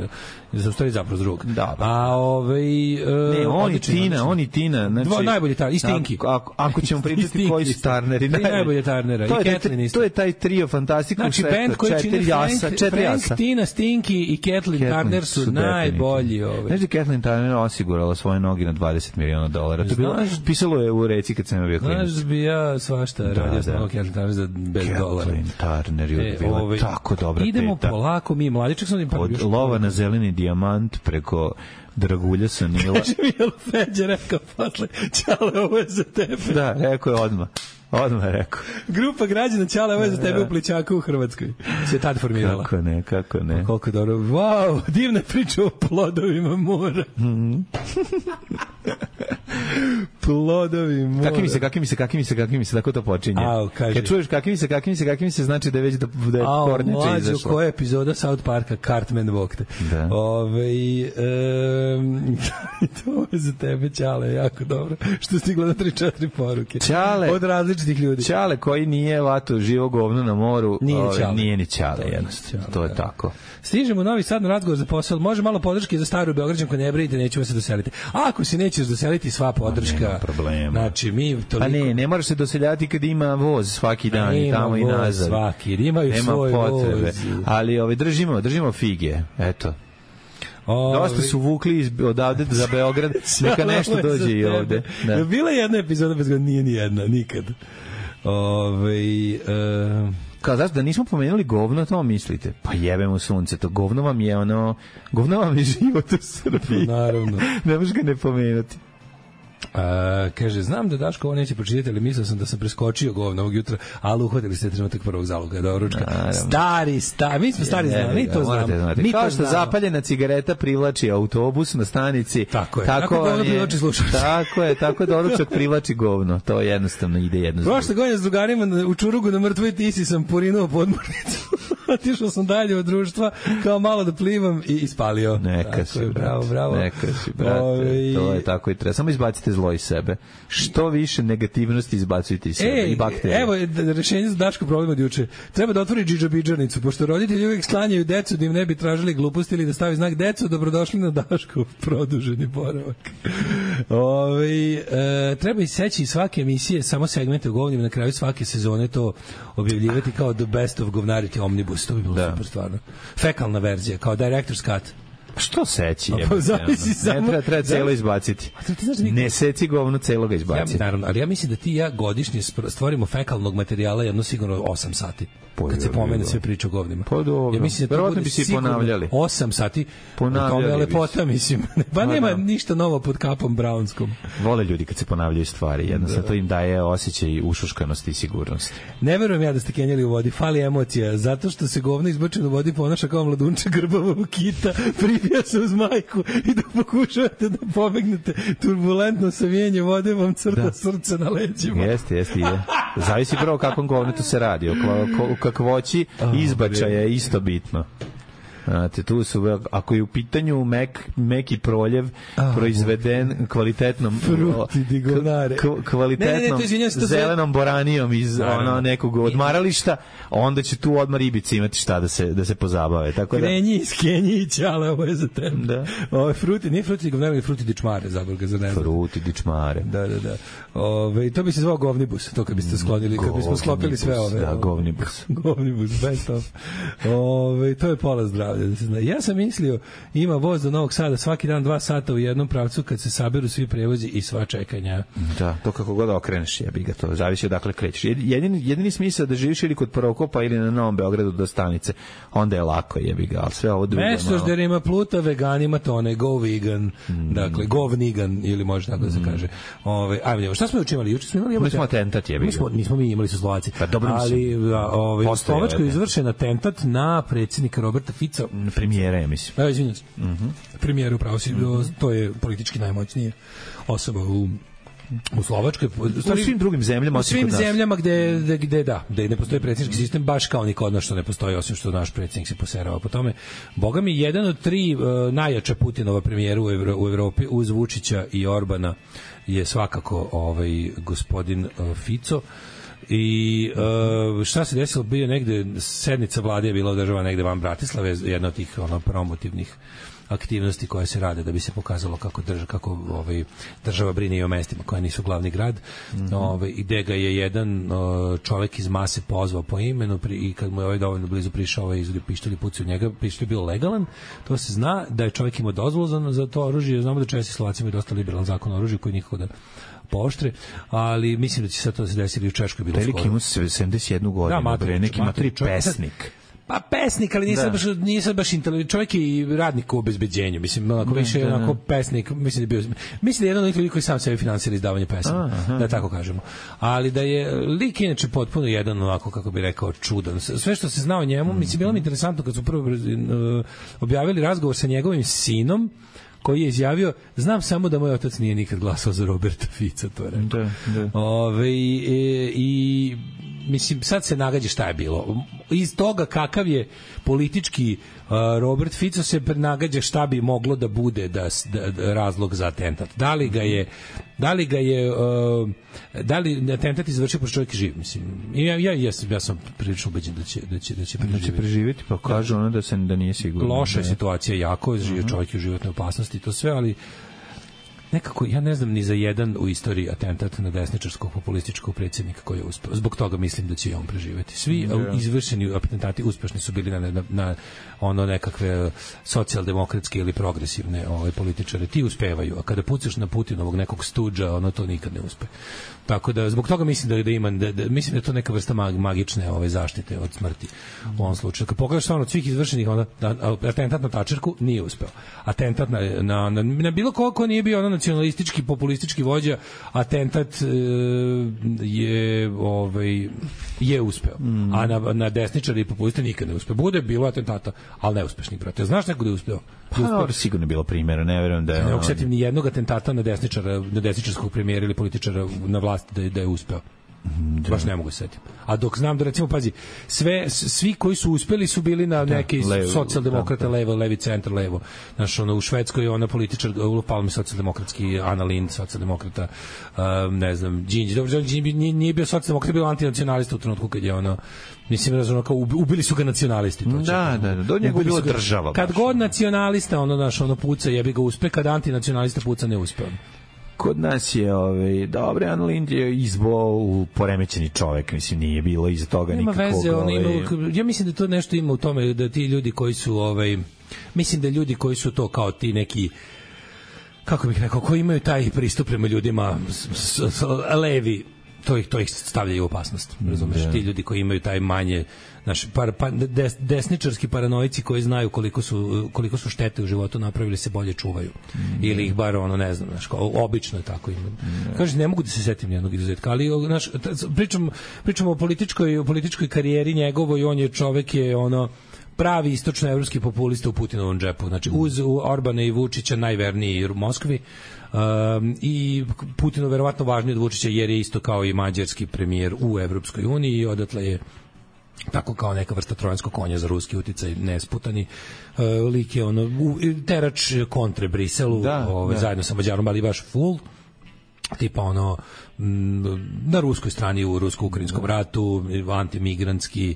za stvari zapravo s drugog. Da, ba. A ovaj... Uh, ne, on i odličan, Tina, odličan. on i Tina, znači... Dva najbolji Turner, i Stinky. Ako, ako ćemo pričati koji su Turneri, najbolje Turnera, to i Kathleen isto. To je taj trio fantastičnog znači, band koji čini Frank, Frank, Tina, Stinky i Kathleen Turner su, su najbolji. Ovaj. Znaš da Kathleen Turner osigurala svoje noge na dvadeset miliona dolara? To je bilo, pisalo je u reci kad sam bio klinac. Znaš bi ja svašta da, radio sam Kathleen Turner za bez dolara. Kathleen Turner je bila ovaj, tako dobra idemo teta. Idemo polako, mi mladičak sam... Od još lova na zeleni dijamant preko Dragulja Sanila. Kaže mi je Feđa rekao posle, Ćale, ovo je za tebe. Da, rekao je odmah. Odmah je rekao. Grupa građana Ćale, ovo je za tebe u Plićaku u Hrvatskoj. Se tad formirala. Kako ne, kako ne. Pa koliko dobro. Wow, divna priča o plodovima mora. Mm-hmm. Plodovi mora. Kakvi mi se, kakvi mi se, kakvi mi se, kakvi mi se, tako to počinje. Au, kaže. Kad čuješ kakvi mi se, kakvi mi se, kakvi mi se, znači da je već da, da je kornjača izašla. Mlađo, koja je epizoda South Parka, Cartman Vokte. Da. Ove, um, to je za tebe, Ćale, jako dobro. Što stigla na tri četiri poruke. Ćale. Od različitih ljudi. Ćale koji nije vato živo govno na moru, nije, ove, Ćale. nije ni Ćale, jednostavno. To je da. Tako. Stižemo u Novi Sad na razgovor za posao. Može malo podrške za staru Beograđanku, ne brinite, nećemo se doseliti. A ako se nećeš doseliti, sva podrška. Problema. Znači, mi toliko... Pa ne, ne moraš se doseljati kad ima voz svaki dan i tamo i nazad. Svaki, imaju nema svoj potrebe. voz. Ali ovaj, držimo, držimo fige, eto. Ove... Dosta su vukli iz, odavde za Beograd, neka nešto dođe i ovde. Da. Bila je jedna epizoda bez godina, nije ni jedna, nikad. Ove, uh... Kao, znaš, da nismo pomenuli govno, to mislite? Pa jebemo sunce, to govno vam je ono, govno vam je život u Srbiji. Naravno. Ne možeš ga ne pomenuti. A, kaže, znam da Daško ovo neće pročitati, ali mislio sam da sam preskočio govno ovog jutra, ali uhvatili ste trenutak prvog zaloga, do ručka. Naravno. Stari, stari, mi smo stari znali, mi to znamo. Mi kao to što znamo. Zapaljena cigareta privlači autobus na stanici, tako je, tako, tako govno je, privlači slušač. Tako je, tako doručak privlači govno, to jednostavno ide jedno. Prošle godine s drugarima u Čurugu na Mrtvoj Tisi sam porinuo podmornicu. Otišao sam dalje od društva, kao malo da plivam i ispalio. Neka si, brate. Bravo, bravo. Neka si, brate. Ove... To je tako i treba. Samo izbacite zlo iz sebe. Što više negativnosti izbacujte iz sebe. Ej, i bakterije. Evo rešenje za Daško problem od juče. Treba da otvori džidžabidžarnicu, pošto roditelji uvijek sklanjaju decu da im ne bi tražili gluposti ili da stavi znak decu, dobrodošli na Daškov produženi boravak. Ove, e, treba iseći svake emisije, samo segmente o govnima, na kraju svake sezone to objavljivati kao the best of govnarity omnibus, to bi bilo da. Super stvarno. Fekalna verzija, kao director's cut. Što seći? Je, pa, zavisi samo. Ne treba, treba celo izbaciti. Da ne seci govno, celo ga izbaciti. Ja, naravno, ali ja mislim da ti i ja godišnje stvorimo fekalnog materijala jedno sigurno osam sati. Po, kad se pomene sve priče o govnima. Pa dobro. Ja mislim da to bude bi se ponavljali. osam sati. Ponavljali kao lepota, mislim. Pa nema da. Ništa novo pod kapom Brownskom. Vole ljudi kad se ponavljaju stvari. Jednostavno da. To im daje osjećaj ušuškanosti i sigurnosti. Ne verujem ja da ste kenjali u vodi. Fali emocija. Zato što se govno izbačeno u vodi ponaša kao mladunče grbavog kita. Pribija se uz majku i da pokušavate da pobegnete turbulentno savijenje vode vam crta da. Srce na leđima. Jeste, jeste. Je. Zavisi prvo kakvom govnetu se radi. O kakvoći izbačaja je isto bitno. Znate, tu su, ako je u pitanju mek, meki proljev oh, proizveden kvalitetnom k, kvalitetnom ne, ne, ne, to zelenom boranijom iz ono, nekog odmarališta, onda će tu odmah ribice imati šta da se, da se pozabave. Tako da... Krenji iz Kenije i Ćale, ovo je za tebe. Da. Ovo je fruti, nije fruti, nego fruti dičmare, zaboga za ne znam. Fruti dičmare. Da, da, da. Ove, to bi se zvao govnibus, to kad biste sklonili, kad bismo sklopili sve ove. Da, govnibus. Govnibus, best of. Ove, to je pola zdravlja. Da se zna. Ja sam mislio, ima voz do Novog Sada svaki dan dva sata u jednom pravcu kad se saberu svi prevozi i sva čekanja. Da, to kako god okreneš, jebi ga to, zavisi odakle krećeš. Jedini, jedini smisao da živiš ili kod Prokopa ili na Novom Beogradu do stanice, onda je lako, jebi ga, ali sve ovo drugo. Mestožderima pluta, veganima tone, go vegan, mm. dakle, govnigan, ili može tako da se kaže. Ove, ajmo, šta smo juče imali? Juče smo imali... Mi smo atentat, jebi ga. Nismo, nismo mi imali su Slovaci. Pa dobro, ali ove, u Slovačkoj je izvršen atentat na predsjednika Roberta Fica. Premijera, ja mislim. Evo, izvinjam se. Mm -hmm. Premijera upravo si, mm -hmm. to je politički najmoćnije osoba u U Slovačkoj, u svim drugim zemljama, u svim zemljama gde, gde, gde da, gde ne postoji predsjednički sistem, baš kao ni kod nas što ne postoji, osim što naš predsjednik se poserava po tome. Boga mi, jedan od tri uh, najjača Putinova premijera u, Evro, u Evropi uz Vučića i Orbana je svakako ovaj gospodin uh, Fico. I uh, šta se desilo, bio negde sednica vlade je bila održava negde van Bratislave, jedna od tih ono promotivnih aktivnosti koje se rade da bi se pokazalo kako država kako ovaj država brine i o mestima koje nisu glavni grad. Mm-hmm. Ovaj ide ga je jedan uh, čovjek iz mase pozvao po imenu pri, i kad mu je ovaj dovoljno blizu prišao, ovaj izvadi pištolj i pucao u njega, pištolj je bio legalan. To se zna da je čovjek imao dozvolu za, za to oružje. Znamo da Česi i Slovaci imaju dosta liberalan zakon o oružju koji nikako da pooštre, ali mislim da će sad to se desiti u Češkoj bilo skoro. Veliki ima sedamdeset jednu godinu, da, bre, neki matri pesnik. Pa pesnik, ali nisam baš nisam baš inteligentan. Čovjek je i radnik u obezbeđenju, mislim, onako više da, onako pesnik, mislim da je bio mislim da je jedan od ljudi koji sam sebi finansira izdavanje pesama, da tako kažemo. Ali da je lik inače potpuno jedan onako kako bi rekao čudan. Sve što se zna o njemu, mm-hmm. mislim bilo mi interesantno kad su prvo uh, objavili razgovor sa njegovim sinom koji je izjavio, znam samo da moj otac nije nikad glasao za Roberta Fica, to je rekao. Da, da. Ove, i, i mislim, sad se nagađa šta je bilo. Iz toga kakav je politički uh, Robert Fico se nagađa šta bi moglo da bude da, da, da razlog za atentat. Da li ga je da li ga je uh, da li atentat izvršio pošto čovjek živ, mislim. Ja ja jesam ja sam prilično ubeđen da će da će da će preživjeti, da će preživjeti pa kaže ona da se da nije sigurno. Loša je situacija, jako živi čovjek u životnoj opasnosti, to sve, ali nekako, ja ne znam ni za jedan u istoriji atentat na desničarskog populističkog predsjednika koji je uspeo. Zbog toga mislim da će i on preživjeti. Svi yeah. izvršeni atentati uspešni su bili na, na, na ono nekakve socijaldemokratske ili progresivne ove političare. Ti uspevaju, a kada pucaš na Putinovog nekog stuđa, ono to nikad ne uspe. Tako da, zbog toga mislim da, da ima, da, da, mislim da je to neka vrsta mag, magične ove zaštite od smrti u ovom slučaju. Kad pogledaš stvarno od svih izvršenih, onda, atentat na Tačerku nije uspeo. Atentat na, na, na, na bilo koliko nije bio ono nacionalistički, populistički vođa, atentat e, je ovaj, je uspeo. Mm. A na, na desničari i populiste nikad ne uspeo. Bude bilo atentata, ali neuspešnih, brate. Znaš neko da je uspeo? Pa, sigurno je bilo primjera, ne verujem da je... Ne osjetim ni jednog atentata na desničara, na desničarskog premijera ili političara na vlasti da je, da je uspeo. Da. Baš ne mogu se setiti. A dok znam da, recimo, pazi, sve, svi koji su uspeli su bili na neki da, socijaldemokrata, levo, levi centar, levo. Znaš, ono, u Švedskoj je ona političar, u Palmi socijaldemokratski, Ana Lind, socijaldemokrata, um, ne znam, Đinđić. Dobro, Đinđić nije, nije bio socijaldemokrat, bio antinacionalista u trenutku kad je ono, mislim, razumno, kao ubili su ga nacionalisti. To da, da, da, do njega je bila država. Kad baš. God nacionalista, ono, znaš, ono, puca, jebi ga uspe, kad antinacionalista puca, ne uspe. Kod nas je ovaj dobre Ana Lind je izbo u poremećeni čovjek, mislim nije bilo iza toga nikakvog. Nema veze, on ima, ja mislim da to nešto ima u tome da ti ljudi koji su ovaj mislim da ljudi koji su to kao ti neki kako bih rekao, koji imaju taj pristup prema ljudima s, s, s, levi, to ih to ih stavlja u opasnost. Razumeš, yeah. Ti ljudi koji imaju taj manje naš par, pa, des, desničarski paranoici koji znaju koliko su koliko su štete u životu napravili se bolje čuvaju. Mm. Ili ih bar ono ne znam, znaš, obično je tako ima. Mm. Kaže ne mogu da se setim nijednog izuzetka, ali naš pričam pričamo o političkoj o političkoj karijeri njegovoj, on je čovek je ono pravi istočnoevropski populista u Putinovom džepu. Znači uz Orbana i Vučića najverniji u Moskvi. Um, i Putinu verovatno važniji od Vučića jer je isto kao i mađarski premijer u Evropskoj uniji i odatle je tako kao neka vrsta trojanskog konja za ruski uticaj nesputani. Uh, lik je ono u, terač kontre Briselu, da, ovaj, da. Zajedno sa Mađarom, ali baš full tipa ono m, na ruskoj strani u rusko-ukrajinskom ratu, antimigrantski,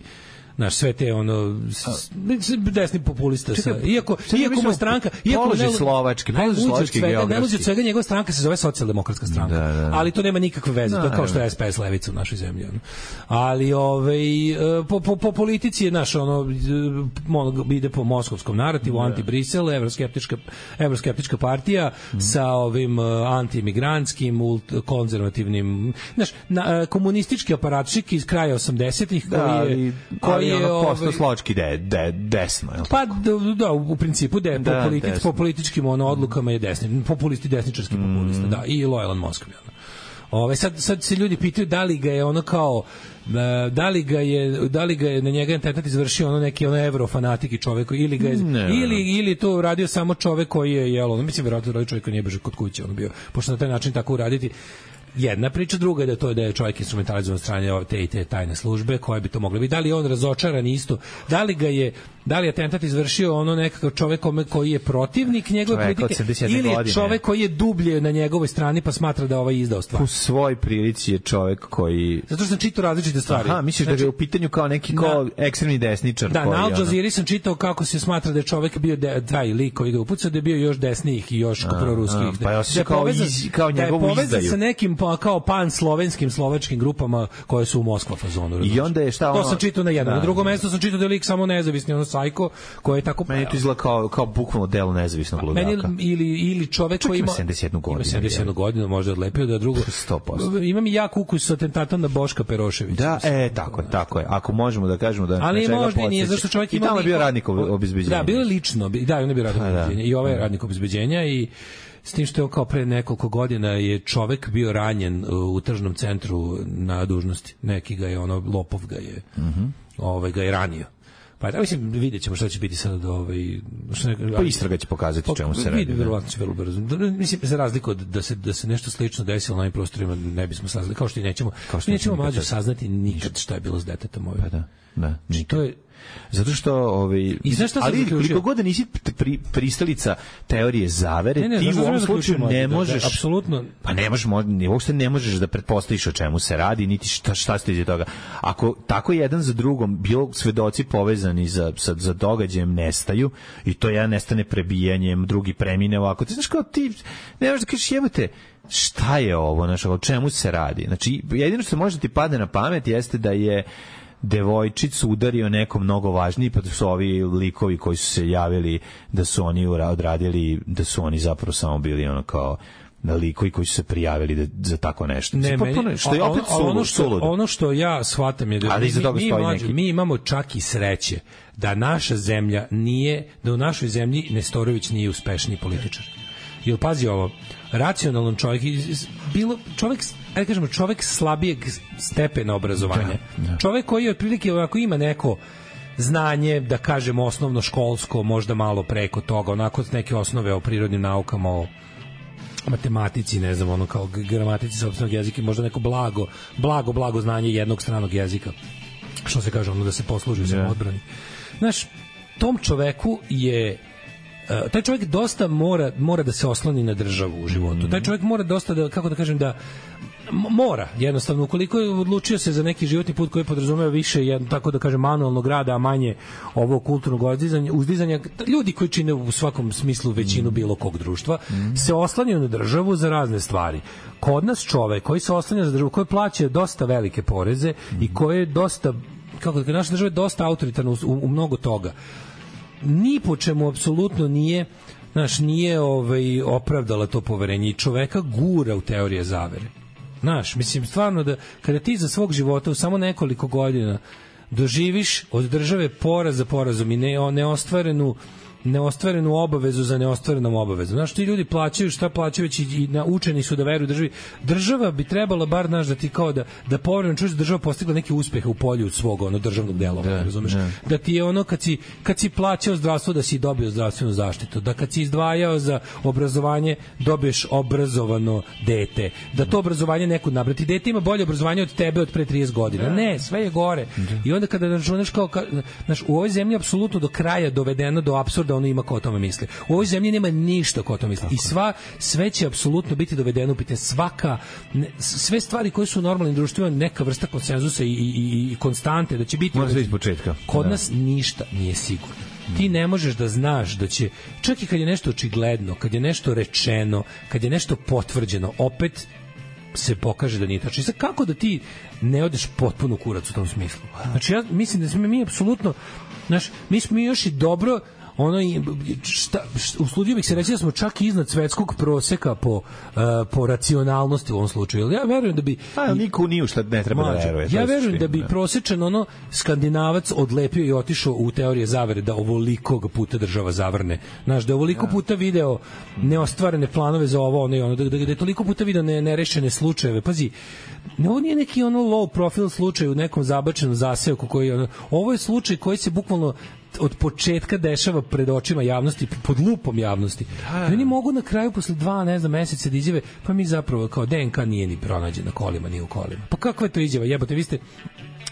naš sve te ono s, desni populista sa, iako iako mu stranka iako ne slovački položi slovački geografski od svega njegova stranka se zove socijaldemokratska stranka, da, da. Ali to nema nikakve veze, da, to je kao što je S P S levica u našoj zemlji ono. Ali ovaj po, po, po politici je naš ono ide po moskovskom narativu, anti-Brisel, evroskeptička evroskeptička partija mm. sa ovim anti-imigrantskim, konzervativnim, znaš, na, komunistički aparatčik iz kraja osamdesetih koji da, je koji je ono posto slovački de, de, desno. Je pa da, da, u principu de, da, po, politic, po političkim ono, odlukama je desni, populisti, desničarski mm. populista, da, i lojalan Moskvi. Ono. Ove, sad, sad se ljudi pitaju da li ga je ono kao da li ga je da li ga je na njega atentat izvršio ono neki ono evrofanatik i čovjek ili ga je, ne, ili ili to uradio samo čovjek koji je jelo, mislim verovatno radio čovjek koji nije beže kod kuće, on bio pošto na taj način tako uraditi. jedna priča, druga je da to je da je čovjek instrumentalizovan od strane te i te tajne službe koje bi to mogle biti. Da li je on razočaran isto? Da li ga je da li je atentat izvršio ono nekakav čovjek koji je protivnik njegove politike ili je čovjek koji je dublje na njegovoj strani pa smatra da ovaj izdao stvar? U svoj prilici je čovjek koji... Zato što sam čitao različite stvari. Aha, misliš znači, da je u pitanju kao neki kao na, ekstremni desničar? Da, koji, na Al Jazeera sam čitao kako se smatra da je čovjek bio de, taj lik koji ga upucao, da je bio još desnijih i još proruskih. Pa je osjećao kao, iz, kao njegovu izdaju. Da je sa nekim pa, kao pan-slovenskim, slovačkim grupama koje su u Moskva fazonu. I onda je šta ono... To sam čitao na jednom. Na drugom mestu sam čitao da je lik samo nezavisni, ono sajko, koji je tako... Meni to izgleda kao, kao bukvalno delo nezavisnog ludaka. Meni, ili, ili čovek koji ima... sedamdeset jednu godinu. Ima sedamdeset jednu godinu, možda odlepio da drugo... sto posto. Imam i jak ukus sa atentatom na Boška Peroševića. Da, e, tako je, tako je. Ako možemo da kažemo da... Ali možda i nije, zašto čovjek ima... I tamo je bio radnik obezbeđenja. Da, bilo je lično, da, on je bio radnik obezbeđenja. I ovaj je radnik obezbeđenja i... S tim što je kao pre nekoliko godina je čovek bio ranjen u tržnom centru na dužnosti. Neki ga je, ono, lopov ga je, mm-hmm. ovaj, ga je ranio. Pa da, mislim, vidjet ćemo šta će biti sad od ovaj... Šta ne, pa istraga će pokazati čemu se radi. Vidi, verovatno će vrlo brzo. Mislim, za razliku od da se, da se nešto slično desilo na ovim prostorima, ne bismo saznali, kao što i nećemo, kao što nećemo mlađe saznati nikad šta je bilo s detetom ovim. Pa da, da, nikad. To je, zato što ovaj ali koliko god nisi pri, pristalica teorije zavere, ne, ne, ti u ovom slučaju ne možeš da, apsolutno pa ne možeš ni uopšte ne možeš da pretpostaviš o čemu se radi niti šta šta stoji iza toga. Ako tako jedan za drugom bilo svedoci povezani za sa za događajem nestaju i to jedan nestane prebijanjem, drugi premine ovako. Ti znaš kao ti ne možeš da kažeš jebote šta je ovo, znaš, o čemu se radi. Znači jedino što može ti padne na pamet jeste da je devojčicu udario neko mnogo važniji, pa da su ovi likovi koji su se javili da su oni odradili, da su oni zapravo samo bili ono kao likovi koji su se prijavili da, za tako nešto. Ne, meni, što je opet a, a, ono, što, ono što ja shvatam je da mi, mi, mlađi, mi imamo čak i sreće da naša zemlja nije, da u našoj zemlji Nestorović nije uspešniji političar. Jer pazi ovo, racionalan čovjek, bilo, čovjek, ajde kažemo, čovjek slabijeg stepena obrazovanja. Da, da. Čovjek koji otprilike ovako ima neko znanje, da kažemo osnovno školsko, možda malo preko toga, onako neke osnove o prirodnim naukama, o matematici, ne znam, ono kao gramatici sopstvenog jezika, možda neko blago, blago, blago znanje jednog stranog jezika. Što se kaže, ono da se posluži u samoodbrani. Znaš, tom čoveku je Uh, taj čovjek dosta mora mora da se osloni na državu u životu. Mm-hmm. Taj čovjek mora dosta da, kako da kažem, da mora, jednostavno, ukoliko je odlučio se za neki životni put koji podrazumeva više, jedno, tako da kažem, manualnog rada, a manje ovo kulturnog uzdizanja, uzdizanja, ljudi koji čine u svakom smislu većinu bilo kog društva, mm-hmm. se oslanjaju na državu za razne stvari. Kod nas čovjek koji se oslanja za državu, koji plaća dosta velike poreze mm-hmm. i koji je dosta, kako da kažem, naša država je dosta autoritarna u, u, u mnogo toga. Ni po čemu apsolutno nije, znaš, nije ovaj, opravdala to poverenje i čoveka gura u teorije zavere. Znaš, mislim, stvarno da kada ti za svog života u samo nekoliko godina doživiš od države poraz za porazom i ne, neostvarenu neostvarenu obavezu za neostvarenom obavezom. Znaš, ti ljudi plaćaju šta plaćaju već i, i naučeni su da veruju državi. Država bi trebala bar, znaš, da ti kao da, da povremeno čuješ da država postigla neke uspehe u polju svog ono državnog delovanja, razumeš? Da. da ti je ono kad si, kad si plaćao zdravstvo da si dobio zdravstvenu zaštitu, da kad si izdvajao za obrazovanje dobiješ obrazovano dete, da to obrazovanje nekud nabrati. Dete ima bolje obrazovanje od tebe od pre trideset godina. Ne, sve je gore. I onda kada računaš kao, znaš, u ovoj zemlji apsolutno do kraja dovedeno do apsurda ono ima ko o tome misli. U ovoj zemlji nema ništa ko o tome misli. I sva, sve će apsolutno biti dovedeno u pitanje. Svaka, ne, sve stvari koje su u normalnim društvima, neka vrsta konsenzusa i, i, i konstante, da će biti... Može iz početka. Kod da. nas ništa nije sigurno. Ti ne možeš da znaš da će, čak i kad je nešto očigledno, kad je nešto rečeno, kad je nešto potvrđeno, opet se pokaže da nije tačno. I sad kako da ti ne odeš potpuno kurac u tom smislu? Znači ja mislim da smo mi apsolutno, znaš, mi smo još i dobro ono šta, usludio bih se reći da smo čak iznad svetskog proseka po, uh, po racionalnosti u ovom slučaju. Ja verujem da bi... A, niko nije šta ne treba mađu, da veruje. Ja verujem da bi prosečan ono Skandinavac odlepio i otišao u teorije zavere da ovolikog puta država zavrne. Znaš, da ovoliko ja. puta video neostvarene planove za ovo, ono i ono, da, da, da je toliko puta video ne, nerešene slučajeve. Pazi, ovo nije neki ono low profile slučaj u nekom zabačenom zaseoku koji ono, ovo je slučaj koji se bukvalno od početka dešava pred očima javnosti, pod lupom javnosti. I oni mogu na kraju posle dva, ne znam, meseca da izjave, pa mi zapravo kao D N K nije ni pronađen na kolima, ni u kolima. Pa kakva je to izjava? Jebote, vi ste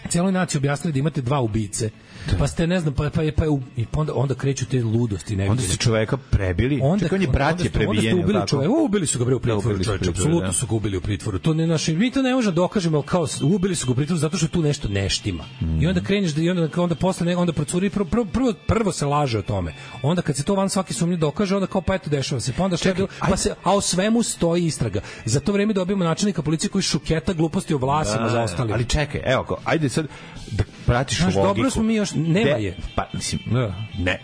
cijeloj naciji objasnili da imate dva ubice. Pa ste, ne znam, pa, pa, pa, i onda, onda kreću te ludosti. Ne onda su čoveka prebili. Onda, Čekaj, on je brat je prebijen. Onda ste ubili čoveka. Ubili su ga bre u pritvoru. Da, apsolutno su ga ubili u pritvoru. To ne naši, mi to ne možemo dokažemo, kao ubili su ga u pritvoru zato što tu nešto neštima. Mm. I onda kreneš da i onda onda posle nego onda procuri prvo, prvo, prvo, prvo se laže o tome. Onda kad se to van svaki sumnje dokaže, onda kao pa eto dešava se. Pa onda šta bilo, pa se a o svemu stoji istraga. Za to vreme dobijemo načelnika policije koji šuketa gluposti o vlasima za ostali. Ali čekaj, evo, ajde sad da pratiš logiku. Dobro smo mi još nema De, je. Pa mislim, ne.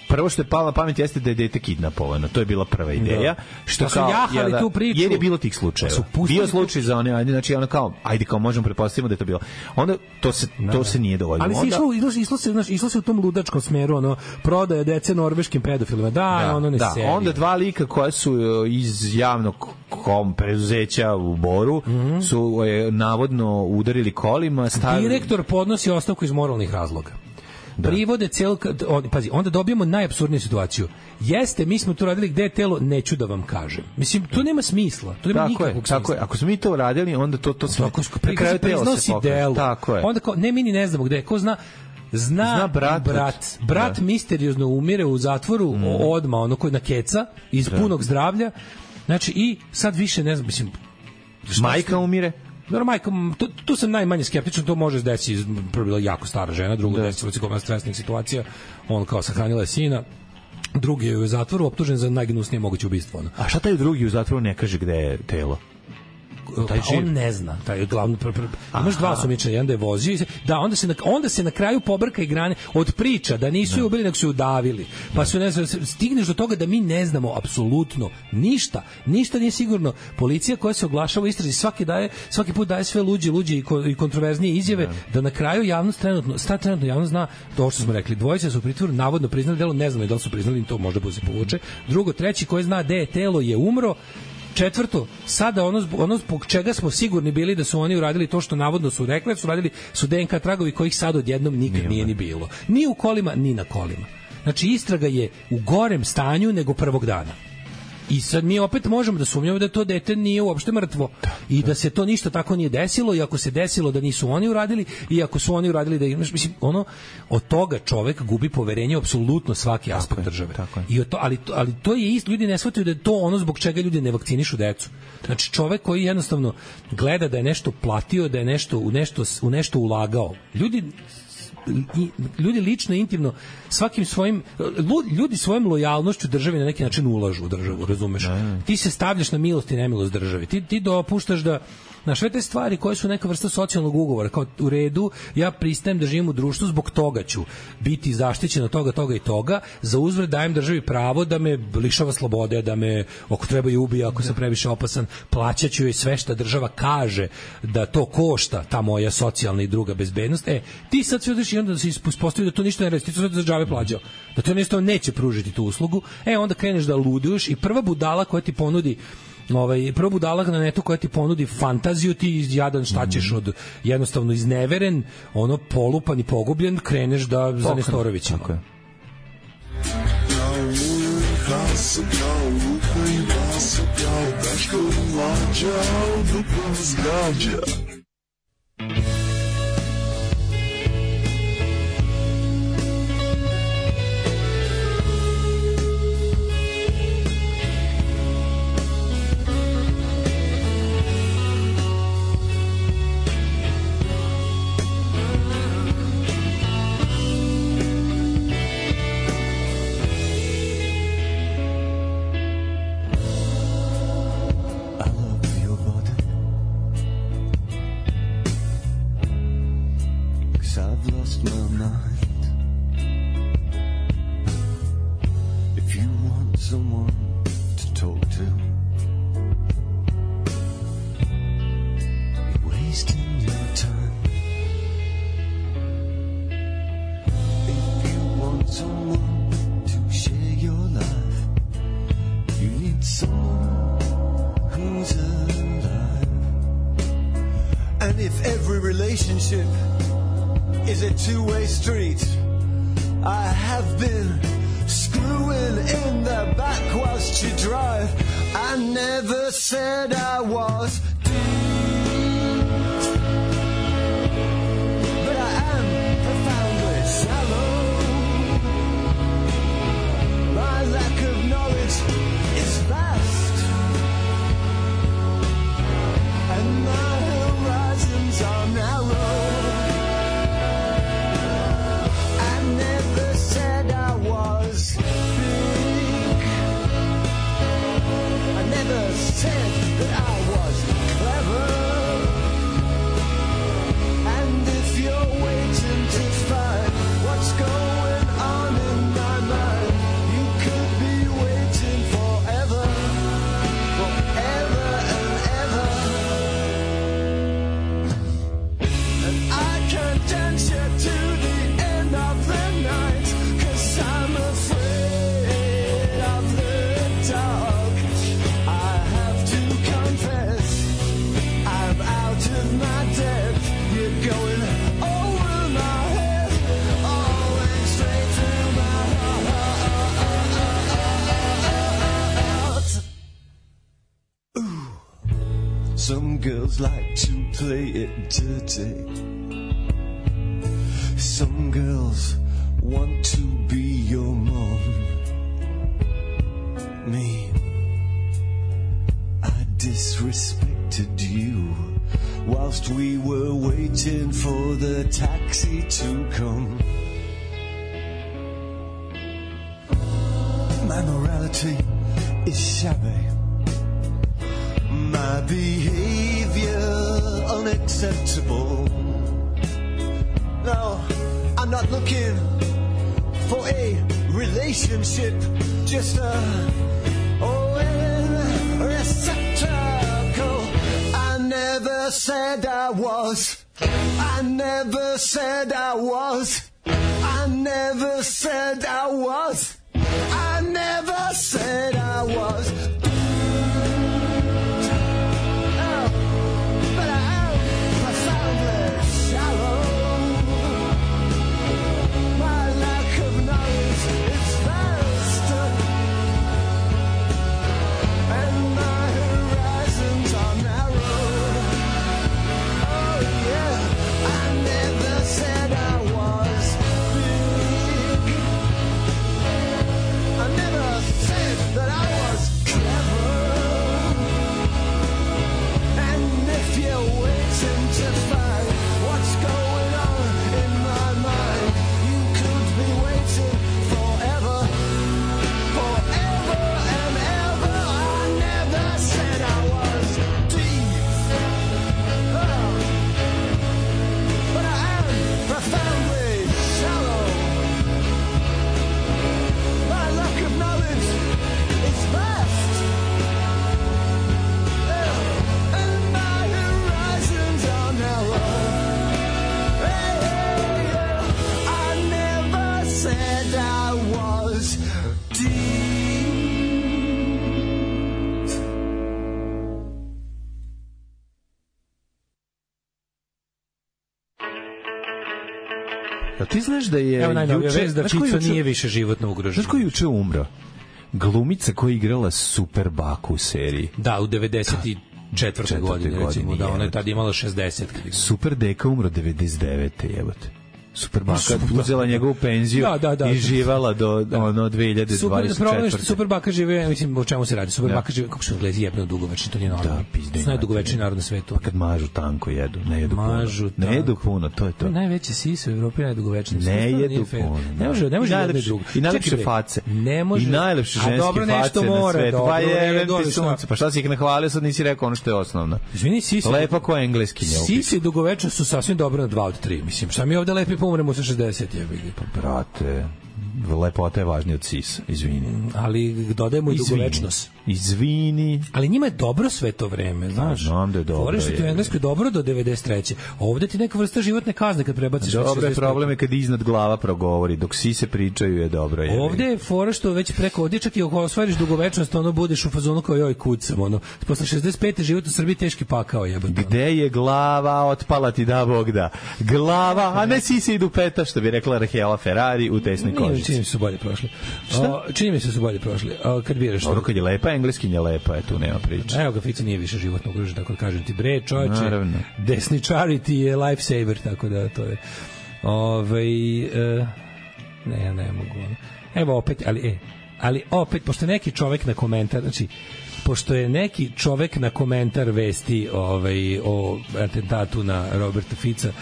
Prvo što je palo na pamet jeste da je dete kidnapovano. To je bila prva ideja. Da. Što pa kao jahali ja, tu priču. Jer je bilo tih slučajeva. Bio slučaj za one, ajde, znači ono kao, ajde kao možemo pretpostaviti da je to bilo. Onda to se da, to se nije dovoljno. Ali onda išlo, išlo, išlo se, znači išlo se u tom ludačkom smeru, ono prodaje dece norveškim pedofilima. Da, da ono ne da. serije. Onda dva lika koja su iz javnog kom preduzeća u Boru mm -hmm. su je, navodno udarili kolima, stavili... Direktor podnosi ostavku iz moralnih razloga. Da. Privode cel on, pazi, onda dobijemo najapsurdniju situaciju. Jeste, mi smo to radili, gde je telo, neću da vam kažem. Mislim, to nema smisla. To nema tako nikakvog je, smisla. Tako je. Ako smo mi to radili, onda to to sve. Tako je, priznosi delo. Tako je. Onda kao, ne, mi ni ne znamo gde. Ko zna, zna, zna brat, brat, brat da. misteriozno umire u zatvoru mm. odma, ono koji na keca, iz da. punog zdravlja. Znači, i sad više ne znam, mislim... Majka ste? umire? Dobro, majka, tu, tu sam najmanje skeptičan, to može desiti, prvo bila jako stara žena, drugo desila se kod stresnih situacija, on kao sahranila je sina, drugi je u zatvoru optužen za najgnusnije moguće ubistvo. Ono. A šta taj drugi u zatvoru ne kaže gde je telo? Taj on ne zna, taj je glavno pr, pr, imaš dva osumnjičena, jedan da je vozio, da onda se na, onda se na kraju pobrka i grane od priča da nisu je ubili, nego su je udavili. Pa su ne znam, stigneš do toga da mi ne znamo apsolutno ništa. Ništa nije sigurno. Policija koja se oglašava u istrazi svaki daje, svaki put daje sve luđe, luđe i, ko, i kontroverznije izjave ne. da na kraju javnost trenutno, sta trenutno javnost zna to što smo rekli. Dvojica su u pritvoru, navodno priznali delo, ne znamo da li su priznali, to možda bude se povuče. Drugo, treći koji zna gde je telo je umro. Četvrto, sada ono, ono zbog čega smo sigurni bili da su oni uradili to što navodno su rekli, su radili su D N K tragovi kojih sad odjednom nikad nije, nije ni bilo. Ni u kolima, ni na kolima. Znači, istraga je u gorem stanju nego prvog dana. I sad mi opet možemo da sumnjamo da to dete nije uopšte mrtvo i da se to ništa tako nije desilo, i ako se desilo da nisu oni uradili, i ako su oni uradili da ih, mislim, ono, od toga čovek gubi poverenje u apsolutno svaki aspekt tako države. Tako I to, ali, ali to je isto, ljudi ne shvataju da je to ono zbog čega ljudi ne vakcinišu decu. Znači, čovek koji jednostavno gleda da je nešto platio, da je nešto u nešto, u nešto ulagao. Ljudi I, ljudi lično, intimno, svakim svojim, ljudi svojom lojalnošću državi na neki način ulažu u državu, razumeš? Ti se stavljaš na milost i nemilost državi. Ti, ti dopuštaš da na sve te stvari koje su neka vrsta socijalnog ugovora, kao u redu, ja pristajem da živim u društvu, zbog toga ću biti zaštićen od toga, toga i toga, za uzvrat dajem državi pravo da me lišava slobode, da me ako treba i ubija, ako sam previše opasan, plaćaću joj sve što država kaže da to košta, ta moja socijalna i druga bezbednost. E, ti sad sve odeš i onda se ispostavi da to ništa ne radi, ti to za džabe plaćao, da to jednostavno neće pružiti tu uslugu. E, onda kreneš da luduješ i prva budala koja ti ponudi ovaj prvo budala na netu koja ti ponudi fantaziju, ti jadan šta ćeš od jednostavno izneveren, ono polupan i pogubljen, kreneš da za Nestorovićima. Tako je. Is a two-way street. I have been screwing in the back whilst you drive. I never said I was deep, but I am profoundly shallow. My lack of knowledge is vast, and my horizons are narrow. I never said I was big. I never said that I was clever. And if you're waiting to find what's going on in my mind, you could be waiting forever, forever and ever. And I can dance you to the end of the night, 'cause I'm afraid of the dark. I have to confess, I'm out of my depth. You're going over my head, always straight through my heart. Ooh. Some girls like to play it dirty. Some girls want to be your mom. Me, I disrespected you whilst we were waiting for the taxi to come. My morality is shabby, my behavior unacceptable. No, I'm not looking for a relationship, just a oh, a receptacle. I never said I was. I never said I was. I never said I was. I never said I was. Oh, but I am profoundly shallow. My lack of knowledge is vast, and my horizons are narrow. Oh yeah, I never said I was big. I never said that I was clever. And if you're waiting to find what's going on in my mind, you could be waiting forever, forever and ever. I never said I was deep, oh, but I am profoundly shallow. My lack of knowledge is vast, yeah, and my horizons are narrow. Hey, hey, yeah, I never said I was deep. Jel ti znaš da je Evo najnovija juče- vest da znaš ko je Čica juče- nije više životno ugrožena. Znaš ko je juče umro? Glumica koja je igrala Super Baku u seriji. Da, u devedeset četvrtoj godini, recimo, da, ona je tad imala šezdeset. Super Deka umro devedeset devete jebote. Super Baka Super- uzela njegovu penziju Da, da, da. i živala do ono dve hiljade dvadeset četvrte. Super, problem je što Super Baka žive, mislim, o čemu se radi? Super Da. Baka žive, kako su Englezi jebno dugovečni, to nije normalno. Da, pizde. To je najdugovečniji narod na svetu. Pa kad mažu tanko jedu, ne jedu Mažu puno. Ne jedu tanko. puno, to je To to. je najveće sise u Evropi, najdugovečniji. Ne Stvarno jedu nije fair. puno. Ne može, ne može I jedno i najlepše- drugo. i najlepše Čekaj, bre, face. Ne može. I najlepše A ženske dobro, nešto face na mora, svetu. dobro, Pa u je, redu, ali ti šta? sunce. Pa šta si ih nahvalio, sad nisi rekao ono što je osnovno. Izvini, sisi. Lepa ko engleskinja. Sisi i dugovečnost su sasvim dobro na dva od tri. Mislim, šta mi ovde lepi pomremo sa šezdeset, jebi ga. Brate, lepota je važnija od sisa, izvini. Ali dodajemo i dugovečnost. Izvini. Ali njima je dobro sve to vreme, znaš. Znam da je dobro. Fore što ti u Engleskoj dobro do devedeset treće. Ovde ti neka vrsta životne kazne kad prebaciš. Dobro je, problem je kad iznad glava progovori, dok sise pričaju je dobro. Je. Ovde je fora što već preko ovdje čak i ako osvariš dugovečnost, ono budeš u fazonu kao joj kucam, ono. Posle šezdeset pete život u Srbiji teški pakao jebote. Gde je glava, otpala ti da Bog da. Glava, a ne sise idu peta, što bi rekla Rahela Ferrari u tesnoj kožici. Čini mi se su bolje prošli. O, čini mi se su bolje prošli. O, kad biraš dobro, kad je lepa, engleskinja lepa, je tu nema priče. Evo ga, Fica nije više životno ugrožen, tako da kažem ti, bre, čovječe, desničari ti je lifesaver, tako da to je. Ove, e, ne, ja ne mogu. Evo opet, ali, e, ali opet, pošto neki čovek na komentar, znači, pošto je neki čovek na komentar vesti ovaj, o atentatu na Roberta Fica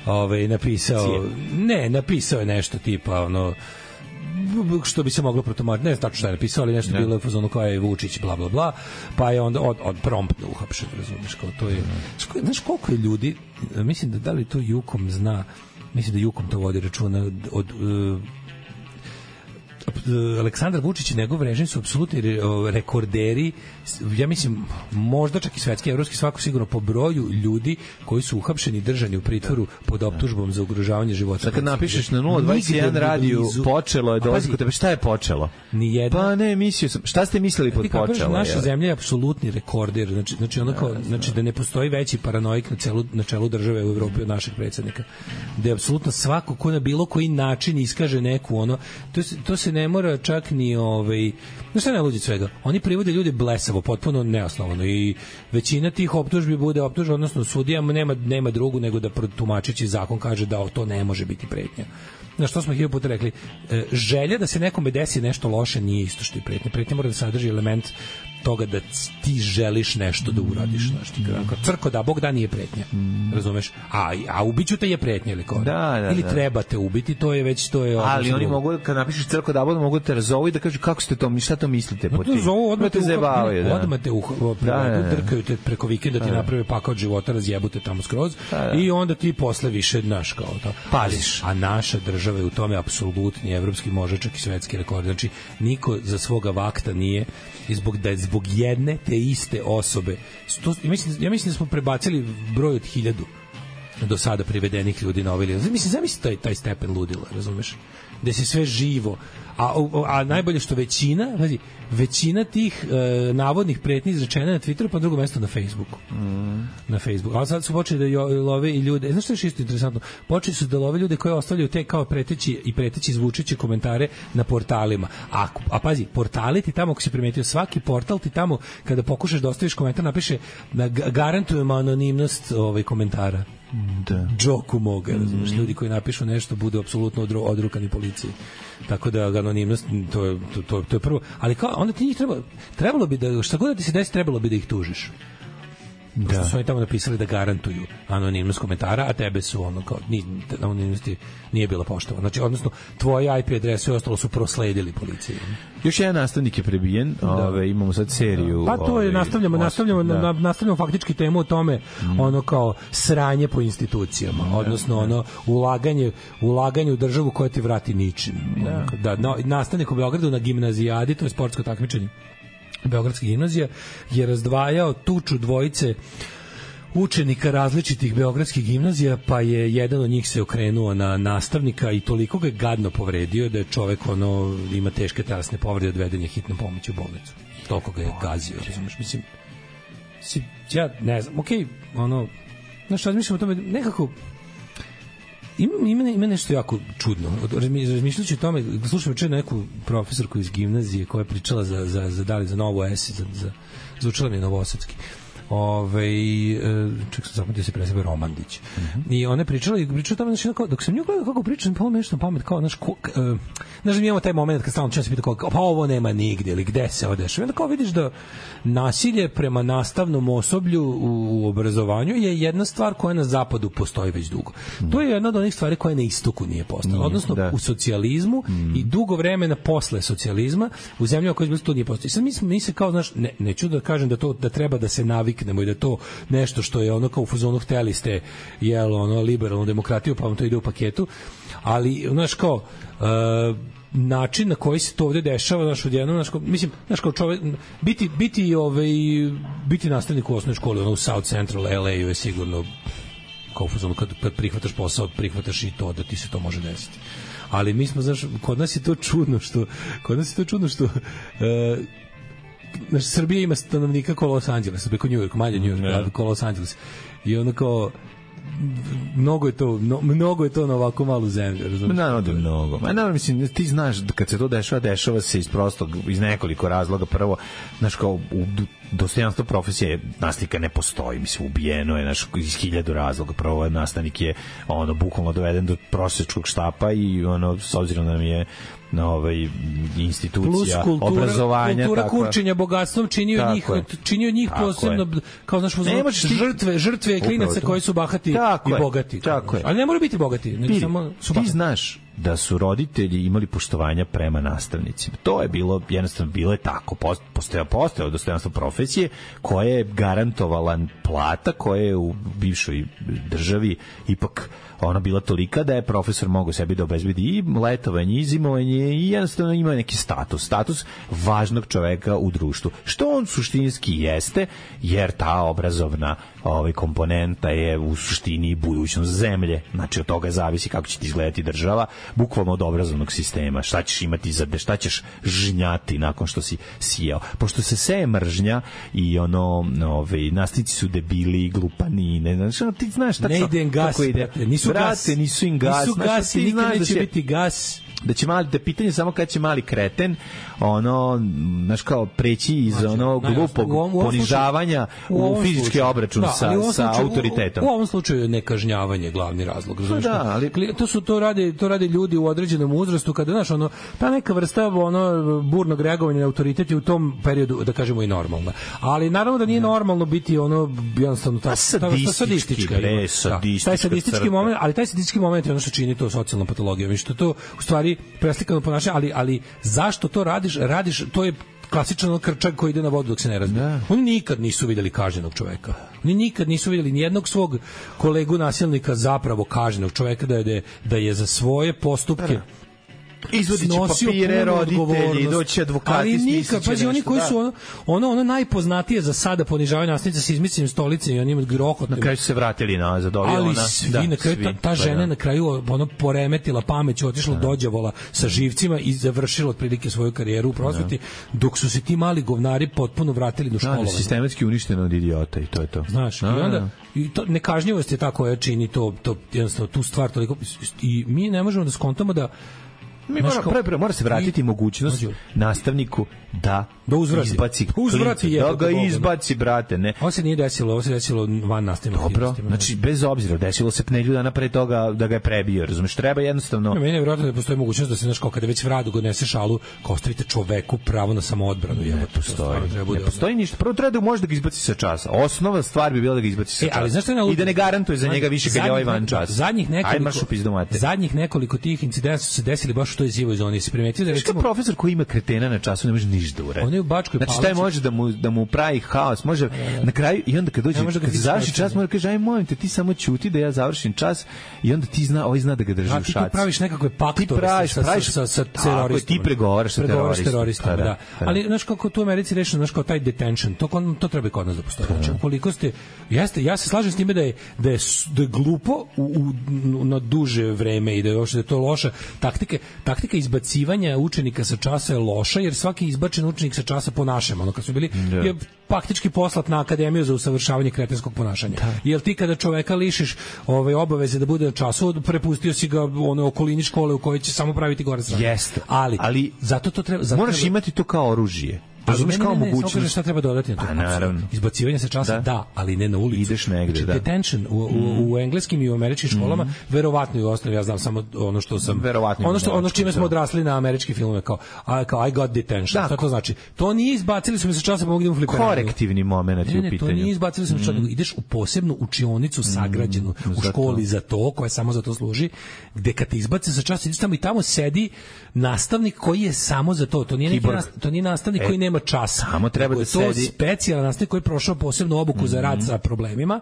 ovaj, napisao, Cije. ne, napisao je nešto tipa, ono, što bi se moglo protumačiti, ne znam tačno šta je napisao, ali nešto ne. Bilo je u fazonu kao je Vučić, bla, bla, bla, pa je onda od, od promptno uhapšen, razumiješ, kao to je, ne. Znaš koliko je ljudi, mislim da da li to Jukom zna, mislim da Jukom to vodi računa od, od uh, Aleksandar Vučić i njegov režim su apsolutni rekorderi, ja mislim možda čak i svetski, evropski, svako sigurno po broju ljudi koji su uhapšeni i držani u pritvoru pod optužbom za ugrožavanje života. Sad kad napišeš na nula dvadeset jedan radiju počelo je dolazak kod tebe, šta je počelo? Nijedna. Pa ne, mislio sam. Šta ste mislili pod počelo? Naša je. Zemlja je apsolutni rekorder, znači znači ono kao, znači da ne postoji veći paranoik na celu na čelu države u Evropi od našeg predsjednika. Da je apsolutno svako ko na bilo koji način iskaže neku ono, to se, to se ne mora čak ni ovaj, no šta ne luđi svega. Oni privode ljude blesavo, potpuno neosnovano i većina tih optužbi bude optužba, odnosno sudijama nema nema drugu nego da protumačeći zakon kaže da to ne može biti pretnja. Na što smo hiljadu puta rekli, e, želja da se nekome desi nešto loše nije isto što i pretnja. Pretnja mora da sadrži element toga da ti želiš nešto da uradiš, znači ti kao crko da Bog da nije pretnja. Mm. Razumeš? A a ubiću te je pretnja ili kao? Da, da, ili da. Treba te ubiti, to je već to je. Ali oni mogu kad napišeš crko da Bog mogu te razovu i da kažu kako ste to, mi šta to mislite po tim. No, zovu odmah te zabavaju, da. Odmah te uh, drkaju te preko vikenda ti naprave pakao od života, razjebute tamo skroz da, da. I onda ti posle više znaš kao to. Paziš, a naša država je u tome apsolutni evropski možečak i svetski rekord. Znači niko za svoga vakta nije i zbog da zbog jedne te iste osobe. Sto, ja, mislim, ja mislim da smo prebacili broj od hiljadu do sada privedenih ljudi na ovaj list. Mislim, zamisli taj, taj stepen ludila, razumeš? Da se sve živo. A, a najbolje što većina, znači, većina tih e, navodnih pretnji izrečena na Twitteru, pa drugo mesto na Facebooku. Mm. Na Facebooku. A sad su počeli da love i ljude. E, znaš što je isto interesantno? Počeli su da love ljude koji ostavljaju te kao preteći i preteći zvučeće komentare na portalima. A, a pazi, portali ti tamo, ako si primetio, svaki portal ti tamo, kada pokušaš da ostaviš komentar, napiše da garantujemo anonimnost ovaj, komentara. Da. Džoku moga, razumiješ, mm. ljudi koji napišu nešto budu apsolutno odru, odrukani policiji. Tako da anonimnost to je to, to, to je prvo, ali kao onda ti njih treba trebalo bi da šta god da ti se desi trebalo bi da ih tužiš. Da. Su oni tamo napisali da garantuju anonimnost komentara, a tebe su ono kao ni anonimnosti nije bila poštovana. Znači odnosno tvoje I P adrese i ostalo su prosledili policiji. Još jedan nastavnik je prebijen, da. Ove, imamo sad seriju. Pa to je, ove, nastavljamo, os, nastavljamo, da. na, nastavljamo faktički temu o tome, mm. ono kao sranje po institucijama, mm. odnosno ono ulaganje, ulaganje u državu koja ti vrati ničim. Da. Da, na, nastavnik u Beogradu na gimnazijadi, to je sportsko takmičenje Beogradska gimnazija, je razdvajao tuču dvojice učenika različitih beogradskih gimnazija, pa je jedan od njih se okrenuo na nastavnika i toliko ga je gadno povredio da je čovek ono ima teške telesne povrede, odveden je hitnom pomoći u bolnicu. Toliko ga je gazio, razumiješ, mislim, mislim, ja ne znam, okej, okay, ono, znaš, razmišljam o tome, nekako ima, ima, ima nešto jako čudno. Razmišljajući o tome, slušam če neku profesorku iz gimnazije koja je pričala za, za, za, da li za Novo S, za, za, za učila mi je Novosadski. Ove, ček sam zapamtio se presebe Romandić. Mm-hmm. I ona je pričala i pričala tamo, znači, dok sam nju gledao kako pričam, pa ovo nešto na pamet, kao, znaš, ko, uh, znaš, mi imamo taj moment kad stalno čas se pita kao, pa ovo nema nigdje, ili gde se odešava. I onda kao vidiš da nasilje prema nastavnom osoblju u, u obrazovanju je jedna stvar koja na zapadu postoji već dugo. Mm. To je jedna od onih stvari koja na istoku nije postala. Odnosno, da. U socijalizmu mm. i dugo vremena posle socijalizma, u zemljama koje to nije postoji. Sad mi, smo, mi se kao, znaš, ne, neću da kažem da to da treba da se navikne riknemo i da to nešto što je ono kao u fazonu hteli ste jel, ono, liberalnu demokratiju, pa vam to ide u paketu, ali, znaš, kao uh, način na koji se to ovde dešava, znaš, odjednom, znaš, kao, mislim, znaš, kao čovek, biti, biti, ovaj, biti nastavnik u osnovnoj školi, ono, u South Central L A-u je sigurno kao u fazonu, kad, kad prihvataš posao, prihvataš i to da ti se to može desiti. Ali mi smo, znaš, kod nas je to čudno što, kod nas je to čudno što, uh, znaš, Srbija ima stanovnika kao Los Angeles, preko New York, manje New York, yeah. kao Los Angeles. I ono kao, mnogo je to, no, mnogo je to na ovako malu zemlju, razumiješ? Naravno da je mnogo. Ma naravno, mislim, ti znaš da kad se to dešava, dešava se iz prostog, iz nekoliko razloga. Prvo, znaš, kao u dostojanstvo profesije nastavnika ne postoji, mislim, ubijeno je, znaš, iz hiljadu razloga. Prvo, nastavnik je, ono, bukvalno doveden do prosječkog štapa i, ono, s obzirom da nam je na ovaj institucija kultura, obrazovanja, kultura tako, kurčenja bogatstvom činio njih činio njih posebno je. Kao znaš, žrtve žrtve klinaca koji su bahati tako i bogati. Tako je. Ali ne moraju biti bogati, nego samo su bahati. Ti znaš da su roditelji imali poštovanja prema nastavnicima. To je bilo, jednostavno, bilo je tako. Postojao, postojao dostojanstvo profesije koja je garantovala plata koja je u bivšoj državi ipak ona bila tolika da je profesor mogao sebi da obezbedi i letovanje, i zimovanje i jednostavno ima neki status. Status važnog čoveka u društvu. Što on suštinski jeste, jer ta obrazovna ovaj, komponenta je u suštini budućnost zemlje. Znači, od toga zavisi kako će ti izgledati država, bukvalno od obrazovnog sistema. Šta ćeš imati za šta ćeš žnjati nakon što si sijao. Pošto se seje mržnja i ono, ovaj, nastavnici su debili, glupani, ne znaš, ono, ti znaš tačno ne ide gas, kako ide. Brate, nisu Brate, gas, nisu im gas, nisu gas, ti nikad znaš neće da će biti gas. Da će mali, da pitanje samo kad će mali kreten ono, znaš, kao preći iz znači, ono glupog u ovom, u ovom ponižavanja slučaju, u, u fizički slučaju, obračun da, sa, slučaju, sa autoritetom. U, u ovom slučaju je nekažnjavanje glavni razlog. Znači, da, ali to su to rade, to rade ljudi u određenom uzrastu kada, znaš, ono, ta neka vrsta ono burnog reagovanja na autoritet je u tom periodu, da kažemo, i normalna. Ali naravno da nije ja. normalno biti ono jednostavno ta, ta sadistička. Bre, sadistička. Taj sadistički moment, ali taj sadistički moment je ono što čini to socijalna patologija. Mislim što to u stvari preslikano ponašanje, ali ali zašto to radiš? Radiš, to je klasičan krčak koji ide na vodu dok se ne razbije. Da. Oni nikad nisu vidjeli kažnjenog čoveka. Oni nikad nisu vidjeli nijednog svog kolegu nasilnika zapravo kažnjenog čoveka da je, da je za svoje postupke da. Izvodit će papire roditelji, doći advokati, ali nikad, pazi, oni koji su ono, ono, ono najpoznatije za sada ponižavanje nastavnica sa izmicanjem stolice i onim grohotom. Na kraju su se vratili nazad, ali ona. Svi, da, na kraju, svi, ta, ta žena pa, na kraju ono poremetila pameć, otišla do đavola sa živcima i završila otprilike svoju karijeru u prosveti, dok su se ti mali govnari potpuno vratili do školovanja. Da, sistematski uništeno od idiota i to je to. Znaš, a, i onda i to nekažnjivost je ta koja čini to, to jednostavno tu stvar toliko, i mi ne možemo da skontamo da Mi mora, pre, pre, mora se vratiti i mogućnost nastavniku da, da uzvrati. izbaci uzvrati klinca, da ga izbaci, brate, ne. Ovo se nije desilo, ovo se desilo van nastavnog. Dobro, znači bez obzira, desilo se pnelju dana pre toga da ga je prebio, razumeš, treba jednostavno. Ne, meni je vjerojatno da postoji mogućnost da se, znaš, kao kada već vradu god nese šalu, kao ostavite čoveku pravo na samoodbranu. Ne postoji, ne postoji ništa. Prvo treba da može da ga izbaci sa časa. Osnova stvar bi bila da ga izbaci sa e, ali časa. I da ne garantuje za njega više kad je ovaj van čas. Zadnjih nekoliko, zadnjih nekoliko tih incidenata su se desili baš u toj zivoj zoni. Se primetio da recimo profesor koji ima kretena na času ne može ništa da uradi. On je u Bačkoj Palanci. Znači taj može da mu da mu pravi haos, može na kraju i onda kad dođe kad završi čas mora kaže aj molim te ti samo ćuti da ja završim čas i onda ti zna, ovaj zna da ga drži u šaci. Ti praviš nekakve paktove ti praviš, sa, praviš, sa, sa teroristima. Ti pregovaraš sa teroristima, da. Ali znaš kako to u Americi rešeno, znaš kao taj detention, to to treba kod nas da postoji. Znači koliko ste jeste, ja se slažem s time da je da je, da je glupo u, u, na duže vreme i da je uopšte da je to loša taktika, taktika izbacivanja učenika sa časa je loša, jer svaki izbačen učenik sa časa ponašamo. Ono kad su bili yeah. je faktički poslat na akademiju za usavršavanje kretenskog ponašanja. Da. Jer ti kada čoveka lišiš ove obaveze da bude na času, prepustio si ga ono okolini škole u kojoj će samo praviti gore strane. Jeste. Ali, ali zato to treba, zato moraš treba, imati to kao oružje. Razumeš kao mogućnost. Ne, ne, šta treba dodati na to? Pa, naravno. Izbacivanje sa časa, da. da, ali ne na ulicu. Ideš negde, znači, da. Detention u, u, u engleskim i u američkim školama, mm. verovatno i u osnovi, ja znam samo ono što sam, verovatno ono što ono s čime smo odrasli na američki filmove, kao, a, kao I got detention. Da, šta to znači? To nije izbacili su mi sa časa, pa mogu da mu fliperaju. Korektivni moment je u pitanju. To nije izbacili su mi sa časa, ideš u posebnu učionicu sagrađenu mm. u školi za to, koja samo za to služi, gde kad te izbace sa časa, ideš tamo i tamo sedi nastavnik koji je samo za to. To nije neki nastavnik, to nije nastavnik koji nema časa. Samo treba da sedi. To je specijalan nastavnik koji je prošao posebnu obuku mm-hmm. za rad sa problemima,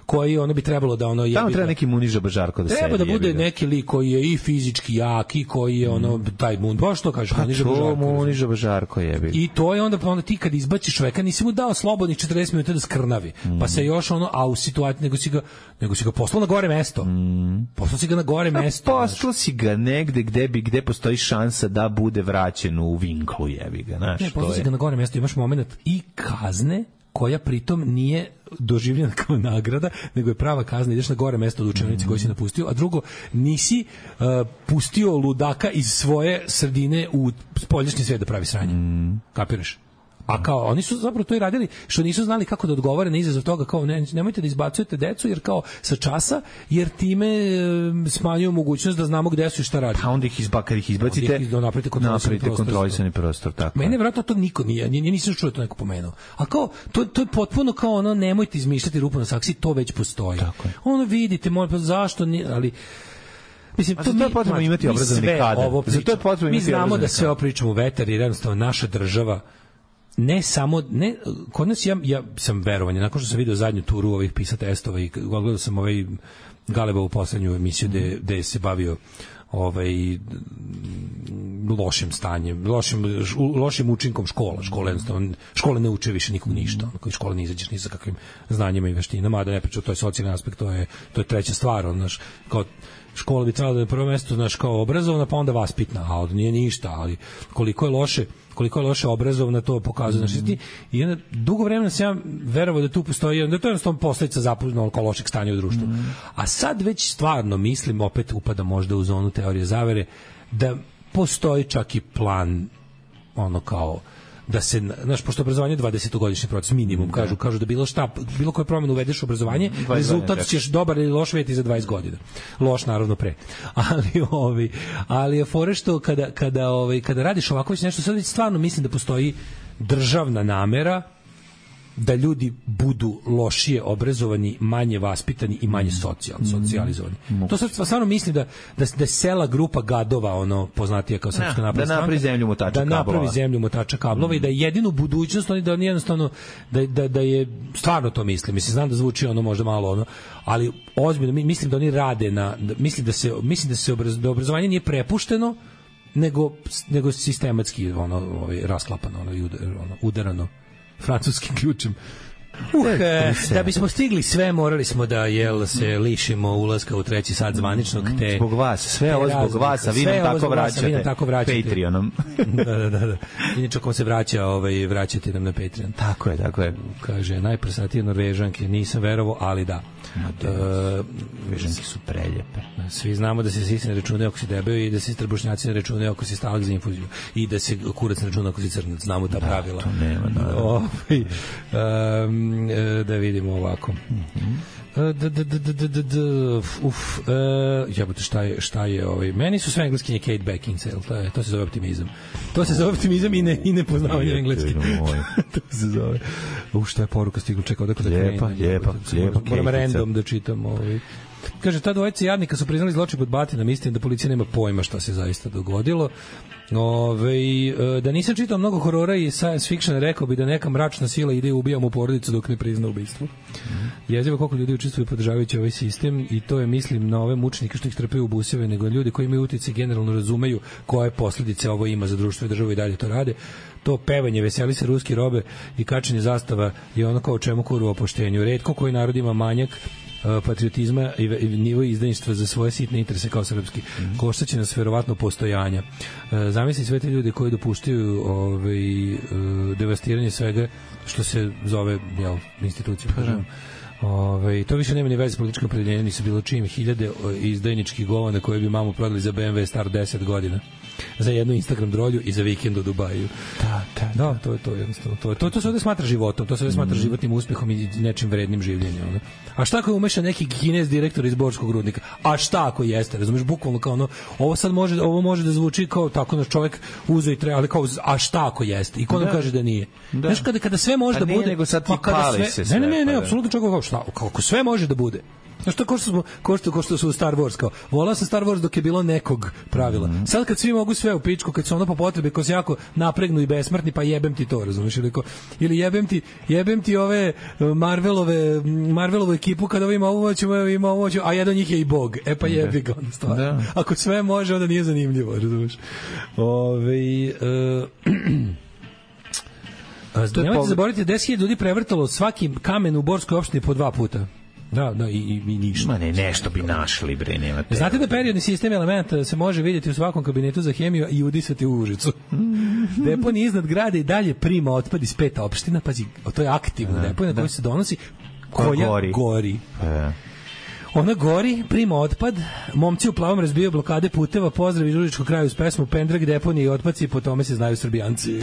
koji ono bi trebalo da ono... Tamo treba neki Muniža Bažarko da sedi. Treba da bude neki lik koji je i fizički jak i koji je ono, taj Mun, baš to kažeš, pa Muniža Bažarko. Pa to Muniža Bažarko jebi. I to je onda, onda ti kad izbaciš čoveka, nisi mu dao slobodnih četrdeset minuta da skrnavi, mm. pa se još ono, a u situaciji, nego si ga, nego si ga poslao na gore mesto. Mm. Poslao si ga na gore a mesto. Poslao si ga negde gde bi, gde postoji šansa da bude vraćen u vinklu, jebi ga, znaš. Ne, poslao si ga na gore mesto, imaš moment i kazne, koja pritom nije doživljena kao nagrada, nego je prava kazna, ideš na gore mesto od učionice mm. koji si napustio, a drugo, nisi uh, pustio ludaka iz svoje sredine u spoljašnji svijet da pravi sranje. Mm. Kapiraš? A kao, oni su zapravo to i radili, što nisu znali kako da odgovore na izazov toga, kao ne, nemojte da izbacujete decu, jer kao sa časa, jer time e, smanjuju mogućnost da znamo gde su i šta radi. Pa onda ih izba, kad ih izbacite, ih napravite kontrolisani prostor. kontrolisani prostor, tako. Mene vjerojatno to niko nije, nije nisam čuo to neko pomenuo. A kao, to, to je potpuno kao ono, nemojte izmišljati rupu na saksiji, to već postoji. Ono vidite, možda, zašto, nije, ali... Mislim, to, to je potrebno imati obrazovni kadar. Zato je potrebno mi znamo da sve ovo pričamo u vetar, jer jednostavno naša država ne samo, ne, kod nas ja, ja sam verovan, nakon što sam vidio zadnju turu ovih pisa testova i gledao sam ovaj Galebovu poslednju emisiju gde, gde se bavio ovaj lošim stanjem, lošim, lošim učinkom škola. Škole, jednostavno, škole ne uče više nikom ništa. Ono, škole ne izađeš ni sa kakvim znanjima i veštinama, a da ne pričam, to je socijalni aspekt, to je, to je treća stvar. Ono, znaš, kao, škola bi trebala da je na prvo mesto, znaš, kao obrazovna, pa onda vaspitna, a od nije ništa, ali koliko je loše koliko je loše obrazovna, to pokazuje. Mm-hmm. Znači, i onda, dugo vremena sam ja verovao da tu postoji, da to je jednostavno posledica zapuštenog lošeg stanja u društvu. Mm-hmm. A sad već stvarno mislim, opet upada možda u zonu teorije zavere, da postoji čak i plan, ono kao, da se, znaš, pošto obrazovanje je dvadesetogodišnji proces minimum, kažu, kažu da bilo šta, bilo koje promjene uvedeš u obrazovanje, rezultat ćeš dobar ili loš vidjeti za dvadeset godina. Loš naravno pre. Ali ovi, ali je fore što kada kada ovaj kada radiš ovako već nešto, sad stvarno mislim da postoji državna namera da ljudi budu lošije obrazovani, manje vaspitani i manje socijalni, socijalizovani. Mm. To sad stvarno mislim da da da sela grupa gadova, ono poznatija kao Srpska napredna stranka, da napravi zemlju motača da kablova. napravi zemlju motača kablova mm. i da je jedinu budućnost, oni da oni jednostavno da da da je stvarno to mislim. Mislim znam da zvuči ono možda malo ono, ali ozbiljno mislim da oni rade na da, mislim da se mislim da se obraz, da obrazovanje nije prepušteno nego nego sistematski ono ovaj rasklapano, ono, ono udarano francuskim ključem. Uh, e, da bismo stigli sve, morali smo da jel se lišimo ulaska u treći sat zvaničnog, te zbog vas, sve ovo zbog vas, a vi nam tako vraćate, vi nam tako vraćate Patreonom. da, da, da, da. Inače, ako se vraća, ovaj, vraćate nam na Patreon. Tako je, tako je. Kaže, najprosatije Norvežanke, nisam verovao, ali da. Norvežanke su preljepe. Svi znamo da se sisi ne računaju ako si debeo i da se trbušnjaci ne računaju ako si stalak za infuziju i da se kurac ne računa ako si crnac. Znamo ta da, pravila. To nema, da. Ovaj, um, da vidimo ovako. Mm-hmm. Da, da, da, da, da, da, uf, uh, jebote, šta je, šta je ovaj, meni su sve engleskinje Kate Beckinsale, to, je, to se zove optimizam. To se zove optimizam i ne, i ne poznavanje engleski. To se zove. U, šta je poruka stigla, čekao, da kada lijepa, krenu. Lijepa, lijepa. Moram random da čitam. Ovaj. Kaže, ta dvojica jadnika su priznali zločin pod Batinom, istina da policija nema pojma šta se zaista dogodilo. Ove, da nisam čitao mnogo horora i science fiction, rekao bi da neka mračna sila ide i ubija mu porodicu dok ne prizna ubistvo. Mm. Jezivo koliko ljudi učestvuju podržavajući ovaj sistem i to je, mislim, na ove mučnike što ih trpaju u buseve, nego ljudi koji imaju utjecaj generalno razumeju koje posljedice ovo ima za društvo i državu i dalje to rade. To pevanje, veseli se ruski robe i kačenje zastava je ono kao o čemu kuru o poštenju. Retko koji narod ima manjak patriotizma i nivo izdajništva za svoje sitne interese kao srpski. Mm. Koštaće nas verovatno postojanja. E, zamisli sve te ljudi koji dopuštaju ovaj, e, devastiranje svega što se zove jel, institucijom. Ove, to više nema ni veze s političkim opredeljenjem, nisu bilo čim hiljade izdajničkih govana koje bi mamu prodali za B M W star deset godina. Za jednu Instagram drolju i za vikend u Dubaju. Da, da, da, to je to jednostavno. To, to, to se ovdje smatra životom, to se ovdje smatra mm. životnim uspjehom i nečim vrednim življenjem. Ono. A šta ako je umešan neki Kinez direktor iz Borskog rudnika? A šta ako jeste? Razumeš, bukvalno kao ono, ovo sad može, ovo može da zvuči kao tako naš čovjek uze i treba, ali kao, a šta ako jeste? I ko nam kaže da nije? Da. Znaš, kada, kada sve može a da nije, bude... nego sad ti pa pali sve, se sve. Ne, ne, ne, ne, pa apsolutno čak kao, šta, kako sve može da bude. Znaš to, ko što, smo, ko, što, ko što su u Star Wars, kao, volao sam Star Wars dok je bilo nekog pravila. Mm. Sad kad svi mogu sve u pičku, kad su ono po potrebi, ko se jako napregnu i besmrtni, pa jebem ti to, razumiješ? Ili, ko, ili jebem, ti, jebem ti ove Marvelove, Marvelovu ekipu, kada ovo ima ovo hoćemo, ima ovo hoćemo, a jedan od njih je i Bog. E pa jebi ga, onda stvar. Da. Ako sve može, onda nije zanimljivo, razumiješ? Ove... Uh, nemojte zaboraviti, deset hiljada ljudi prevrtalo svaki kamen u Borskoj opštini po dva puta. Da, da, i, i, i ništa. Ma ne, nešto bi našli, bre, nema te. Znate da periodni sistem elementa se može vidjeti u svakom kabinetu za hemiju i udisati u Užicu. Deponija iznad grada i dalje prima otpad iz pet opština, pazi, to je aktivna deponija koja se donosi, koja gori. gori. E. Ona gori, prima otpad, momci u plavom razbijaju blokade puteva, pozdrav iz Užičkog kraju uz pesmu Pendrag, deponije i otpadci, po tome se znaju Srbijanci.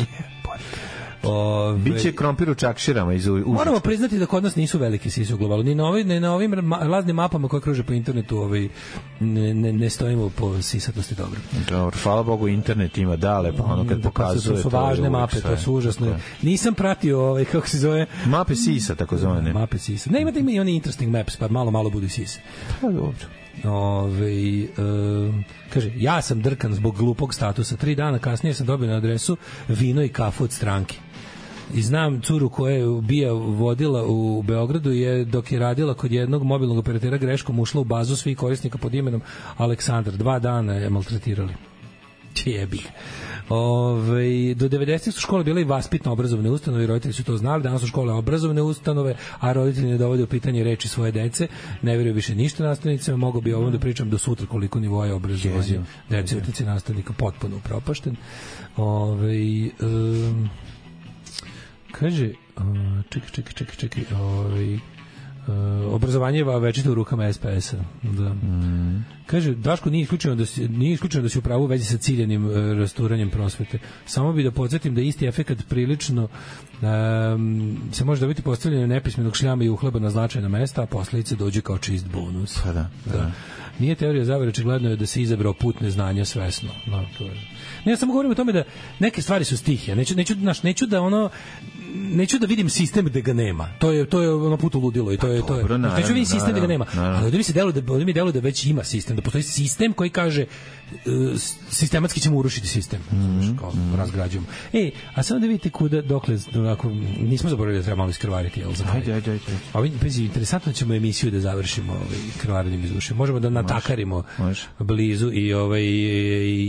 Ove, biće krompir u čakširama iz Užička. Moramo priznati da kod nas nisu velike sise u globalu. Ni na, ovim, ni na ovim raznim mapama koje kruže po internetu ovaj, ne, ne, ne stojimo po sisatosti dobro. Dobro, hvala Bogu, internet ima dale, pa ono kad pokazuje... To su važne mape, to su užasne. Nisam pratio, ovaj, kako se zove... Mape sisa, tako zove. Mape sisa. Ne, imate ima i oni interesting maps, pa malo, malo budu sise. Pa dobro. Ove, e, kaže, ja sam drkan zbog glupog statusa. Tri dana kasnije sam dobio na adresu vino i kafu od stranke. I znam curu koja je bija vodila u Beogradu je dok je radila kod jednog mobilnog operatera greškom ušla u bazu svih korisnika pod imenom Aleksandar. Dva dana je maltretirali. Jebi. Ove, do devedesetih su škole bile i vaspitno obrazovne ustanove i roditelji su to znali. Danas su škole obrazovne ustanove, a roditelji ne dovode u pitanje reči svoje dece, ne vjeruju više ništa nastavnicima. Mogu bi ovom da pričam do sutra koliko nivoja obrazovanja dece, utice nastavnika potpuno upropašten. Ove, um, kaže, uh, čekaj, čekaj, čekaj, čekaj, ovaj, uh, obrazovanje je večito u rukama es pe es-a. Da. Mm. Kaže, Daško, nije isključeno da si, nije isključeno da si u pravu u vezi sa ciljanim uh, rasturanjem prosvete. Samo bi da podsjetim da isti efekat prilično um, se može dobiti postavljanjem nepismenog šljama i uhleba na značajna mesta, a posljedice dođe kao čist bonus. Pa da, da. Da. Nije teorija zavere, očigledno je da se izabrao put neznanja svesno. No, to je. Ne, ja samo govorim o tome da neke stvari su stihije. Neću, neću, naš, neću da ono neću da vidim sistem gde ga nema. To je to je ono put u ludilo i to je to je. Dobro, naravno, neću vidim sistem gde ga nema. Naravno. Ali ovdje mi se deluje da ovdje mi deluje da već ima sistem, da postoji sistem koji kaže uh, sistematski ćemo urušiti sistem. Mm-hmm. Kao mm-hmm. razgrađujemo. Ej, a samo da vidite kuda dokle onako nismo zaboravili da treba malo iskrvariti, jel za kraj. Ajde, ajde, ajde. A vi pezi interesantno ćemo emisiju da završimo ovaj krvarenjem iz duše. Možemo da natakarimo može, može. blizu i ovaj i,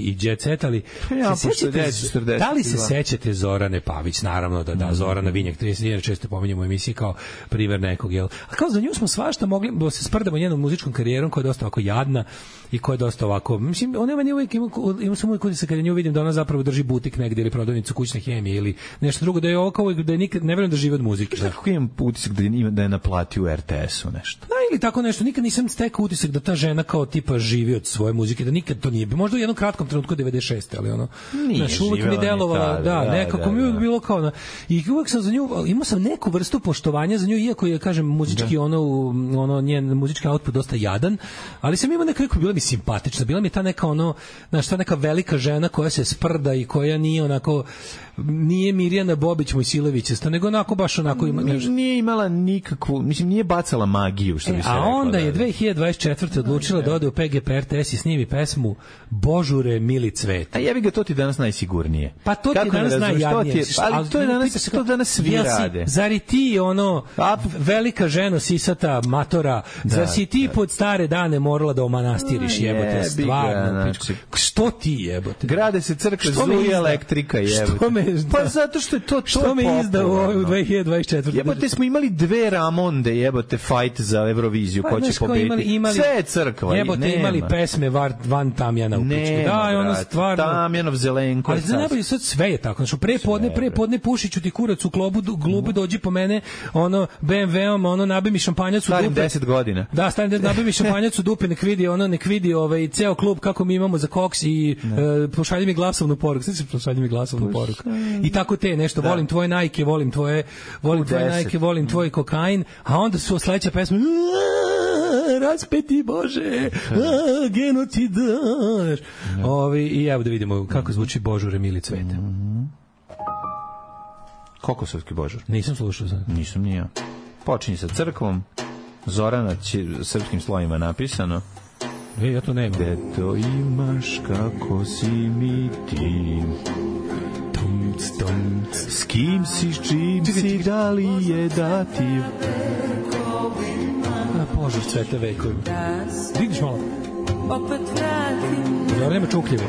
i jet set, ali ja, se sećate, da li se sećate Zorane Pavić? Naravno da da, Zorana Vinjak trideset godina često pominjemo u emisiji kao primer nekog, jel? A kao za nju smo svašta mogli da se sprdamo njenom muzičkom karijerom koja je dosta ovako jadna i koja je dosta ovako, mislim, ona meni uvijek ima, ima sam uvijek utisak kada nju vidim da ona zapravo drži butik negdje ili prodavnicu kućne hemije ili nešto drugo, da je ovo kao da je nikad, ne vjerujem da živi od muzike. Da. Kako imam utisak da je, da je naplatio u er te esu nešto? Da, ili tako nešto, nikad nisam stekao utisak da ta žena kao tipa živi od svoje muzike, da nikad to nije, možda u jednom kratkom trenutku devedeset šeste ali ono, znaš, uvijek mi delovala, da, da, nekako da, mi uvijek da. bilo kao, na, i uvijek sam za nju, imao sam neku vrstu poštovanja za nju, iako je, kažem, muzički da. ono, ono, njen muzički output dosta jadan, ali sam imao nekako, bila mi simpatična, bila mi ta neka ono, znaš, ta neka velika žena koja se sprda i koja nije onako, nije Mirjana Bobić Mojsilevićesta, nego onako baš onako ima, nije, nije imala nikakvu, mislim, nije bacala magiju, što bi se e, a rekla. A onda da, je dve hiljade dvadeset četvrte odlučila da ode u pe ge pe er te es i snimi pesmu Božure mili cvet. A jebi ga, to ti danas najsigurnije. Pa to ti danas najjadnije. Ali to je danas, to danas svi ja rade. Zar i ti ono, a, velika ženo sisata matora, da, zar si ti da. pod stare dane morala da omanastiriš, jebote, stvarno. Znači, što ti jebote? Grade se crkve, zuje elektrika, jebote. Pa zato što je to to što me izdao u dve hiljade dvadeset četvrte. Jebote, smo imali dve Ramonde, jebote, fight za Euroviziju, pa, ko će pobediti. Imali, imali, sve je crkva. Jebote, nema. Imali pesme var, Van Tamjana u pičku. Da, ono stvarno. Tamjanov Zelenko. Ali za najbolje sad sve je tako. Znači, pre podne, pre podne pušiću ti kurac u klobu, glube dođi po mene, ono, be em veom, ono, nabi mi šampanjac u dupe. Starim deset godina. Da, starim nabi mi šampanjac u dupe, nek vidi, ono, nek vidi ovaj, ceo klub kako mi imamo za koks i uh, pošalji mi glasovnu poruku. Sve se pošalji mi glasovnu poruku. I tako te nešto, da. volim tvoje Nike, volim tvoje, volim tvoje Nike, volim tvoj kokain, a onda su sledeća pesma raspeti Bože, a, genocid. Ovi, i evo da vidimo kako zvuči Božure mili cvete. Mm-hmm. Kokosovski Božur. Nisam slušao. Sad. Nisam ni ja. Počinje sa crkvom. Zorana će srpskim slovima napisano. E, ja to nemam. Gde to imaš, kako si mi ti? Tumc, tumc. S kim si, s čim si, da li je dativ? A, požar cvete vekovima. Vidiš malo? Dobro, nema čukljive.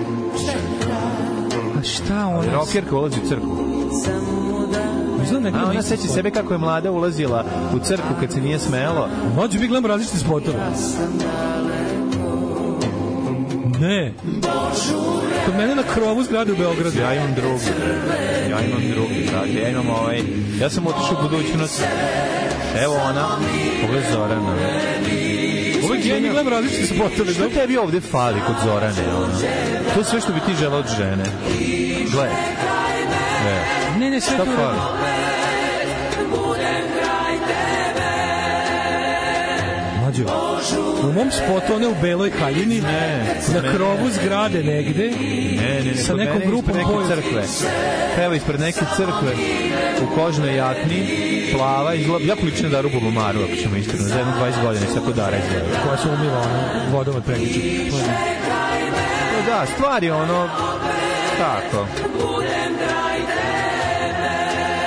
A šta ona? Rokerka ulazi u crkvu. A ona seća sebe kako je mlada ulazila u crkvu kad se nije smelo. Mlađe, mi gledamo različite spotove. Ne. Kod mene na krovu zgrade u Beogradu. Ja imam drugi. Ja imam drugi, brate. Ja imam ovaj... Ja sam otišao u budućnost. Evo ona. Ovo je Zorana. Uvijek ja mi gledam različite spotove. Što tebi ovde fali kod Zorane? Ono? To je sve što bi ti želao od žene. Gle. Ne, ne, ne sve šta to fali? Mlađo, u mom spotu one u beloj haljini, ne, na krovu zgrade negde, ne, ne, ne, sa nekom grupom neke crkve. Evo ispred neke crkve u kožnoj jakni, plava, izgleda, jako lično da rubu Maru, ako ćemo iskreno, za jedno dvadeset godina se tako dara izgleda. Koja se umiva ono, vodom od pregliča. No da, stvar je ono, tako.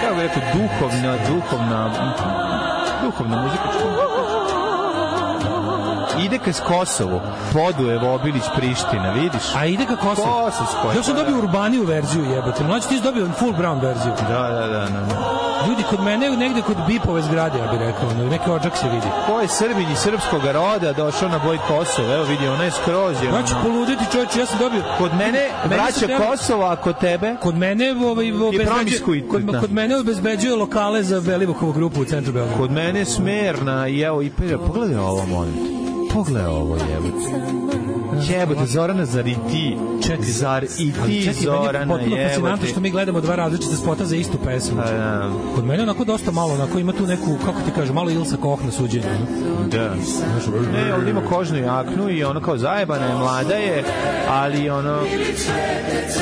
Kako bih rekao, duhovna, duhovna, duhovna muzika. Ide ka Kosovu, Podujevo, Obilić, Priština, vidiš? A ide ka Kosovu? Kosovskoj. Ja sam dobio urbaniju verziju, jebate. Mlađi, ti si dobio full brown verziju. Da, da, da. da. Ljudi, kod mene, negde kod Bipove zgrade, ja bih rekao, neki odžak se vidi. Ko je Srbin iz srpskog roda došao na boj Kosova? Evo vidi, ona je skroz. Je znači, poluditi čovječ, ja sam dobio... Kod mene vraća treba... Kosova, a kod tebe? Kod mene ovaj, obezbeđuje, kod, kod mene obezbeđuje lokale za Belivukovu grupu u centru Beograda. Kod mene Smerna i evo, i pogledaj ovo, molim te. Pogledaj ovo, jebote. Jebote, Zorana, zar i ti? Čekaj, zar i ti, čekaj, Zorana, jebote. Potpuno fascinantno što mi gledamo dva različita spota za istu pesmu. A, da. Kod mene onako dosta malo, onako ima tu neku, kako ti kažem, malo Ilsa Koch na suđenju. Da. Ne, ovdje ima kožnu jaknu i ono kao zajebana je, mlada je, ali ono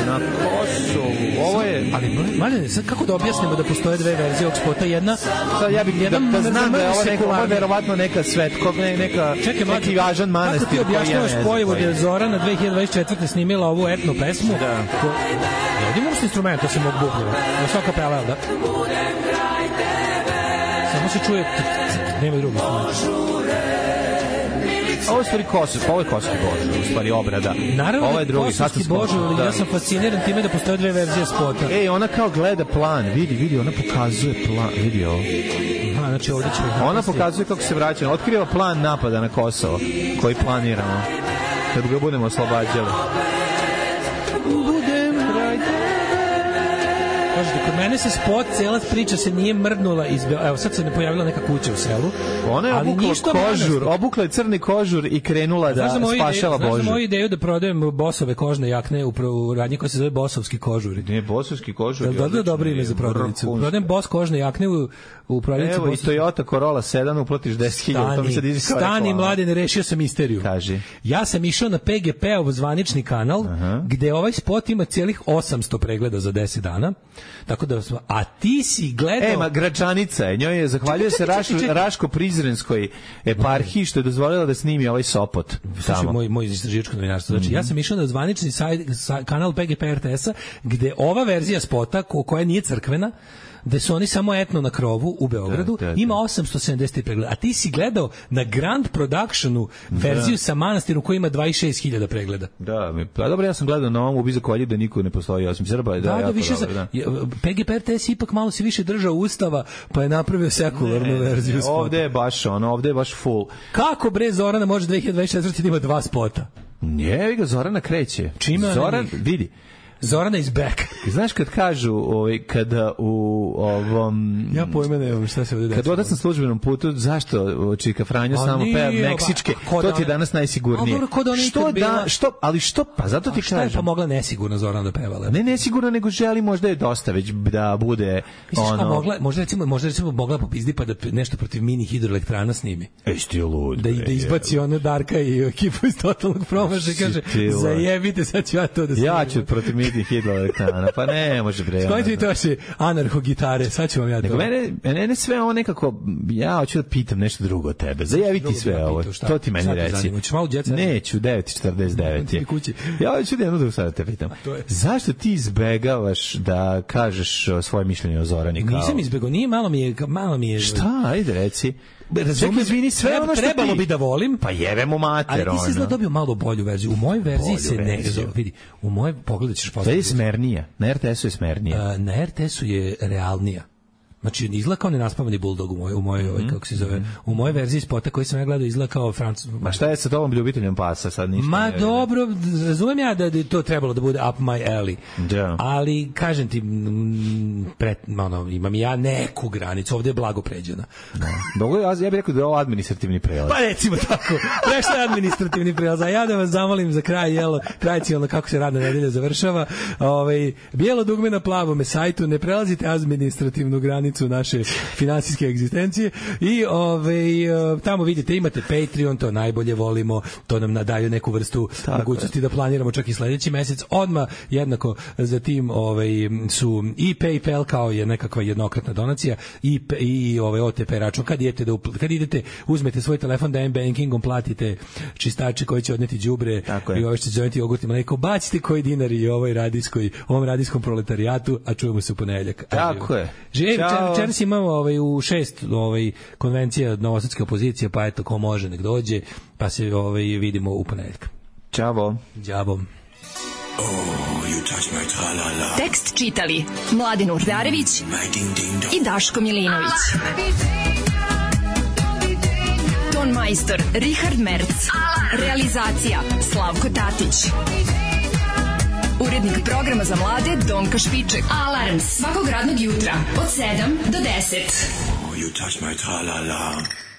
na Kosovu. Ovo je... Ali, Mladene, sad kako da objasnimo da postoje dve verzije ovog spota? Jedna... Sad ja bih da, da znam da je ovo neka, ovo verovatno neka svetkog, ne, neka... Čekaj, neki važan manastir. Kako ti objašnjavaš pojavu da je Zorana dve hiljade dvadeset četvrte snimila ovu etno pesmu? Da. Ko... Ja ovdje imam instrument, to se mogu buknjeva. Na sva kapela, da? Samo se čuje... Nema drugo. Ovo je stvari Kosov, ovo je Kosovski Božur, u stvari obrada. Naravno, ovo je drugi, Kosovski Božur, ali ja sam fasciniran time da postoje dve verzije spota. Ej, ona kao gleda plan, vidi, vidi, ona pokazuje plan, vidi ovo. Aha, znači ovdje ćemo... Ona pokazuje kako se vraća, otkriva plan napada na Kosovo, koji planiramo, kad ga budemo oslobađali. Kažete, kod mene se spot, cela priča se nije mrdnula iz... Evo, sad se ne pojavila neka kuća u selu. Ona je obukla kožur, obukla je crni kožur i krenula da spašava Božu. Znaš za moju ideju da prodajem Bosove kožne jakne u radnji koja se zove Bosovski kožuri? Ne, Bosovski kožuri. Da, da, dobro ime za prodavnicu. Prodajem Bos kožne jakne u, u prodavnicu. Evo, i Toyota Corolla sedam, uplatiš deset hiljada. To mi sad izi kao reklama. Stani, Mladene, rešio sam misteriju. Kaži. Ja sam išao na P G P-ov zvanični kanal, uh-huh. gde ovaj spot ima cijelih osamsto pregleda za deset dana. Tako da, a ti si gledao... E, ma Gračanica je, njoj je, zahvaljuje se Raš, Raško-Prizrenskoj eparhiji što je dozvolila da snimi ovaj Sopot. Slušaj, moj, moj istraživačko novinarstvo. Znači, mm-hmm. ja sam išao na zvanični sajt, saj, kanal P G P R T S-a, gde ova verzija spota, ko, koja nije crkvena, gde su oni samo etno na krovu u Beogradu, da, da, da. Ima osamsto sedamdeset pregleda. A ti si gledao na Grand Productionu verziju da. Sa manastirom koji ima dvadeset šest hiljada pregleda. Da, pa dobro, ja sam gledao na ovom u Bizakolji da niko ne postoji osim Srba. Da, da, da više dobro, da. P G P R T S ipak malo se više držao Ustava, pa je napravio sekularnu ne, verziju ne, spota. Ovde je baš ono, ovde je baš full. Kako bre Zorana može dve hiljade dvadeset četvrte da ima dva spota? Nije, ga Zorana kreće. Čima Zoran, vidi. Zorana is back. Znaš kad kažu, ovaj, kada u ovom... Ja pojme nemam šta se ovdje desilo. Kad odac na službenom putu, zašto Čika Franjo a samo peva meksičke? Ba, to ti je danas najsigurnije. A, dobro, što da, što, ali što, pa zato ti kažem. Šta je pa mogla nesigurno Zorana da pevala? Ne nesigurno, nego želi možda je dosta već da bude... Misliš ono... pa mogla, možda recimo, možda recimo mogla popizdi pa da nešto protiv mini hidroelektrana snimi. Ej, sti lud. Da, da izbaci ono Darka i ekipu iz totalnog promaša i kaže, zajebite, sad ću ja to da snimim. Ja ću protiv mini vidim hidroelektrana. Pa ne, može bre. Skojite vi to si anarho gitare, sad ću vam ja to. Nego mene, mene sve ovo nekako, ja hoću da pitam nešto drugo od tebe. Zajavi ti sve ovo. To ti meni reci. Neću, devet četrdeset devet je. Ja hoću da jednu drugu sad da te pitam. Zašto ti izbegavaš da kažeš svoje mišljenje o Zorani? Nisam izbegao, nije, malo mi je... Malo mi je... Šta? Ajde, reci. Razumem, izvini, sve treba, ono što trebalo ti... bi da volim. Pa jebemo mater, ali ti si izgleda dobio malo bolju verziju. U mojoj verziji se ne... Vidi, u mojoj pogledu ćeš postaviti. Da je smernija. Na er te esu je smernija. Uh, na er te esu je realnija. Znači, izgleda kao nenaspavani buldog u mojoj, u mojoj, mm-hmm. kako se zove, u mojoj verziji spota koji sam ja gledao izgleda kao Francus. Ma šta je sa tobom ljubiteljem pasa sad ništa? Ma ne dobro, razumijem ja da je to trebalo da bude up my alley. Da. Ali, kažem ti, pret, ono, imam ja neku granicu, ovdje je blago pređena. Dobro, ja, ja bih rekao da je ovo administrativni prelaz. Pa recimo tako, prešlo je administrativni prelaz, a ja da vas zamolim za kraj, jelo, tradicionalno kako se radna nedelja završava, ovaj, bijelo dugme na plavome sajtu, ne prelazite administrativnu granicu naše finansijske egzistencije i ovaj tamo vidite imate Patreon, to najbolje volimo, to nam nadaju neku vrstu tako mogućnosti je. Da planiramo čak i sledeći mesec. Odmah jednako za tim ovaj su i PayPal kao je nekakva jednokratna donacija i i ovaj O T P račun kad idete da upl- kad idete uzmete svoj telefon da m-bankingom platite čistače koji će odneti đubre i ovo što zovete jogurtima, neko bacite koji dinari i ovoj radijskoj ovom radijskom proletarijatu, a čujemo se u ponedeljak. Tako je. Večeras imamo ovaj, u šest ovaj, konvencija novosadske opozicije, pa eto, ko može nek dođe, pa se ovaj, vidimo u ponedeljak. Ćavo. Ćavo. Oh, tekst čitali Mladin Urdarević i Daško Milinović. Ton majstor Richard Merc. Realizacija Slavko Tatić. Urednik programa za mlade Donka Špiček. Alarms svakog radnog jutra od sedam do deset. Oh, you touch my tra-la-la.